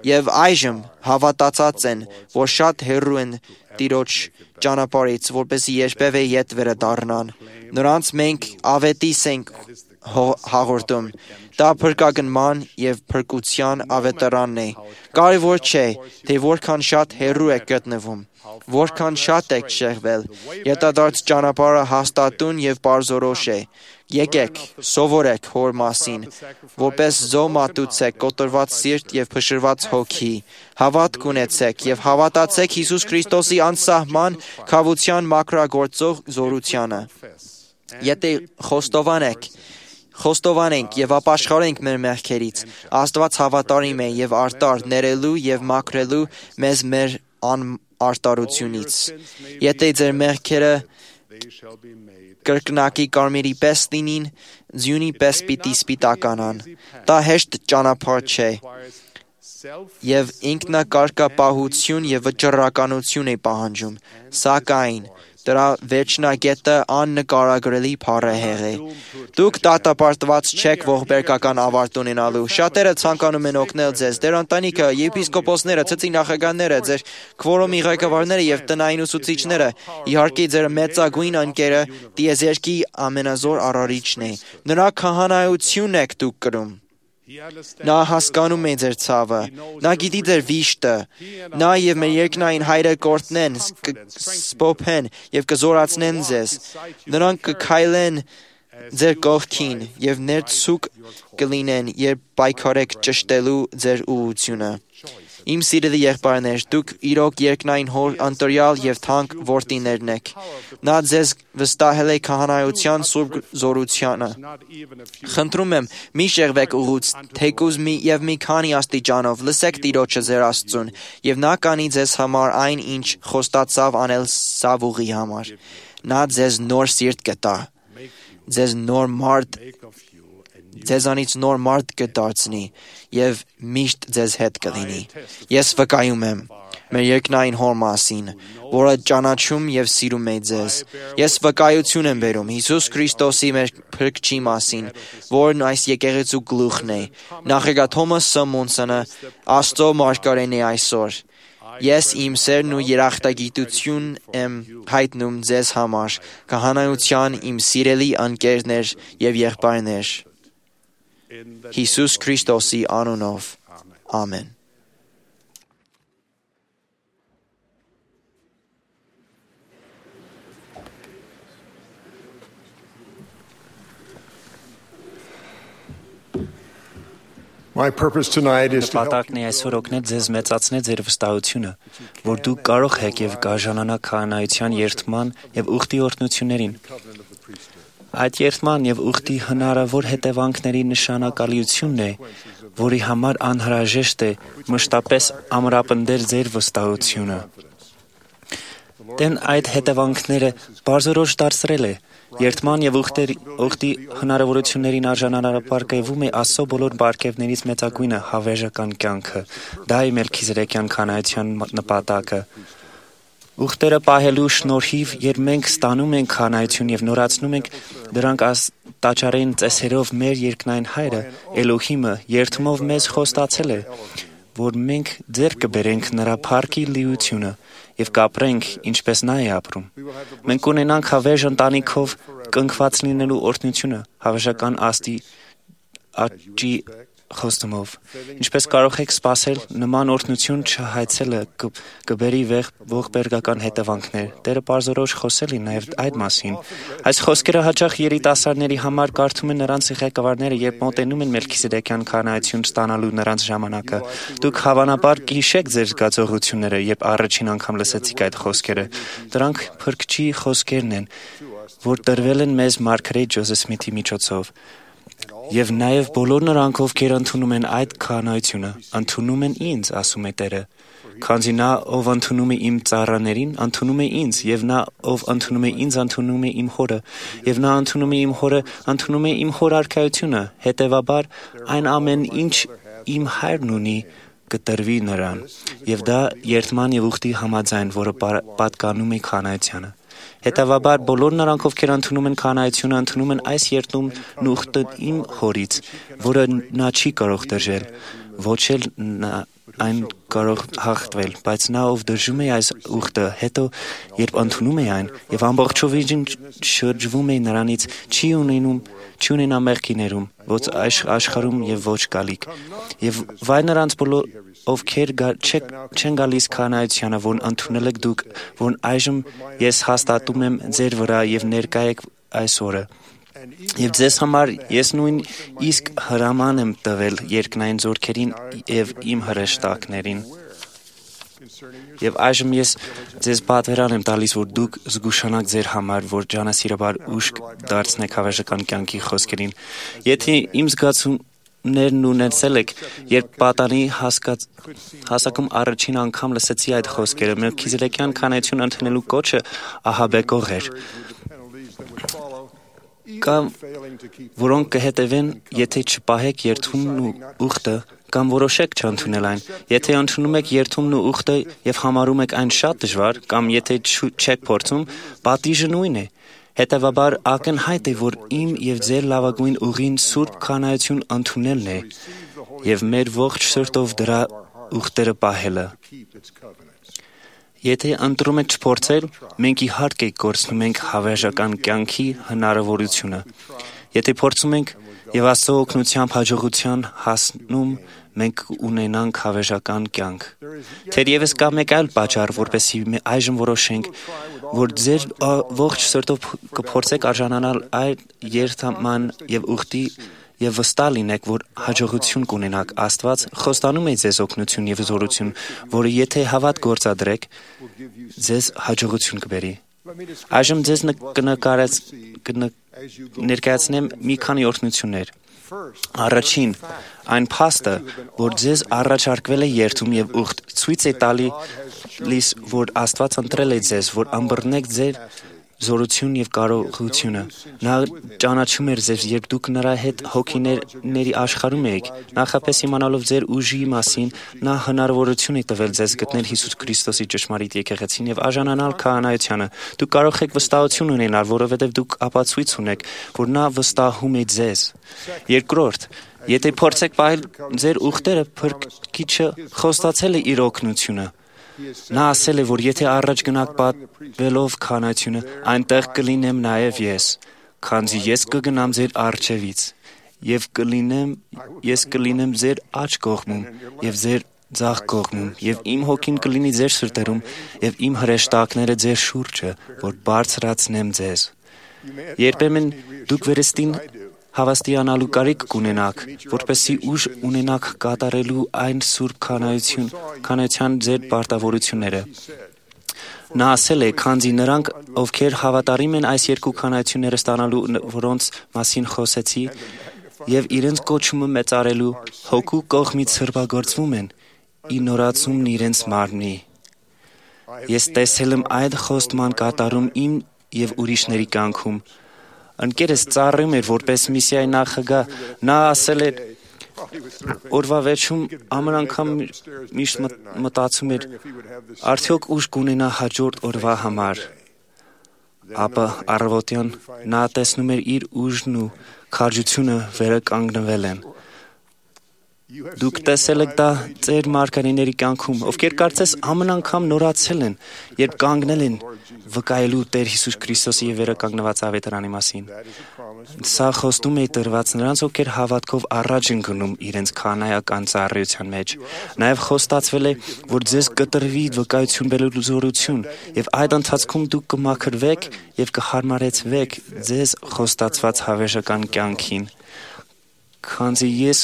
եւ այժմ հավատացած են, որ շատ հեռու են Տիրոջ ճանապարհից, որպեսզի երբևէ ետ վերադառնան։ Նրանց մենք ավետիս ենք հաղորդում։ Դա փրկագնման եւ փրկության ավետարանն է։ Կարևոր չէ, թե որքան շատ հեռու եք գտնվում, որքան շատ եք շեղվել, ետադարձ ճանապարհը հաստատուն եւ պարզորոշ է։ Եկեք, սովորեք հոր մասին, որպես զոհ մատուցեք կոտրված սիրտ եւ փշրված հոգի, հավատք ունեցեք եւ հավատացեք Հիսուս Քրիստոսի անսահման քավության մաքրագործող զորությանը։ Եթե խոստովանենք եւ ապաշխարենք մեր մեղքերից, Աստված հավատարիմ է եւ արտար ներելու եւ մաքրելու մեզ մեր անարտարությունից։ Եթե ձեր մեղքերը կրկնակի կարմիրի պես լինին, ձյունի պես պիտի սպիտականան։ Դա հեշտ ճանապարհ չէ եւ ինքնակարգապահություն եւ վճռականություն է պահանջում, սակայն դրա վերջնագետը աննկարագրելի փառահեղ է։ Դուք դատապարտված չեք ողբերգական ավարտ ունենալու։ Շատերը ցանկանում են օգնել ձեզ, ձեր ընտանիքը, եպիսկոպոսները, ցծի նախագահները, ձեր քվորոմի ղեկավարները եւ տնային ուսուցիչները, իհարկե ձեր մեծագույն ընկերը տիեզերքի ամենազոր արարիչն է։ Նրա քահանայությունն եք դուք կրում։ Նա հասկանում է ձեր ցավը, նա գիտի ձեր վիշտը, նա եւ մեր երկնային հայրը կորտնեն, սփոփեն եւ կզորացնեն ձեզ։ Նրանք կքայլեն ձեր կողքին եւ ներծուկ կլինեն, երբ պայքարեք ճշտելու ձեր ուղղությունը։ Իմ սիրելի եղբայրներ, դուք իրոք երկնային հոր ընտրյալ եւ թանկ որդիներն եք։ Նա ձեզ վստահել է քահանայության սուրբ զորությանը։ Խնդրում եմ, մի շեղվեք ուղուց, թեկուզ մի քանի աստիճանով, լսեք Տիրոջը ձեր Աստծուն, եւ նա կանի ձեզ համար այն, ինչ խոստացավ անել սավուղի համար։ Նա ձեզ նոր սիրտ կտա, ձեզանից նոր մարդ կդարձնի եւ միշտ ձեզ հետ կլինի։ Ես վկայում եմ մեր երկնային հոր մասին, որը ճանաչում եւ սիրում է ձեզ։ Ես վկայություն եմ բերում Հիսուս Քրիստոսի մեր փրկչի մասին, որն այս եկեղեցու գլուխն է։ Նախագահ Թոմաս Սմոնսոնը Աստծո մարգարեն է այսօր։ Ես իմ սերն ու երախտագիտություն եմ հայտնում ձեզ համար, քահանայության իմ սիրելի ընկերներ եւ եղբայրներ։ Հիսուս Քրիստոսի անունով, ամեն։ Նպատակն է այսօր օգնել ձեզ մեծացնել ձեր վստահությունը, որ դուք կարող եք եւ կարժանանաք քահանայության երթման եւ ուխտի օրհնություններին։ Այդ երթման եւ ուխտի հնարավոր հետևանքների նշանակալիությունն է, որի համար անհրաժեշտ է մշտապես ամրապնդել ձեր վստահությունը։ Դեն այդ հետևանքները բարձրորոշ դարձրել է։ Երթման եւ ուխտի հնարավորություններին արժանապատկվում է Աստծո բոլոր բարգեւներից մեծագույնը հավերժական կյանքը։ Դա է Մելքիզեդեկյան քահանայության նպատակը։ ուխտերը պահելու շնորհիվ, երբ մենք ստանում ենք քանայություն եւ նորացնում ենք դրանք տաճարային ծեսերով, մեր երկնային Հայրը, Էլոհիմը, երդումով մեզ խոստացել է, որ մենք ձեռք կբերենք նրա փառքի լիությունը եւ կապրենք, ինչպես նա է ապրում։ Մենք ունենանք հավերժ ընտանիքով կնքված լինելու օրհնությունը, հավերժական աստի աճի խոստումով։ Ինչպես կարող եք սպասել, նման օրհնություն չհայցելը կբերի ողբերգական հետևանքներ։ Տերը պարզորոշ խոսել է նաև այդ մասին։ Այս խոսքերը հաճախ երիտասարդների համար կարդում են նրանց ղեկավարները, երբ մոտենում են Մելքիսեդեկյան քահանայություն ստանալու նրանց ժամանակը։ Դուք հավանաբար կհիշեք ձեր զգացողությունները, երբ առաջին անգամ լսեցիք այդ խոսքերը։ Դրանք Փրկչի խոսքերն են, որ տրվել են մեզ Մարգարետ Ջոզեֆ Սմիթի միջոցով։ Եվ նաև բոլոր նրանք, ովքեր ընդունում են այդ քահանայությունը, ընդունում են ինձ, ասում է Տերը, քանզի նա, ով ընդունում է իմ ծառաներին, ընդունում է ինձ, եւ նա, ով ընդունում է ինձ, ընդունում է իմ Հորը, եւ նա ընդունում է իմ Հորը, ընդունում է իմ Հոր արքայությունը, հետեւաբար այն ամեն ինչ իմ Հայրն ունի, կտրվի նրան, եւ դա երդման եւ ուխտի համաձայն, որը պատկանում է քահանայությանը։ Հետևաբար բոլոր նրանք, ովքեր ընդունում են քահանայությունը, ընդունում են այս երդումն ու ուխտը իմ Հորից, որը նա չի կարող դրժել, ոչ էլ այն կարող հաղթվել, բայց նա, ով դրժում է այս ուխտը, հետո երբ ընդունում է այն եւ ամբողջովին շրջվում է նրանից, չի ունենա մեղքի ներում, ոչ աշխարհում եւ ոչ գալիք։ Եվ վայ նրանց բոլոր ովքեր չեն գալիս քահանայությանը, որ ընդունել եք դուք, որ այժմ ես հաստատում եմ ձեր վրա եւ ներկա եք այս օրը։ Եվ ձեզ համար ես նույն իսկ հրաման եմ տվել երկնային զորքերին եւ իմ հրեշտակներին։ Եվ այժմ ես ձեզ պատվերան եմ տալիս, որ դուք զգուշանաք ձեր համար, որ ջանասիրաբար ուշ դարձնեք հավերժական կյանքի խոսքերին։ Եթե իմ զգացումներն ունեցել եք, երբ պատանի հասակում առաջին անգամ լսեցի այդ խոսքերը, Մելքիսեդեկյան քահանայություն ընդունելու կոչը ահաբեկող էր, կամ որոնք կհետևեն, եթե չպահեք երդումն ու ուխտը, կամ որոշեք չընդունել այն։ Եթե ընդունում եք երդումն ու ուխտը եւ համարում եք այն շատ դժվար, կամ եթե չեք փորձում, պատիժը նույնն է։ Հետևաբար ակնհայտ է, որ իմ եւ ձեր լավագույն ուղին սուրբ քահանայություն ընդունելն է եւ մեր ողջ սրտով դրա ուխտերը պահելը։ Եթե ընտրում եք չփորձել, մենք իհարկե կորցնում ենք հավերժական կյանքի հնարավորությունը։ Եթե փորձում ենք եւ Աստծո օգնությամբ հաջողության հասնում, մենք ունենանք հավերժական կյանք։ Թերևս կա մեկ այլ պատճառ, որպեսզի այժմ որոշենք, որ ձեր ողջ սրտով կփորձեք արժանանալ այդ երդման եւ ուխտի եւ վստահ լինեք, որ հաջողություն կունենաք։ Աստված խոստանում է ձեզ օգնություն եւ զորություն, որը եթե հավատ գործադրեք, ձեզ հաջողություն կբերի։ Այժմ ձեզ ներկայացնեմ մի քանի օրհնություններ։ Առաջին, այն փաստը, որ ձեզ առաջարկվել է երդում եւ ուխտ, ցույց է տալիս, որ Աստված ընտրել է ձեզ, որ ըմբռնեք ձեր զորություն եւ կարողությունը։ Նա ճանաչում էր ձեզ, երբ դուք նրա հետ հոգիների աշխարհում էիք։ Նախապես իմանալով ձեր ուժի մասին, նա հնարավորություն է տվել ձեզ գտնել Հիսուս Քրիստոսի ճշմարիտ եկեղեցին եւ արժանանալ քահանայությանը։ Դուք կարող եք վստահություն ունենալ, որովհետեւ դուք ապացույց ունեք, որ նա վստահում է ձեզ։ Երկրորդ, եթե փորձեք պահել ձեր ուխտերը, Փրկիչը խոստացել է իր օգնությունը։ Նա ասել է, որ եթե առաջ գնաք պատվելով քահանայությունը, այնտեղ կլինեմ նաև ես, քանզի ես կգնամ ձեր առջևից, եւ ես կլինեմ ձեր աջ կողմում եւ ձեր ձախ կողմում, եւ իմ հոգին կլինի ձեր սրտերում, եւ իմ հրեշտակները ձեր շուրջը, որ բարձրացնեմ ձեզ։ Երբեմն դուք վերստին հավաստիանալու կարիք կունենաք, որպեսզի ուժ ունենաք կատարելու այն սուրբ քահանայության ձեր պարտավորությունները։ Նա ասել է, քանզի նրանք, ովքեր հավատարիմ են այս երկու քահանայությունները ստանալու, որոնց մասին խոսեցի, եւ իրենց կոչումը մեծարելու, հոգու կողմից սրբագործվում են, ի նորացումն իրենց մարմնի։ Ես տեսել եմ այդ խոստման կատարում իմ եւ ուրիշների կյանքում։ Ընկերս ծառայում էր որպես միսիայի նախագահ, նա ասել էր, օրվա վերջում ամեն անգամ միշտ մտածում էր, արդյոք ուժ կունենա հաջորդ օրվա համար։ Ապա առավոտյան նա տեսնում էր իր ուժն ու քաջությունը վերականգնվել են։ Դուք տեսել եք դա ձեր մարգարեների կյանքում, ովքեր կարծես ամեն անգամ նորացել են, երբ կանգնել են վկայելու Տեր Հիսուս Քրիստոսի եւ վերականգնված ավետարանի մասին։ Սա խոստում է տրված նրանց, ովքեր հավատքով առաջ են գնում իրենց քահանայական ծառայության մեջ։ Նաեւ խոստացվել է, որ ձեզ կտրվի վկայություն բերելու զորություն, եւ այդ ընթացքում դուք կմաքրվեք եւ կհարմարեցվեք ձեզ խոստացված հավերժական կյանքին։ Քանզի ես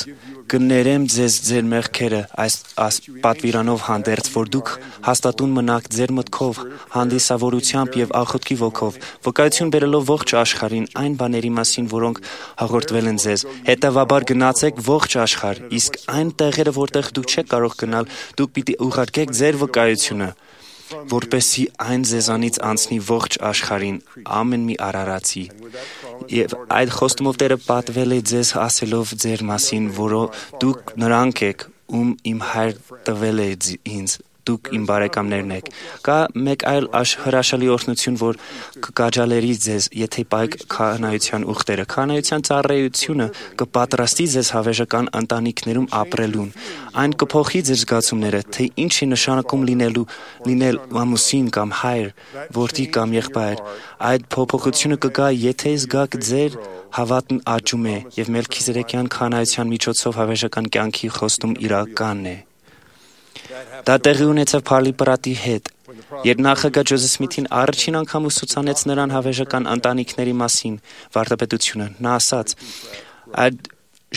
կներեմ ձեզ ձեր մեղքերը այս պատվիրանով հանդերձ, որ դուք հաստատուն մնաք ձեր մտքով, հանդիսավորությամբ եւ աղոթքի ոգով, վկայություն բերելով ողջ աշխարհին այն բաների մասին, որոնք հաղորդվել են ձեզ։ Հետևաբար գնացեք ողջ աշխարհ, իսկ այն տեղերը, որտեղ դուք չեք կարող գնալ, դուք պիտի ուղարկեք ձեր վկայությունը, որպեսզի այն ձեզանից անցնի ողջ աշխարհին ամեն մի արարածի։ Եվ այդ խոստումով Տերը պատվել է ձեզ ասելով ձեր մասին, որը դուք նրանք եք, ում իմ հայր տվել է ինձ, դուք իմ բարեկամներն եք։ Կա մեկ այլ հրաշալի օրհնություն, որ կկաջալերի ձեզ, եթե պայք քահանայության ուխտերը։ Քահանայության ծառայությունը կպատրաստի ձեզ հավերժական ընտանիքներում ապրելուն։ Այն կփոխի ձեր զգացումները, թե ինչ է նշանակում լինել ամուսին կամ հայր, որդի կամ եղբայր։ Այդ փոփոխությունը կգա, եթե զգաք ձեր հավատն աճում է եւ Մելքիզեդեկյան քահանայության միջոցով հավերժական կյանքի խոստում իրականն է։ Դա տեղի ունեցավ Փարլի Պրատի հետ, երբ նախագահ Ջոզեֆ Սմիթին առաջին անգամ ուսուցանեց նրան հավերժական ընտանիքների մասին վարդապետությունը։ Նա ասաց. «Այդ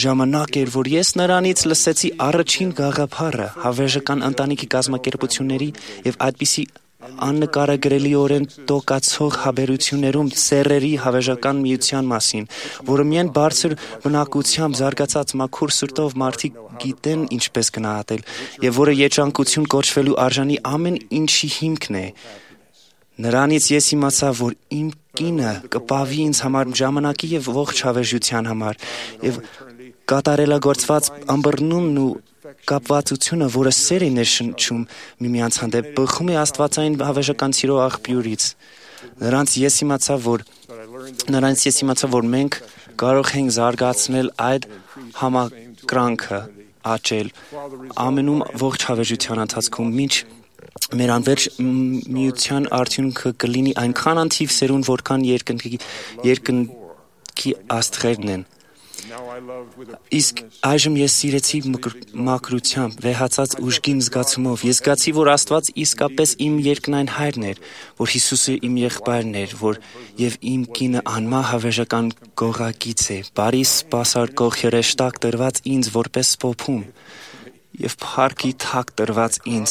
ժամանակ էր, որ ես նրանից լսեցի առաջին գաղափարը հավերժական ընտանիքի կազմակերպությունների եւ այդպիսի աննկարագրելիորեն տոկացող հավերություններում սեռերի հավերժական միության մասին, որը միայն բարձր բնակությամբ զարգացած մաքուր սրտով մարդիկ գիտեն ինչպես գնահատել, եւ որը երջանկություն կոչվելու արժանի ամեն ինչի հիմքն է։ Նրանից ես իմացա, որ իմ կինը կպավի ինձ համար ժամանակի եւ ողջ հավերժության համար, եւ կատարելագործված ըմբռնումն ու կապվածությունը, որը սեր է ներշնչում միմյանց հանդեպ, բխում է աստվածային հավերժական սիրո աղբյուրից։ Նրանց ես իմացա, որ մենք կարող ենք զարգացնել այդ համակրանքը, աճել ամենում ողջ հավերժության ընթացքում, մինչ մեր անվերջ միության արդյունքը կլինի այնքան անթիվ սերուն, որքան երկնքի աստղերն են։ Իսկ այժմ ես սիրեցի մաքրությամբ, վեհացած ուժգին զգացումով։ Ես զգացի, որ Աստված իսկապես իմ երկնային հայրն էր, որ Հիսուսը իմ եղբայրն էր, որ եւ իմ կինը անմահ հավերժական գողակից է, բարի սպասարկող հրեշտակ տրված ինձ որպես փոփում եւ փառքի թակ տրված ինձ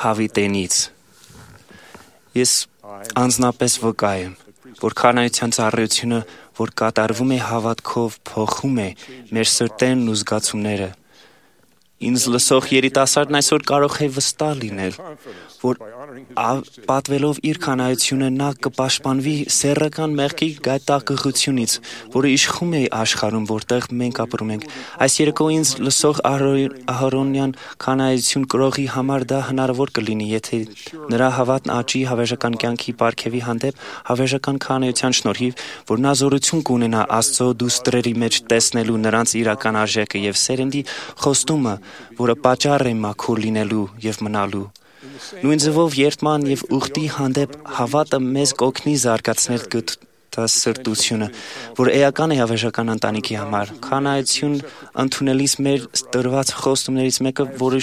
հավիտենից։ Ես անձնապես վկայ եմ, որ քահանայության ծառայությունը, որ կատարվում է հավատքով, փոխում է մեր սրտերն ու զգացումները։ Ինձ լսող երիտասարդն այսօր կարող է վստահ լինել, որ պատվելով իր քահանայությունը նա կպաշտպանվի սեռական մեղքի գայթակղությունից, որը իշխում է աշխարհում, որտեղ մենք ապրում ենք։ Այս երեկո ինձ լսող Ահարոնյան քահանայություն կրողի համար դա հնարավոր կլինի, եթե նրա հավատն աճի հավերժական կյանքի պարգևի հանդեպ հավերժական քահանայության շնորհիվ, որ նա զորություն կունենա Աստծո դուստրերի մեջ տեսնելու նրանց իրական արժեքը եւ սերնդի խոստումը, որը պատճառ է մաքուր լինելու եւ մնալու։ Նույն ձևով երդման եւ ուխտի հանդեպ հավատը մեզ կօգնի զարգացնել սրտությունը, որ էական է հավերժական ընտանիքի համար։ Քահանայություն ընդունելիս մեր տրված խոստումներից մեկը, որ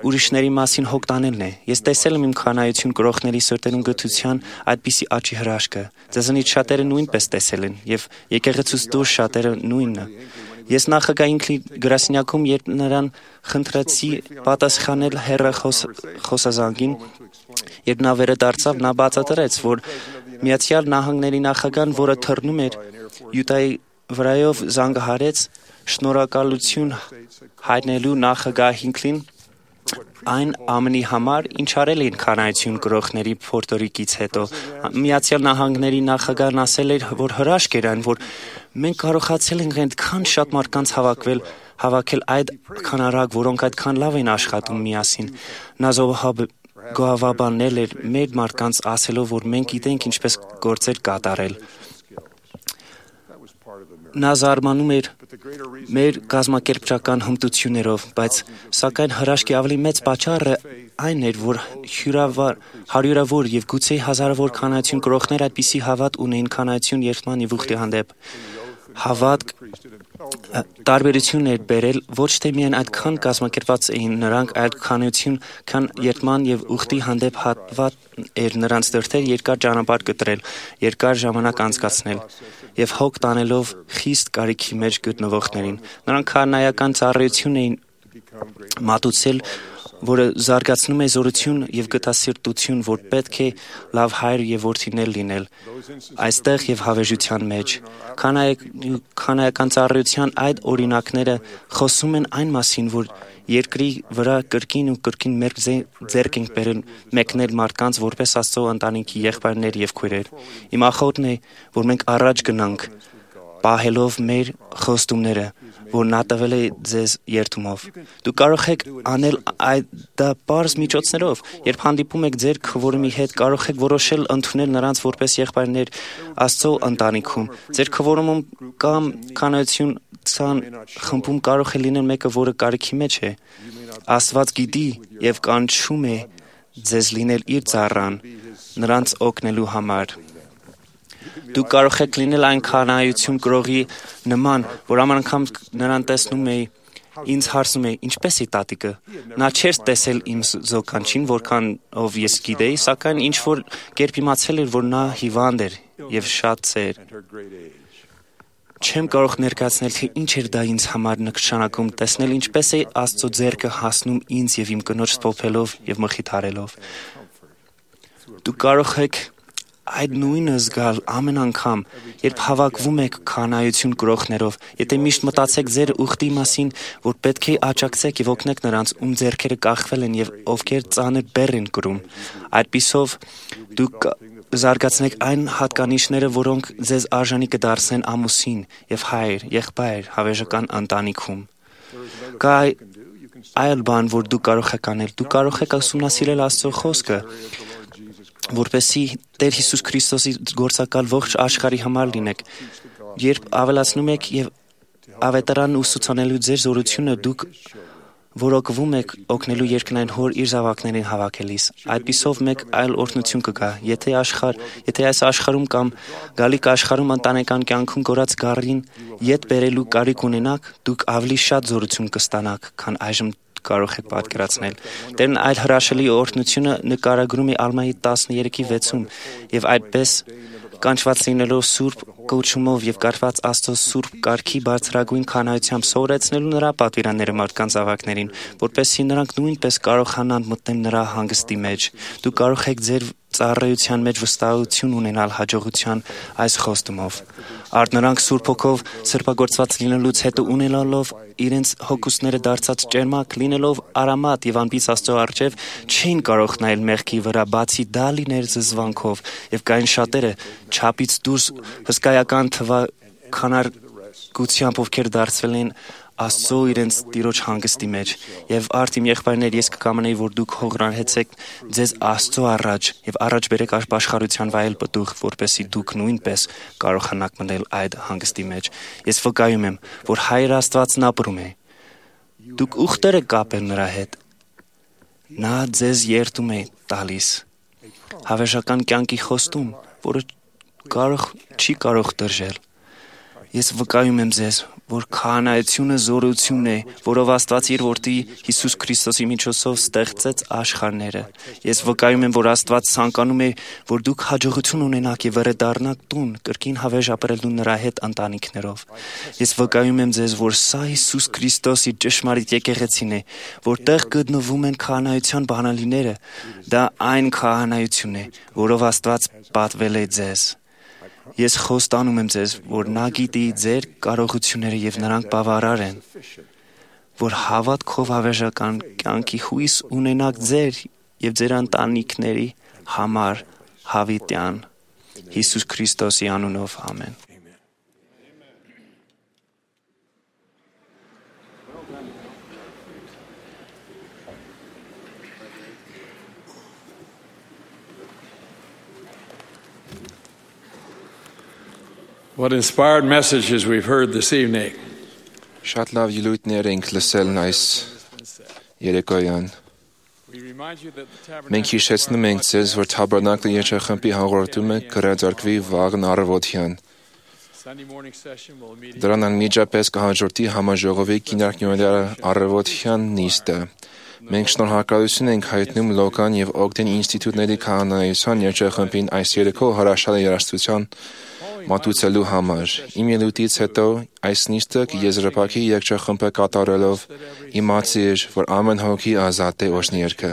ուրիշների մասին հոգ տանելն է։ Ես տեսել եմ իմ քահանայություն կրողների սրտերում գթության այդպիսի աճի հրաշքը։ Ձեզանից շատերը նույնպես տեսել են եւ եկեղեցուց դուրս շատերը նույնը։ Ես նախագահ ինքնի գրասենյակում, երբ նրան խնդրեցի պատասխանել հեռախոսազանգին, երբ նա վերադարձավ, նա բացատրեց, որ Միացյալ Նահանգների նախագահան, որը թռնում էր Յուտայի վրայով, զանգահարեց շնորհակալություն հայտնելու նախագահ Հինքլին այն ամենի համար, ինչ արել էին քանայություն գրողների Փորտորիկից հետո։ Միացյալ Նահանգների նախագահն ասել էր, որ հրաշք էր այն, որ մենք կարողացել ենք այդքան շատ մարդկանց հավաքել այդ քանարակ, որոնք այդքան լավ են աշխատում միասին։ Նա գովաբանել էր մեր մարդկանց ասելով, որ մենք գիտենք ինչպես գործեր կատարել։ Նա զարմանում էր մեր կազմակերպչական հմտություններով, բայց սակայն հրաշքի ավելի մեծ պատճառը այն էր, որ հարյուրավոր եւ գուցե հազարավոր քանայություն կրողներ այդպիսի հավատ ունեին քանայություն երթման եւ ուխտի հանդեպ։ Հավատք տարբերություն էր բերել ոչ թե միայն այդքան կազմակերպված էին նրանք, այլ քանայություն, քան երթման եւ ուխտի հանդեպ հավատ էր նրանց դրդեր երկար ճանապարհ կտրել, երկար ժամանակ անցկացնել եւ հոգ տանելով խիստ կարիքի մեջ գտնվողներին։ Նրանք քանայական ծառայություն էին մատուցել, որը զարգացնում է զորություն եւ գտասիրտություն, որ պետք է լավ հայր եւ որդիներ լինել այստեղ եւ հավերժության մեջ։ Քանայական ծառայության այդ օրինակները խոսում են այն մասին, որ երկրի վրա կրկին ու կրկին մեր ձեռք ենք բերել մեկնել մարդկանց որպես Աստծո ընտանիքի եղբայրներ եւ քույրեր։ Իմ ախոթն է, որ մենք առաջ գնանք, պահելով մեր խոստումները, որ նա տվել է ձեզ երթումով։ Դուք կարող եք անել դա պարզ միջոցներով, երբ հանդիպում եք ձեր քվորումի հետ, կարող եք որոշել ընդունել նրանց որպես եղբայրներ Աստծո ընտանիքում։ Ձեր քվորումում կամ քանայության խմբում կարող է լինել մեկը, որը կարիքի մեջ է։ Աստված գիտի եւ կանչում է ձեզ լինել իր ծառան, նրանց օգնելու համար։ Դուք կարող եք լինել այն քանայություն կրողի նման, որ ամեն անգամ նրան տեսնում էի, ինձ հարցնում է, ինչպես է տատիկը։ Նա չէր տեսել իմ զոկանչին, որքանով ես գիտեի, սակայն ինչ-որ կերպ իմացել էր, որ նա հիվանդ էր եւ շատ ծեր։ Չեմ կարող ներկայացնել, թե ինչ էր դա ինձ համար նշանակում, տեսնել ինչպես է Աստծո ձեռքը հասնում ինձ եւ իմ կնոջ ստոփելով եւ մխիթարելով։ Դուք կարող եք այդ նույնը զգալ ամեն անգամ, երբ հավաքվում եք քանայություն կրողներով, եթե միշտ մտածեք ձեր ուխտի մասին, որ պետք է աջակցեք եւ օգնեք նրանց, ում ձեռքերը կախվել են եւ ովքեր ծանր բեռ են կրում։ Այդպիսով դուք զարգացնեք այն հատկանիշները, որոնք ձեզ արժանի կդարձնեն ամուսին եւ հայր, եղբայր, հավերժական ընտանիքում։ Կա այլ բան, որ դուք կարող եք անել։ Դուք կարող եք ուսումնասիրել Աստծո խոսքը, որպեսզի Տեր Հիսուս Քրիստոսի գործակալ ողջ աշխարհի համար լինեք։ Երբ ավելացնում եք եւ ավետարանն ուսուցանելու ձեր զորությունը, դուք որոկվում եք օգնելու երկնային Հոր իր զավակներին հավաքելիս։ Այդպիսով մեկ այլ օրհնություն կգա։ Եթե այս աշխարհում կամ գալիք աշխարհում ընտանեկան կյանքում կորած գառին ետ բերելու կարիք ունենաք, դուք ավելի շատ զորություն կստանաք, քան այժմ կարող եք պատկերացնել։ Տերն այլ հրաշալի օրհնությունը նկարագրում է Ալմայի 13:6-ում եւ այդպես կանչված լինելով սուրբ կոչումով եւ կարգված Աստծո սուրբ կարգի բարձրագույն քանայությամբ սովորեցնելու նրա պատվիրանները մարդկանց ավակներին, որպեսզի նրանք նույնպես կարողանան մտնել նրա հանգստի մեջ։ Դուք կարող եք ձեր ծառայության մեջ վստահություն ունենալ հաջողության այս խոստումով։ Արդ նրանք Սուրբ Հոգով սրբագործված լինելուց հետո ունենալով իրենց հոգուսները դարձած ճերմակ, լինելով արամատ եւ անպից Աստծո առջև, չէին կարող նայել մեղքի վրա, բացի դա լիներ զզվանքով, եւ կային շատերը չափից դուրս հսկայական քանարգությամբ, ովքեր դարձվել են Աստծո իրենց Տիրոջ հանգստի մեջ։ Եվ արդ իմ եղբայրներ, ես կկամենայի, որ դուք հողրանեցեք ձեզ Աստծո առաջ եւ առաջ բերեք աշխարհության վայել պտուղ, որպեսզի դուք նույնպես կարողանաք մտնել այդ հանգստի մեջ։ Ես վկայում եմ, որ Հայր Աստվածն ապրում է։ Դուք ուխտեր եք կապել նրա հետ։ Նա ձեզ երդում է տալիս հավերժական կյանքի խոստում, որը չի կարող դրժել։ Ես վկայում եմ ձեզ, որ քահանայությունը զորություն է, որով Աստված իր որդի Հիսուս Քրիստոսի միջոցով ստեղծեց աշխարհները։ Ես վկայում եմ, որ Աստված ցանկանում է, որ դուք հաջողություն ունենաք եւ վերադառնաք տուն, կրկին հավերժ ապրելու նրա հետ ընտանիքներով։ Ես վկայում եմ ձեզ, որ սա Հիսուս Քրիստոսի ճշմարիտ եկեղեցին է, որտեղ գտնվում են քահանայության բանալիները։ Դա այն քահանայությունն է, որով Աստված պատվել է ձեզ։ Ես խոստանում եմ ձեզ, որ նա գիտի ձեր կարողությունները եւ նրանք բավարար են։ որ հավատքով հավերժական կյանքի հույս ունենաք ձեր եւ ձեր ընտանիքների համար հավիտյան Հիսուս Քրիստոսի անունով ամեն։ What inspired messages we've heard this evening. Շատ լավ ելույթներ ենք լսել այս երեկոյան։ Մենք հիշեցնում ենք ձեզ, որ Թաբերնակլի երգչախմբի հաղորդումը կհրաձարկվի վաղն առավոտյան։ Դրան անմիջապես կհաջորդի համաժողովի կինարքնյոների առավոտյան նիստը։ Մենք շնորհակալություն ենք հայտնում Լոկան եւ Օգտեն ինստիտուտների քահանայության երգչախմբին այս երեկո հրաշալի երաժշտության մատուցելու համար։ Իմ ելույթից հետո այս նիստը եզրափակի երգչախմբը կատարելով իմացիր, որ ամեն հոգի ազատ է օրհներքը։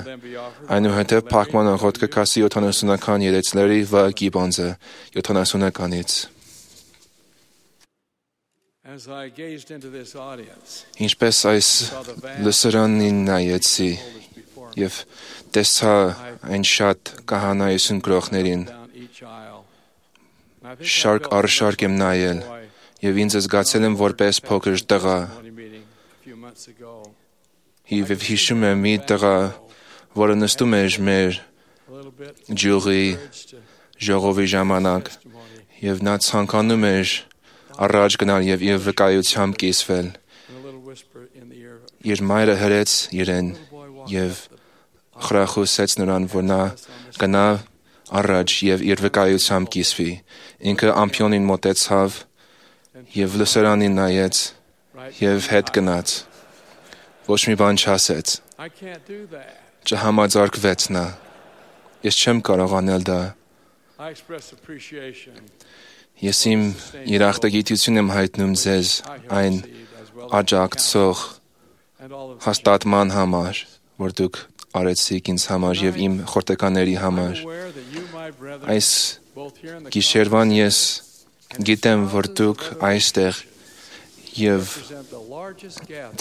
Այնուհետև փակման աղոթքը կասի 70-ական երեցների վա գիբոնզը 70-ականից։ Ինչպես այս լսարանին նայեցի եւ տեսա այն շատ քահանայություն գրողներին, շարք առ շարք եմ նայել եւ ինձ զգացել եմ որպես փոքր տղա։ Եվ հիշում եմ մի տղա, որը նստում էր մեր ջուրի ժողովի ժամանակ եւ նա ցանկանում էր առաջ գնալ եւ իր վկայությամբ կիսվել։ Իր մայրը հրեց իրեն եւ խրախուսեց նրան, որ նա գնա առաջ եւ իր վկայությամբ կիսվի։ Ինքը ամփյոնին մոտեցավ եւ լսարանին նայեց եւ հետ գնաց։ Ոչ մի բան չասեց։ Չհամաձարկվեց նա։ Ես չեմ կարող անել դա։ Ես իմ երախտագիտություն եմ հայտնում ձեզ այն աջակցող հաստատման համար, որ դուք արեցիք ինձ համար եւ իմ խորտեկաների համար։ Այս գիշերվան ես գիտեմ, որ դուք այստեղ եւ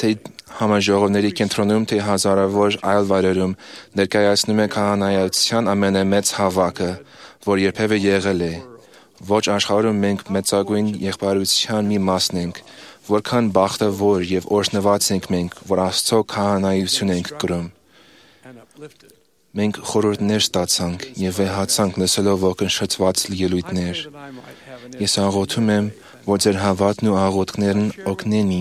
թե համաժողովների կենտրոնում, թե հազարավոր այլ վայրերում ներկայացնում եք քահանայության ամենամեծ հավաքը, որ երբևէ եղել է։ Ոչ աշխարհում մենք մեծագույն եղբայրության մի մասն ենք, որքան բախտավոր եւ օրհնված ենք մենք, որ Աստծո քահանայություն ենք կրում։ Մենք խորհուրդներ ստացանք եւ վեհացանք լսելով ողնշծված ելույթներ։ Ես աղոթում եմ, որ ձեր հավատն ու աղոթքներն օգնեն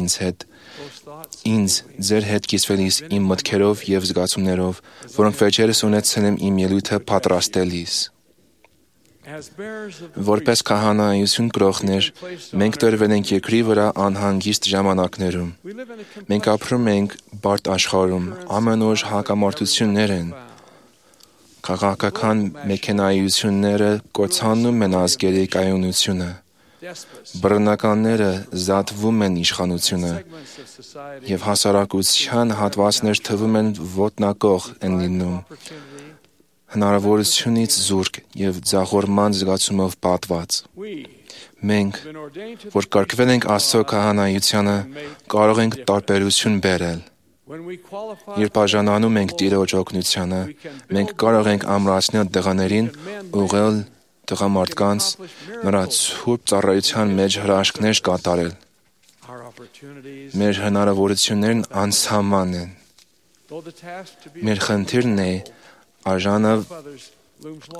ինձ ձեր հետ կիսվելիս իմ մտքերով եւ զգացումներով, որոնք վերջերս ունեցել եմ իմ ելույթը պատրաստելիս։ Որպես քահանայություն կրողներ, մենք տրվել ենք երկրի վրա անհանգիստ ժամանակներում։ Մենք ապրում ենք բարդ աշխարհում, ամեն օր հակամարտություններ են։ Քաղաքական մեքենայությունները կործանում են ազգերի կայունությունը։ Բռնականները զատվում են իշխանությունը եւ հասարակության հատվածներ թվում են ոտնակող են լինում։ Հնարավորությունից զուրկ եւ ձախորման զգացումով պատված։ Մենք, որ կարգվել ենք Աստծո քահանայությանը, կարող ենք տարբերություն բերել։ Երբ բաժանանում ենք Տիրոջ օգնությանը, մենք կարող ենք ամրացնել տղաներին, ուղղել տղամարդկանց, նրա ցուրտ ծառայության մեջ հրաշքներ կատարել։ Մեր հնարավորություններն անսահման են։ Մեր խնդիրն է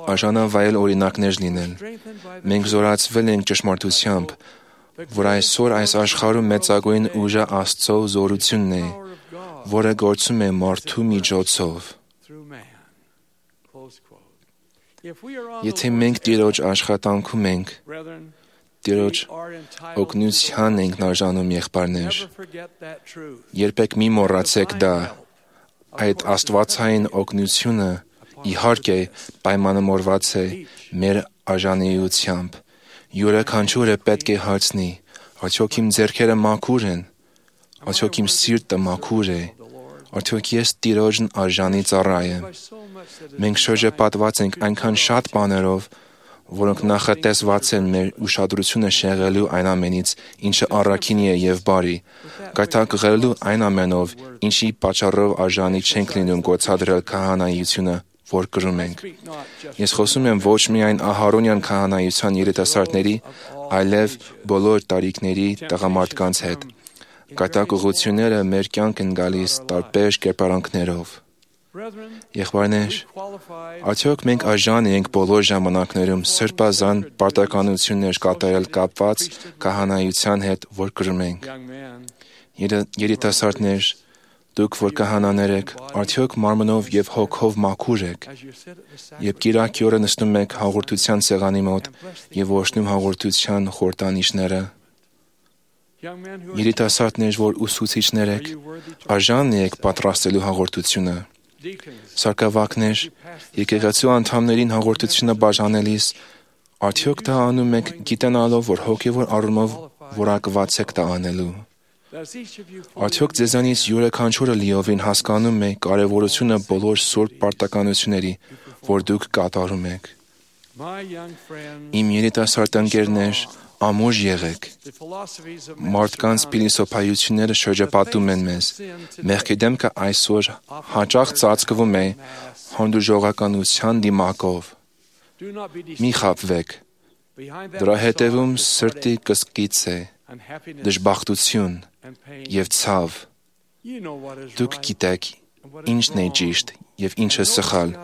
արժանավայել օրինակներ լինել։ Մենք զորացվել ենք ճշմարտությամբ, որ այսօր այս աշխարհում մեծագույն ուժը Աստծո զորությունն է, որը գործում է մարդու միջոցով։ Եթե մենք Տիրոջ աշխատանքում ենք, Տիրոջ օգնության ենք արժանում եղբայրներ, երբեք մի մոռացեք դա, այդ աստվածային օգնությունը իհարկե պայմանավորված է մեր արժանիությամբ։ Յուրաքանչյուրը պետք է հարցնի, արդյոք իմ ձեռքերը մաքուր են, արդյոք իմ սիրտը մաքուր է, արդյոք ես Տիրոջն արժանի ծառա եմ։ Մենք շրջապատված ենք այնքան շատ բաներով, որոնք նախատեսված են մեր ուշադրությունը շեղելու այն ամենից, ինչը առաքինի է եւ բարի, գայթակղելու այն ամենով, ինչի պատճառով արժանի չենք լինում գործադրել քահանայությունը, որ կրում ենք։ Ես խոսում եմ ոչ միայն Ահարոնյան քահանայության երիտասարդների, այլև բոլոր տարիքների տղամարդկանց հետ։ Գայթակղությունները մեր կյանք են գալիս տարբեր կերպարանքներով։ Եղբայրներ, արդյոք մենք արժան ենք բոլոր ժամանակներում սրբազան պարտականություններ կատարել կապված քահանայության հետ, որ կրում ենք։ Երիտասարդներ, դուք որ քահանաներ եք, արդյոք մարմնով եւ հոգով մաքուր եք, երբ կիրակի օրը նստում եք հաղորդության սեղանի մոտ եւ ողջունում հաղորդության խորհրդանիշները։ Երիտասարդներ, որ ուսուցիչներ եք, արժան եք պատրաստելու հաղորդությունը։ Սարգսակներ, եկեղեցու անդամներին հաղորդությունը բաժանելիս, արդյոք դա անում եք գիտենալով, որ հոգևոր առումով որակված եք դա անելու։ Արդյոք ձեզանից յուրաքանչյուրը լիովին հասկանում է կարևորությունը բոլոր սուրբ պարտականությունների, որ դուք կատարում եք։ Իմ երիտասարդ ընկերներ, ամուր եղեք։ Մարդկանց փիլիսոփայությունները շրջապատում են մեզ։ Մեղքի դեմքը այսօր հաճախ ծածկվում է հանդուրժողականության դիմակով։ Մի խաբվեք։ Դրա հետևում սրտի կսկիծ է, դժբախտություն և ցավ։ Դուք գիտեք ինչն է ճիշտ և ինչը սխալ,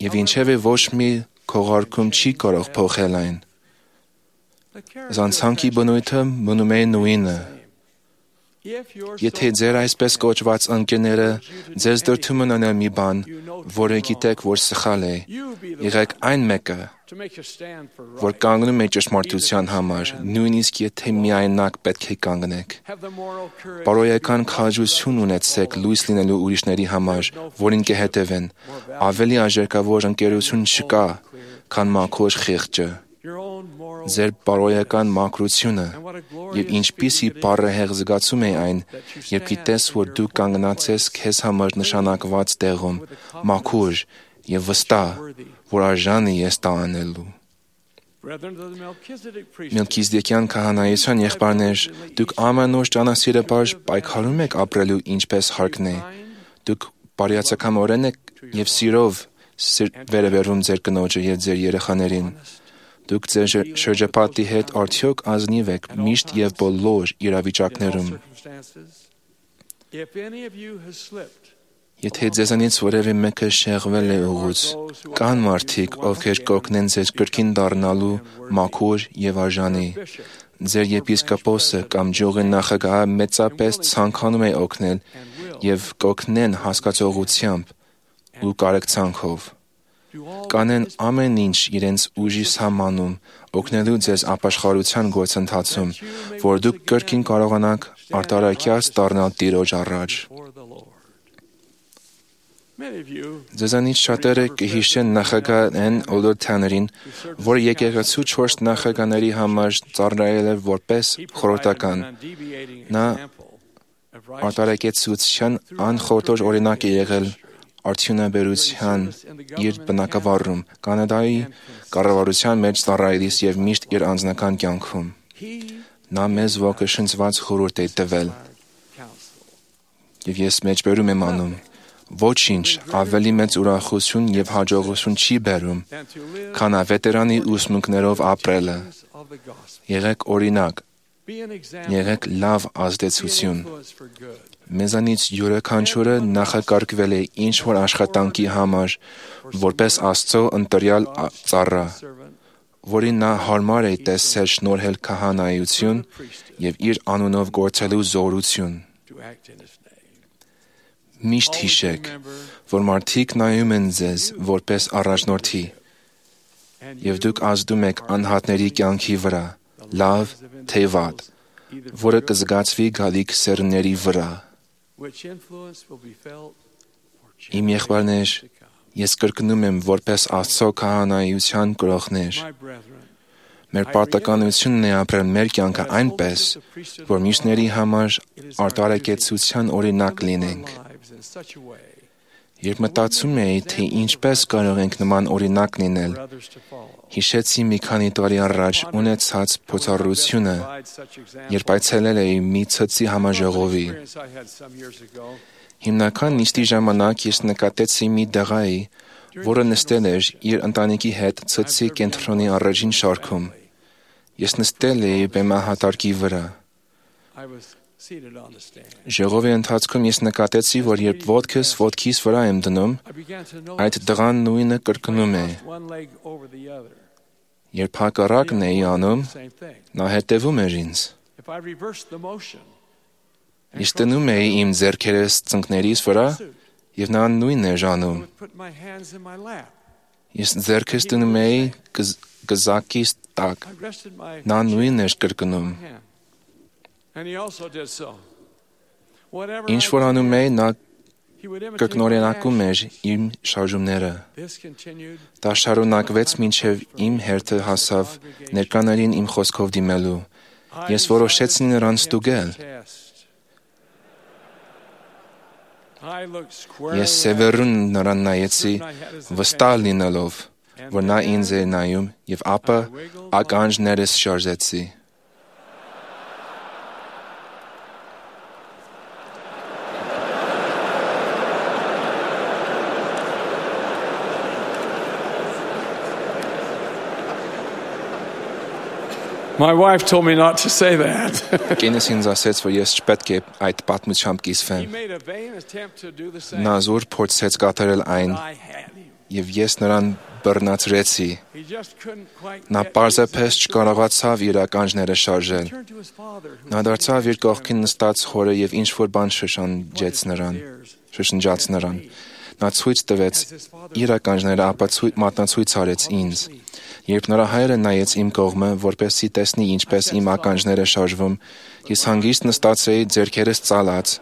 և ինչևէ ոչ մի քողարկում չի կարող փոխել այն։ Զանցանքի բնույթը մնում է նույնը։ Եթե ձեր այսպես կոչված ընկերները ձեզ դրդում են անել մի բան, որը գիտեք, որ սխալ է, եղեք այն մեկը, որ կանգնում է ճշմարտության համար, նույնիսկ եթե միայնակ պետք է կանգնեք։ Բարոյական քաջություն ունեցեք լույս լինելու ուրիշների համար, որին կհետևեն, ավելի արժեքավոր ընկերություն չկա, քան մաքուր խիղճը։ Ձեր բարոյական մաքրությունը և ինչպիսի բառահեղ զգացում է այն, երբ գիտես, որ դու կանգնած ես քեզ համար նշանակված տեղում, մաքուր և վստահ, որ արժանի ես դա անելու։ Մելքիզեդեկյան քահանայության եղբայրներ, դուք ամենուր ճանասիրաբար պայքարում եք ապրելու ինչպես հարկն է։ Դուք բարյացակամորեն եք և սիրով վերաբերվում ձեր կնոջը և ձեր երեխաներին։ Դուք ձեր շրջապատի հետ արդյոք ազնիվ եք միշտ և բոլոր իրավիճակներում։ Եթե ձեզանից որևէ մեկը շեղվել է ուղուց, կան մարդիկ, ովքեր կօգնեն ձեզ կրկին դառնալու մաքուր և արժանի։ Ձեր եպիսկոպոսը կամ ջողի նախագահը մեծապես ցանկանում է օգնել և կօգնեն հասկացողությամբ ու կարեկցանքով։ Կանեն ամեն ինչ իրենց ուժի սահմանում, օգնելու ձեզ ապաշխարության գործընթացում, որ դուք կրկին կարողանաք արտարակյաց դառնալ Տիրոջ առաջ։ Ձեզանից շատերը կհիշեն նախագահ N. Օլորթյաներին, որը եկեղեցու 4 նախագահների համար ծառայել է որպես խորհրդական։ Նա արտարակեցության անխորտոր օրինակ է եղել արդյունաբերության իր բնակավարում, Կանադայի կառավարության մեջ ծառայելիս և միշտ իր անձնական կյանքում։ Նա մեզ ոգեշնչված խորհուրդ է տվել։ Եվ ես մեջբերում եմ անում. ոչինչ ավելի մեծ ուրախություն և հաջողություն չի բերում, քան ավետարանի ուսմունքներով ապրելը։ Եղեք օրինակ, եղեք լավ ազդեցություն։ Մեզանից յուրաքանչյուրը նախակարգվել է ինչ-որ աշխատանքի համար, որպես Աստծո ընտրյալ ծառա, որին նա հարմար է տեսել շնորհել քահանայություն և իր անունով գործելու զորություն։ Միշտ հիշեք, որ մարդիկ նայում են ձեզ որպես առաջնորդի, և դուք ազդում եք անհատների կյանքի վրա, լավ թե վատ, որը կզգացվի գալիք սերունդների վրա։ Իմ եղբայրներ, ես կրկնում եմ որպես Աստծո քահանայության կրողներ։ Մեր պարտականությունն է ապրել մեր կյանքը այնպես, որ մյուսների համար արտարակեցության օրինակ լինենք։ Երբ մտածում էի, թե ինչպես կարող ենք նման օրինակ լինել, հիշեցի մի քանի տարի առաջ ունեցած փորձառությունը, երբ այցելել էի մի ցծի համաժողովի։ Հիմնական նիստի ժամանակ ես նկատեցի մի տղայի, որը նստել էր իր ընտանիքի հետ ցծի կենտրոնի առաջին շարքում։ Ես նստել էի բեմահատարկի վրա։ Ժողովի ընթացքում ես նկատեցի, որ երբ ոտքս ոտքիս վրա եմ դնում, այդ տղան նույնը կրկնում է։ Երբ հակառակն էի անում, նա հետևում էր ինձ։ Ես դնում էի իմ ձեռքերս ծնկներիս վրա, և նա նույնն էր անում։ Ես ձեռքս դնում էի գզակիս տակ, նա նույնն էր կրկնում։ Ինչ որ անում էի, նա կրկնօրինակում էր իմ շարժումները։ Դա շարունակվեց մինչև իմ հերթը հասավ ներկաներին իմ խոսքով դիմելու։ Ես որոշեցի նրան ստուգել։ Ես սևեռուն նրան նայեցի, վստահ լինելով, որ նա ինձ էր նայում, և ապա ականջներս շարժեցի։ My wife told me not to say that. Կինս ինձ ասեց, որ ես չպետք է այդ պատմությամբ կիսվեմ։ Նա զուր փորձեց կատարել այն, և ես նրան բռնացրեցի։ Նա պարզապես չկարողացավ իր ականջները շարժել։ Նա դարձավ իր կողքին նստած հորը և ինչ-որ բան շշնջաց նրան։ Նա ցույց տվեց իր ականջները, ապա մատնացույց արեց ինձ։ Երբ նրա հայրը նայեց իմ կողմը, որպեսզի տեսնի ինչպես իմ ականջները շարժվում, ես հանգիստ նստած էի ձեռքերս ծալած,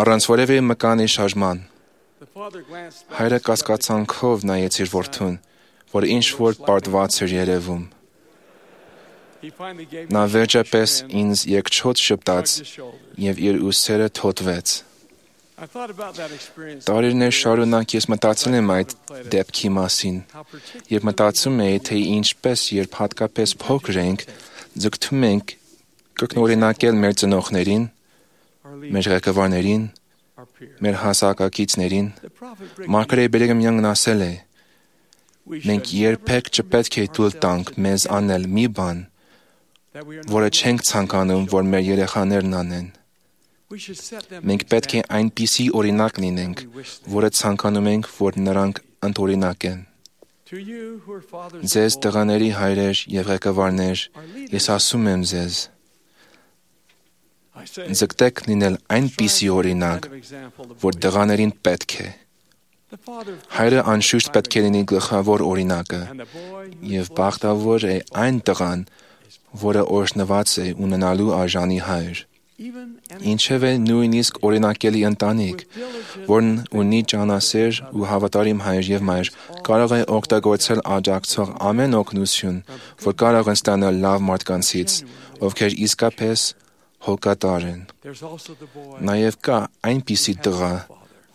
առանց որևէ մկանի շարժման։ Հայրը կասկածանքով նայեց իր որդուն, որ ինչ-որ պարտված էր երևում։ Նա վերջապես ինձ երկչոտ շպտաց և իր ուսերը թոթվեց։ Տարիներ շարունակ ես մտածել եմ այդ դեպքի մասին և մտածում էի, թե ինչպես երբ հատկապես փոքր ենք, ձգտում ենք կրկնօրինակել մեր ծնողներին, մեր ղեկավարներին, մեր հասակակիցներին։ Մարգարե Բերգամյանն ասել է. մենք երբեք չպետք է թույլ տանք մեզ անել մի բան, որը չենք ցանկանում, որ մեր երեխաներն անեն։ Մենք պետք է այնպիսի օրինակ լինենք, որը ցանկանում ենք, որ նրանք ընդօրինակեն։ Ձեզ տղաների հայրեր և ղեկավարներ, ես ասում եմ ձեզ, ձգտեք լինել այնպիսի օրինակ, որ տղաներին պետք է։ Հայրը անշուշտ պետք է լինի գլխավոր օրինակը, և բախտավոր է այն տղան, որը օրհնված է ունենալու արժանի հայր։ Ինչևէ նույնիսկ օրինակելի ընտանիք, որն ունի ճանասեր ու հավատարիմ հայր և մայր, կարող է օգտագործել աջակցող ամեն օգնություն, որ կարող են ստանալ լավ մարդկանցից, ովքեր իսկապես հոգատար են։ Նաև կա այնպիսի տղա,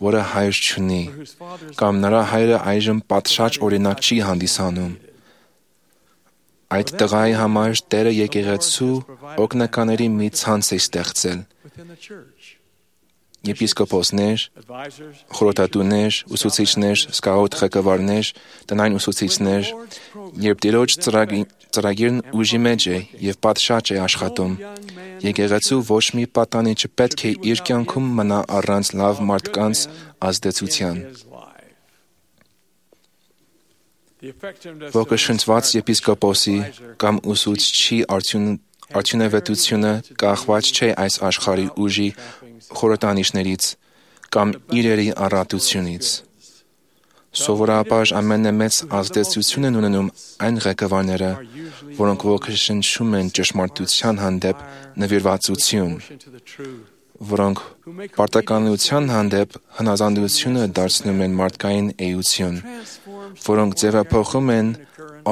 որը հայր չունի, կամ նրա հայրը այժմ պատշաճ օրինակ չի հանդիսանում։ Այդ տղայի համար Տերը եկեղեցու օգնականների մի ցանց է ստեղծել։ Եպիսկոպոսներ, խորհրդատուներ, ուսուցիչներ, սկաուտ ղեկավարներ, տնային ուսուցիչներ, երբ Տիրոջ ծրագիրն ուժի մեջ է և պատշաճ է աշխատում, եկեղեցու ոչ մի պատանի չպետք է իր կյանքում մնա առանց լավ մարդկանց ազդեցության։ Ոգեշնչված եպիսկոպոսի կամ ուսուցչի արդյունավետությունը կախված չէ այս աշխարհի ուժի խորհրդանիշներից կամ իրերի առատությունից։ Սովորաբար ամենամեծ ազդեցություն են ունենում այն ղեկավարները, որոնք ոգեշնչում են ճշմարտության հանդեպ նվիրվածություն, որոնք պարտականության հանդեպ հնազանդությունը դարձնում են մարդկային էություն, որոնք ձևափոխում են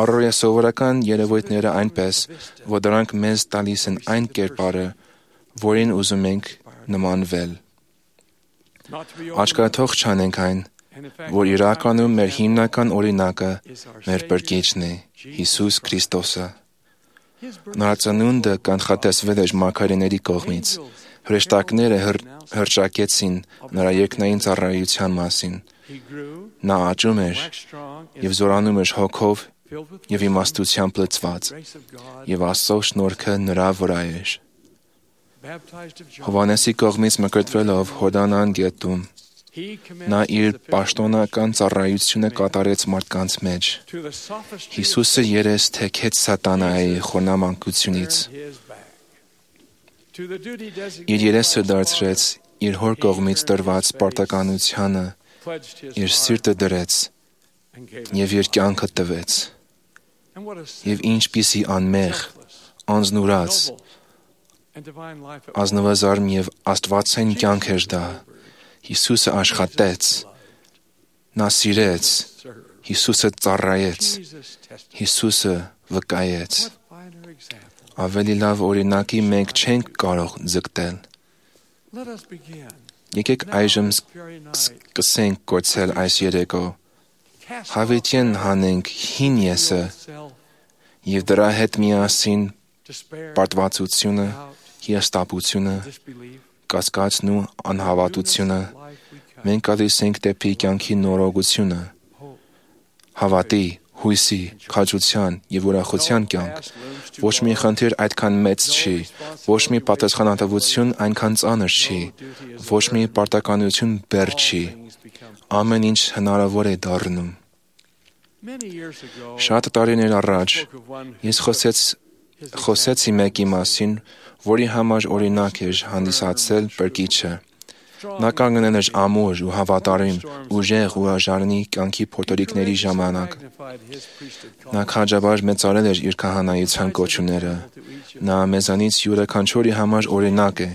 առօրյա սովորական երևույթները այնպես, որ դրանք մեզ տալիս են այն կերպարը, որին ուզում ենք նմանվել։ Աչքաթող չանենք այն, որ իրականում մեր հիմնական օրինակը մեր Բրկիչն է, Հիսուս Քրիստոսը։ Նրա ծնունդը կանխատեսվել էր մարգարեների կողմից։ Հրեշտակները հռչակեցին նրա երկնային ծառայության մասին։ Նա աճում էր և զորանում էր հոգով և իմաստությամբ լցված, և Աստծո շնորհքը նրա վրա էր։ Հովհաննեսի կողմից մկրտվելով Հորդանան գետում, նա իր պաշտոնական ծառայությունը կատարեց մարդկանց մեջ։ Հիսուսը երես թեքեց սատանայի խորնամանկությունից։ Իր երեսը դարձրեց իր հոր կողմից տրված պարտականությանը, իր սիրտը դրեց և իր կյանքը տվեց։ Եվ ինչպիսի անմեղ, անձնուրաց, ազնվազարմ և աստվածային կյանք էր դա։ Հիսուսը աշխատեց, նա սիրեց, Հիսուսը ծառայեց, Հիսուսը վկայեց։ Ավելի լավ օրինակի մենք չենք կարող ձգտել։ Եկեք այժմ սկսենք գործել այս երեկո։ Հավիտյան հանենք հին եսը և դրա հետ միասին պարտվածությունը, հիասթափությունը, կասկածն ու անհավատությունը, մենք գալիս ենք դեպի կյանքի նորոգությունը, հավատի, հույսի, քաջության և ուրախության կյանք։ Ոչ մի խնդիր այդքան մեծ չի, ոչ մի պատասխանատվություն այնքան ծանր չի, ոչ մի պարտականություն բեռ չի։ Ամեն ինչ հնարավոր է դառնում։ Շատ տարիներ առաջ ես խոսեցի մեկի մասին, որի համար օրինակ էր հանդիսացել Բրկիչը։ Նա կանգնել էր ամուր ու հավատարիմ, ուժեղ ու արժանի կյանքի փոթորիկների ժամանակ։ Նա քաջաբար մեծարել էր իր քահանայության կոչումները։ Նա մեզանից յուրաքանչյուրի համար օրինակ է։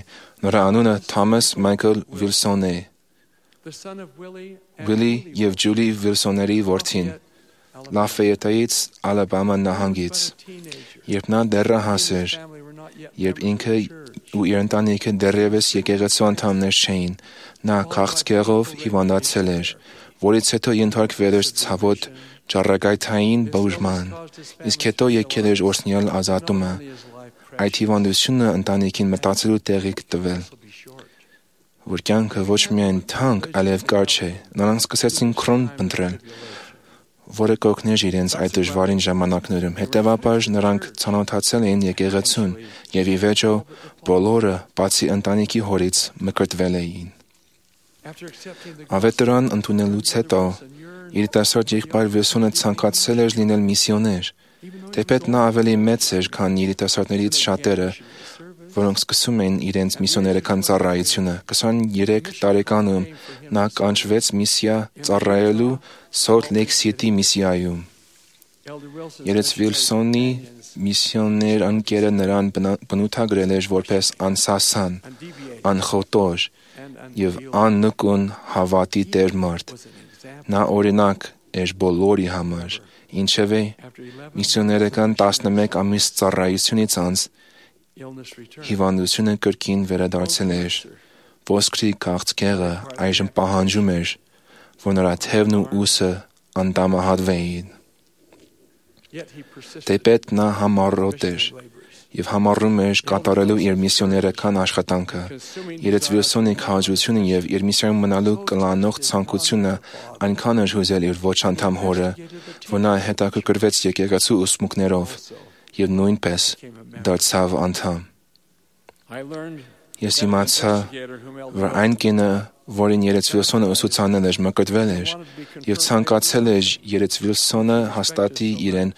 Նրա անունը Թոմաս Մայքլ Վիլսոն է։ Վիլի և Ջուլի Վիլսոնների որդին, Լաֆայետայից, Ալաբամա նահանգից։ Երբ նա դեռահաս էր, երբ ինքը ու իր ընտանիքը դեռևս եկեղեցու անդամներ չէին, նա քաղցկեղով հիվանդացել էր, որից հետո ենթարկվել էր ցավոտ ճառագայթային բուժման, իսկ հետո եկել էր օրհնյալ ազատումը։ Այդ հիվանդությունը ընտանիքին մտածելու տեղիք տվել, որ կյանքը ոչ միայն թանկ, այլև կարճ է։ Նրանք սկսեցին քրոն փնտրել, որը կօգներ իրենց այդ դժվարին ժամանակներում։ Հետևաբար նրանք ծանոթացել էին եկեղեցուն և ի վերջո բոլորը, բացի ընտանիքի հորից, մկրտվել էին։ Ավետարան ընդունելուց հետո երիտասարդ եղբայր Վիլսոնը ցանկացել էր լինել միսիոներ։ Թեպետ նա ավելի մեծ էր, քան երիտասարդներից շատերը, որոնք սկսում էին իրենց միսիոներական ծառայությունը։ 23 տարեկանում նա կանչվեց միսիա ծառայելու Սոլթ Լեյք Սիթի միսիայում։ Երեց Վիլսոնի միսիոներ ընկերը նրան բնութագրել էր որպես անսասան, անխոտոր և աննկուն հավատի տեր մարդ։ Նա օրինակ էր բոլորի համար, ինչևէ միսիոներական 11 ամիս ծառայությունից անց հիվանդությունը կրկին վերադարձել էր։ Ոսկրի քաղցկեղը այժմ պահանջում էր, որ նրա թևն ու ուսը անդամահատվեին։ Թեպետ նա համառոտ էր և համառում էր կատարելու իր միսիոներական աշխատանքը։ Երեց Վիլսոնի քաջությունը և իր միսիայում մնալու կլանող ցանկությունը այնքան էր հուզել իր ոչ անդամ հորը, որ նա հետաքրքրվեց եկեղեցու ուսմունքներով և նույնպես դարձավ անդամ։ Ես իմացա, որ այն կինը, որին Երեց Վիլսոնը ուսուցանել էր, մկրտվել էր և ցանկացել էր Երեց Վիլսոնը հաստատի իրեն,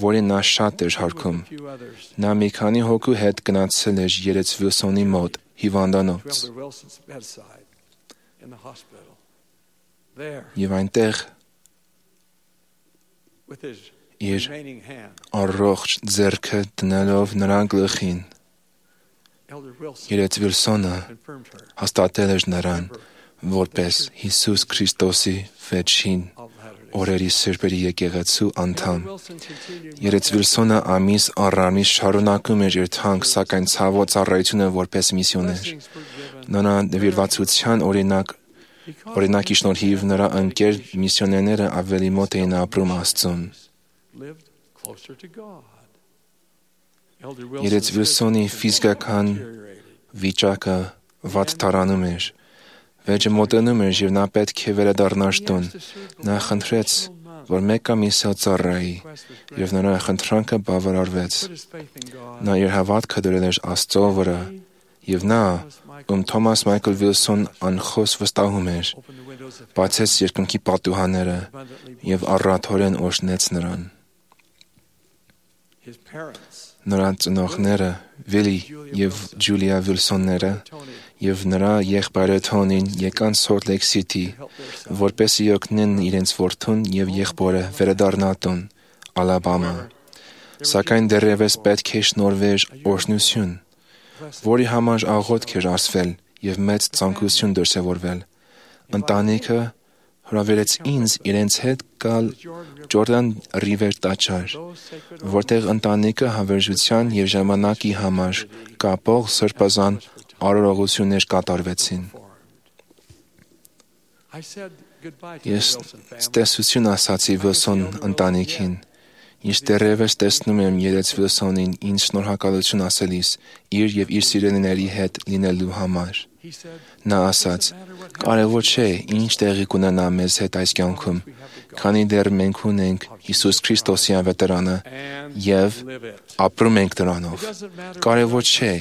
որին նա շատ էր հարգում։ Նա մի քանի հոգու հետ գնացել էր Երեց Վիլսոնի մոտ հիվանդանոց և այնտեղ իր առողջ ձեռքը դնելով նրա գլխին Երեց Վիլսոնը հաստատել էր նրան որպես Հիսուս Քրիստոսի վերջին օրերի սրբերի եկեղեցու անդամ։ Երեց Վիլսոնը ամիս առ ամիս շարունակում էր իր թանկ, սակայն ցավոտ ծառայությունը որպես միսիոներ։ Նրա նվիրվածության օրինակ Օրինակի շնորհիվ նրա ընկեր միսիոներները ավելի մոտ էին ապրում Աստծուն։ Երեց Վիլսոնի ֆիզիկական վիճակը վատ տարանում էր։ Վեճը մոտենում էր և նա պետք է վերադառնար տուն։ Նա խնդրեց, որ մեկ ամիսը ծառայի, և նրա խնդրանքը բավարարվեց։ Նա իր հավատքը դրել էր Աստծո վրա, և նա, ում Թոմաս Մայքլ Վիլսոն անխոս վստահում էր, բացեց երկնքի պատուհանները և առատորեն օրհնեց նրան։ Նրա ծնողները, Վիլի և Ջուլիա Վիլսոնները և նրա եղբայրը Թոնին եկան Սոլտ Լեյք Սիթի, որպեսզի օգնեն իրենց որդուն և եղբորը վերադառնալ տուն, Ալաբամա։ Սակայն դեռևս պետք է շնորհվեր օրհնություն, որի համար աղոթք էր ասվել և մեծ ցանկություն դրսևորվել։ Ընտանիքը հրավիրեց ինձ իրենց հետ գալ Ջորդան Ռիվեր տաճար, որտեղ ընտանիքը հավերժության և ժամանակի համար կապող սրբազան արարողություններ կատարվեցին։ Ես տեսություն ասացի Վիլսոն ընտանիքին։ Ես դեռևս տեսնում եմ երեց Վիլսոնին ինձ շնորհակալություն ասելիս իր և իր սիրելիների հետ լինելու համար։ Նա ասաց. «Կարևոր չէ, ինչ տեղի կունենա մեզ հետ այս կյանքում, քանի դեռ մենք ունենք Հիսուս Քրիստոսի ավետարանը և ապրում ենք դրանով։ Կարևոր չէ,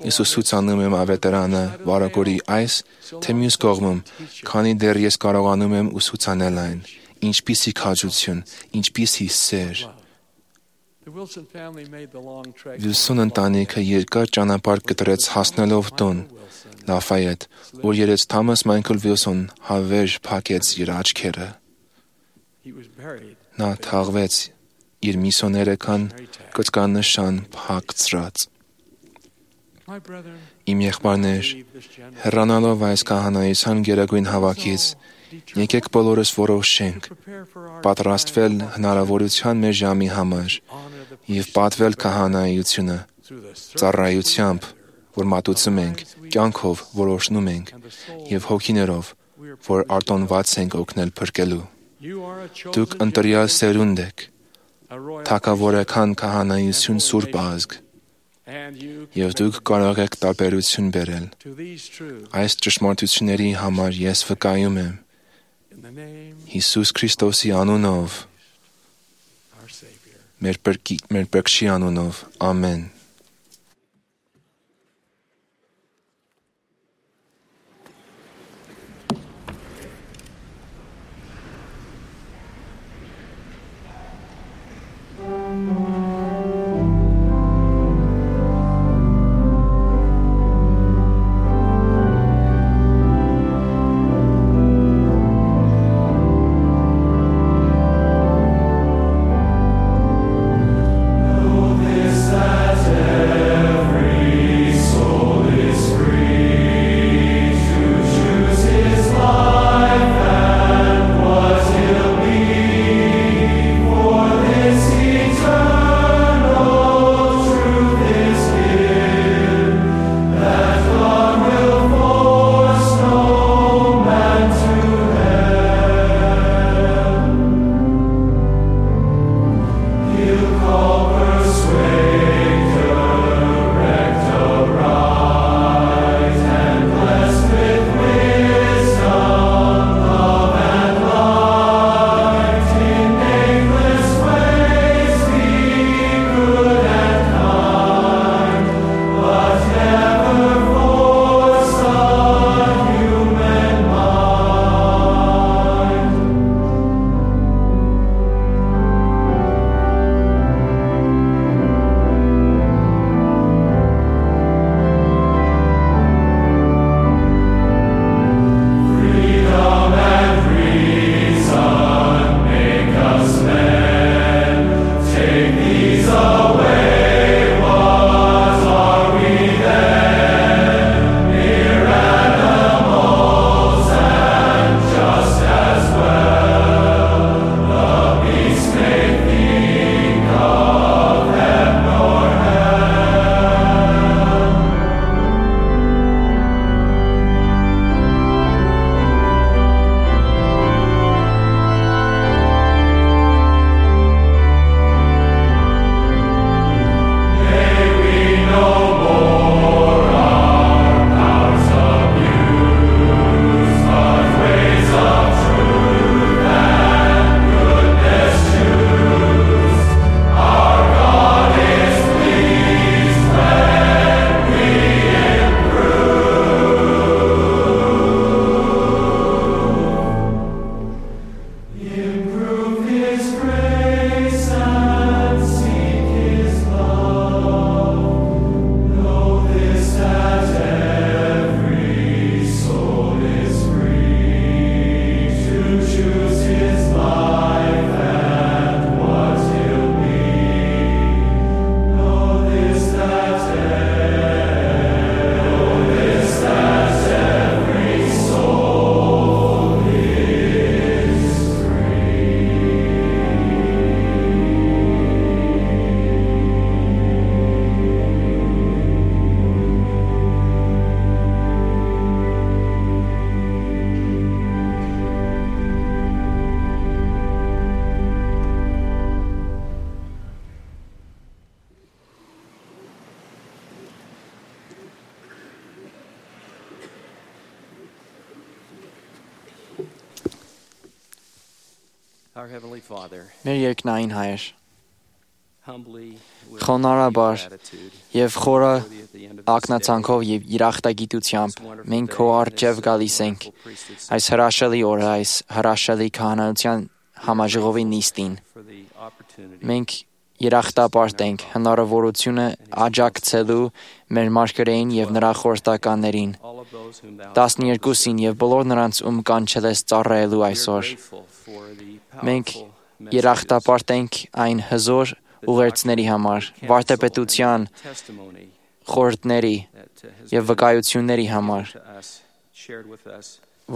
ես ուսուցանում եմ ավետարանը վարագորի այս, թե մյուս կողմում, քանի դեռ ես կարողանում եմ ուսուցանել այն։ Ինչպիսի քաջություն, ինչպիսի սեր»։ Վիլսոն ընտանիքը երկար ճանապարհ կտրեց հասնելով տուն, Լաֆայետ, որ երեց Թոմաս Մայքլ Վիլսոն հավերժ փակեց իր աչքերը։ Նա թաղվեց իր միսիոներական կծկանշան փակցրած։ Իմ եղբայրներ, հեռանալով այս քահանայության գերագույն հավաքից, եկեք բոլորս որոշենք պատրաստվել հնարավորության մեր ժամի համար և պատվել քահանայությունը ծառայությամբ, որ մատուցում ենք, կյանքով, որ օրհնում ենք, և հոգիներով, որ արտոնված ենք օգնել փրկելու։ Դուք ընտրյալ սերունդ եք, թագավորական քահանայություն սուրբ ազգ, և դուք կարող եք տարբերություն բերել։ Այս ճշմարտությունների համար ես վկայում եմ Հիսուս Քրիստոսի անունով, մեր Փրկչի անունով, ամեն։ This Մեր երկնային Հայր, խոնարհաբար եւ խորը ակնածանքով եւ իրախտագիտությամբ մենք քո առջև գալիս ենք այս հրաշալի օրը, այս հրաշալի քահանայության համաժողովի նիստին։ Մենք երախտապարտ ենք հնարավորությունը աջակցելու մեր մարգարեին եւ նրա խորհրդականներին, 12-ին եւ բոլոր նրանց, ում կանչել ես ծառայելու այսօր։ Մենք երախտապարտ ենք այն հզոր ուղերձների համար, վարդապետության խորհուրդների եւ վկայությունների համար,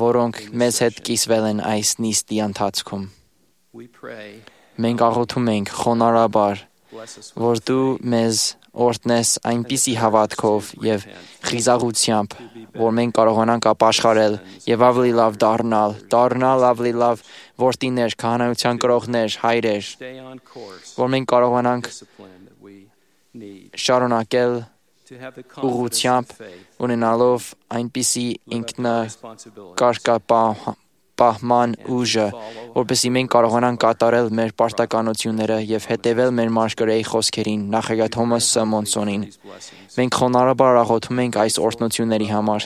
որոնք մեզ հետ կիսվել են այս նիստի ընթացքում։ Մենք աղոթում ենք խոնարհաբար, որ դու մեզ օրհնես այնպիսի հավատքով եւ խիզախությամբ, որ մենք կարողանանք ապաշխարել եւ ավելի լավ դառնալ ավելի լավ որդիներ, քահանայության կրողներ, հայրեր, որ մենք կարողանանք շարունակել ուղղությամբ ունենալով այնպիսի ինքնակարգապահման ուժը, որպեսզի մենք կարողանանք կատարել մեր պարտականությունները եւ հետեւել մեր մարգարեի խոսքերին, նախագահ Թոմաս Մոնսոնին։ Մենք խոնարհաբար աղոթում ենք այս օրհնությունների համար,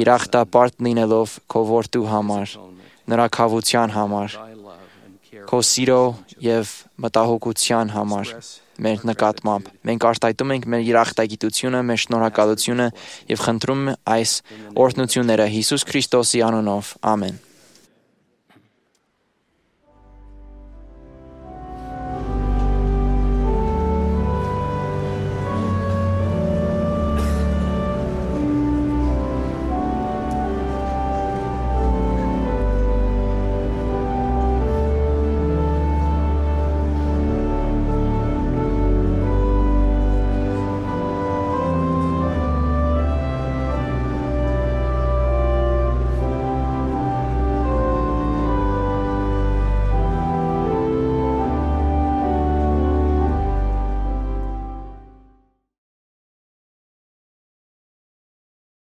երախտապարտ լինելով քո որդու համար, նրա քավության համար, քո սիրո եւ մտահոգության համար մեր նկատմամբ։ Մենք արտահայտում ենք մեր երախտագիտությունը, մեր շնորհակալությունը եւ խնդրում այս օրհնությունները Հիսուս Քրիստոսի անունով։ Ամեն։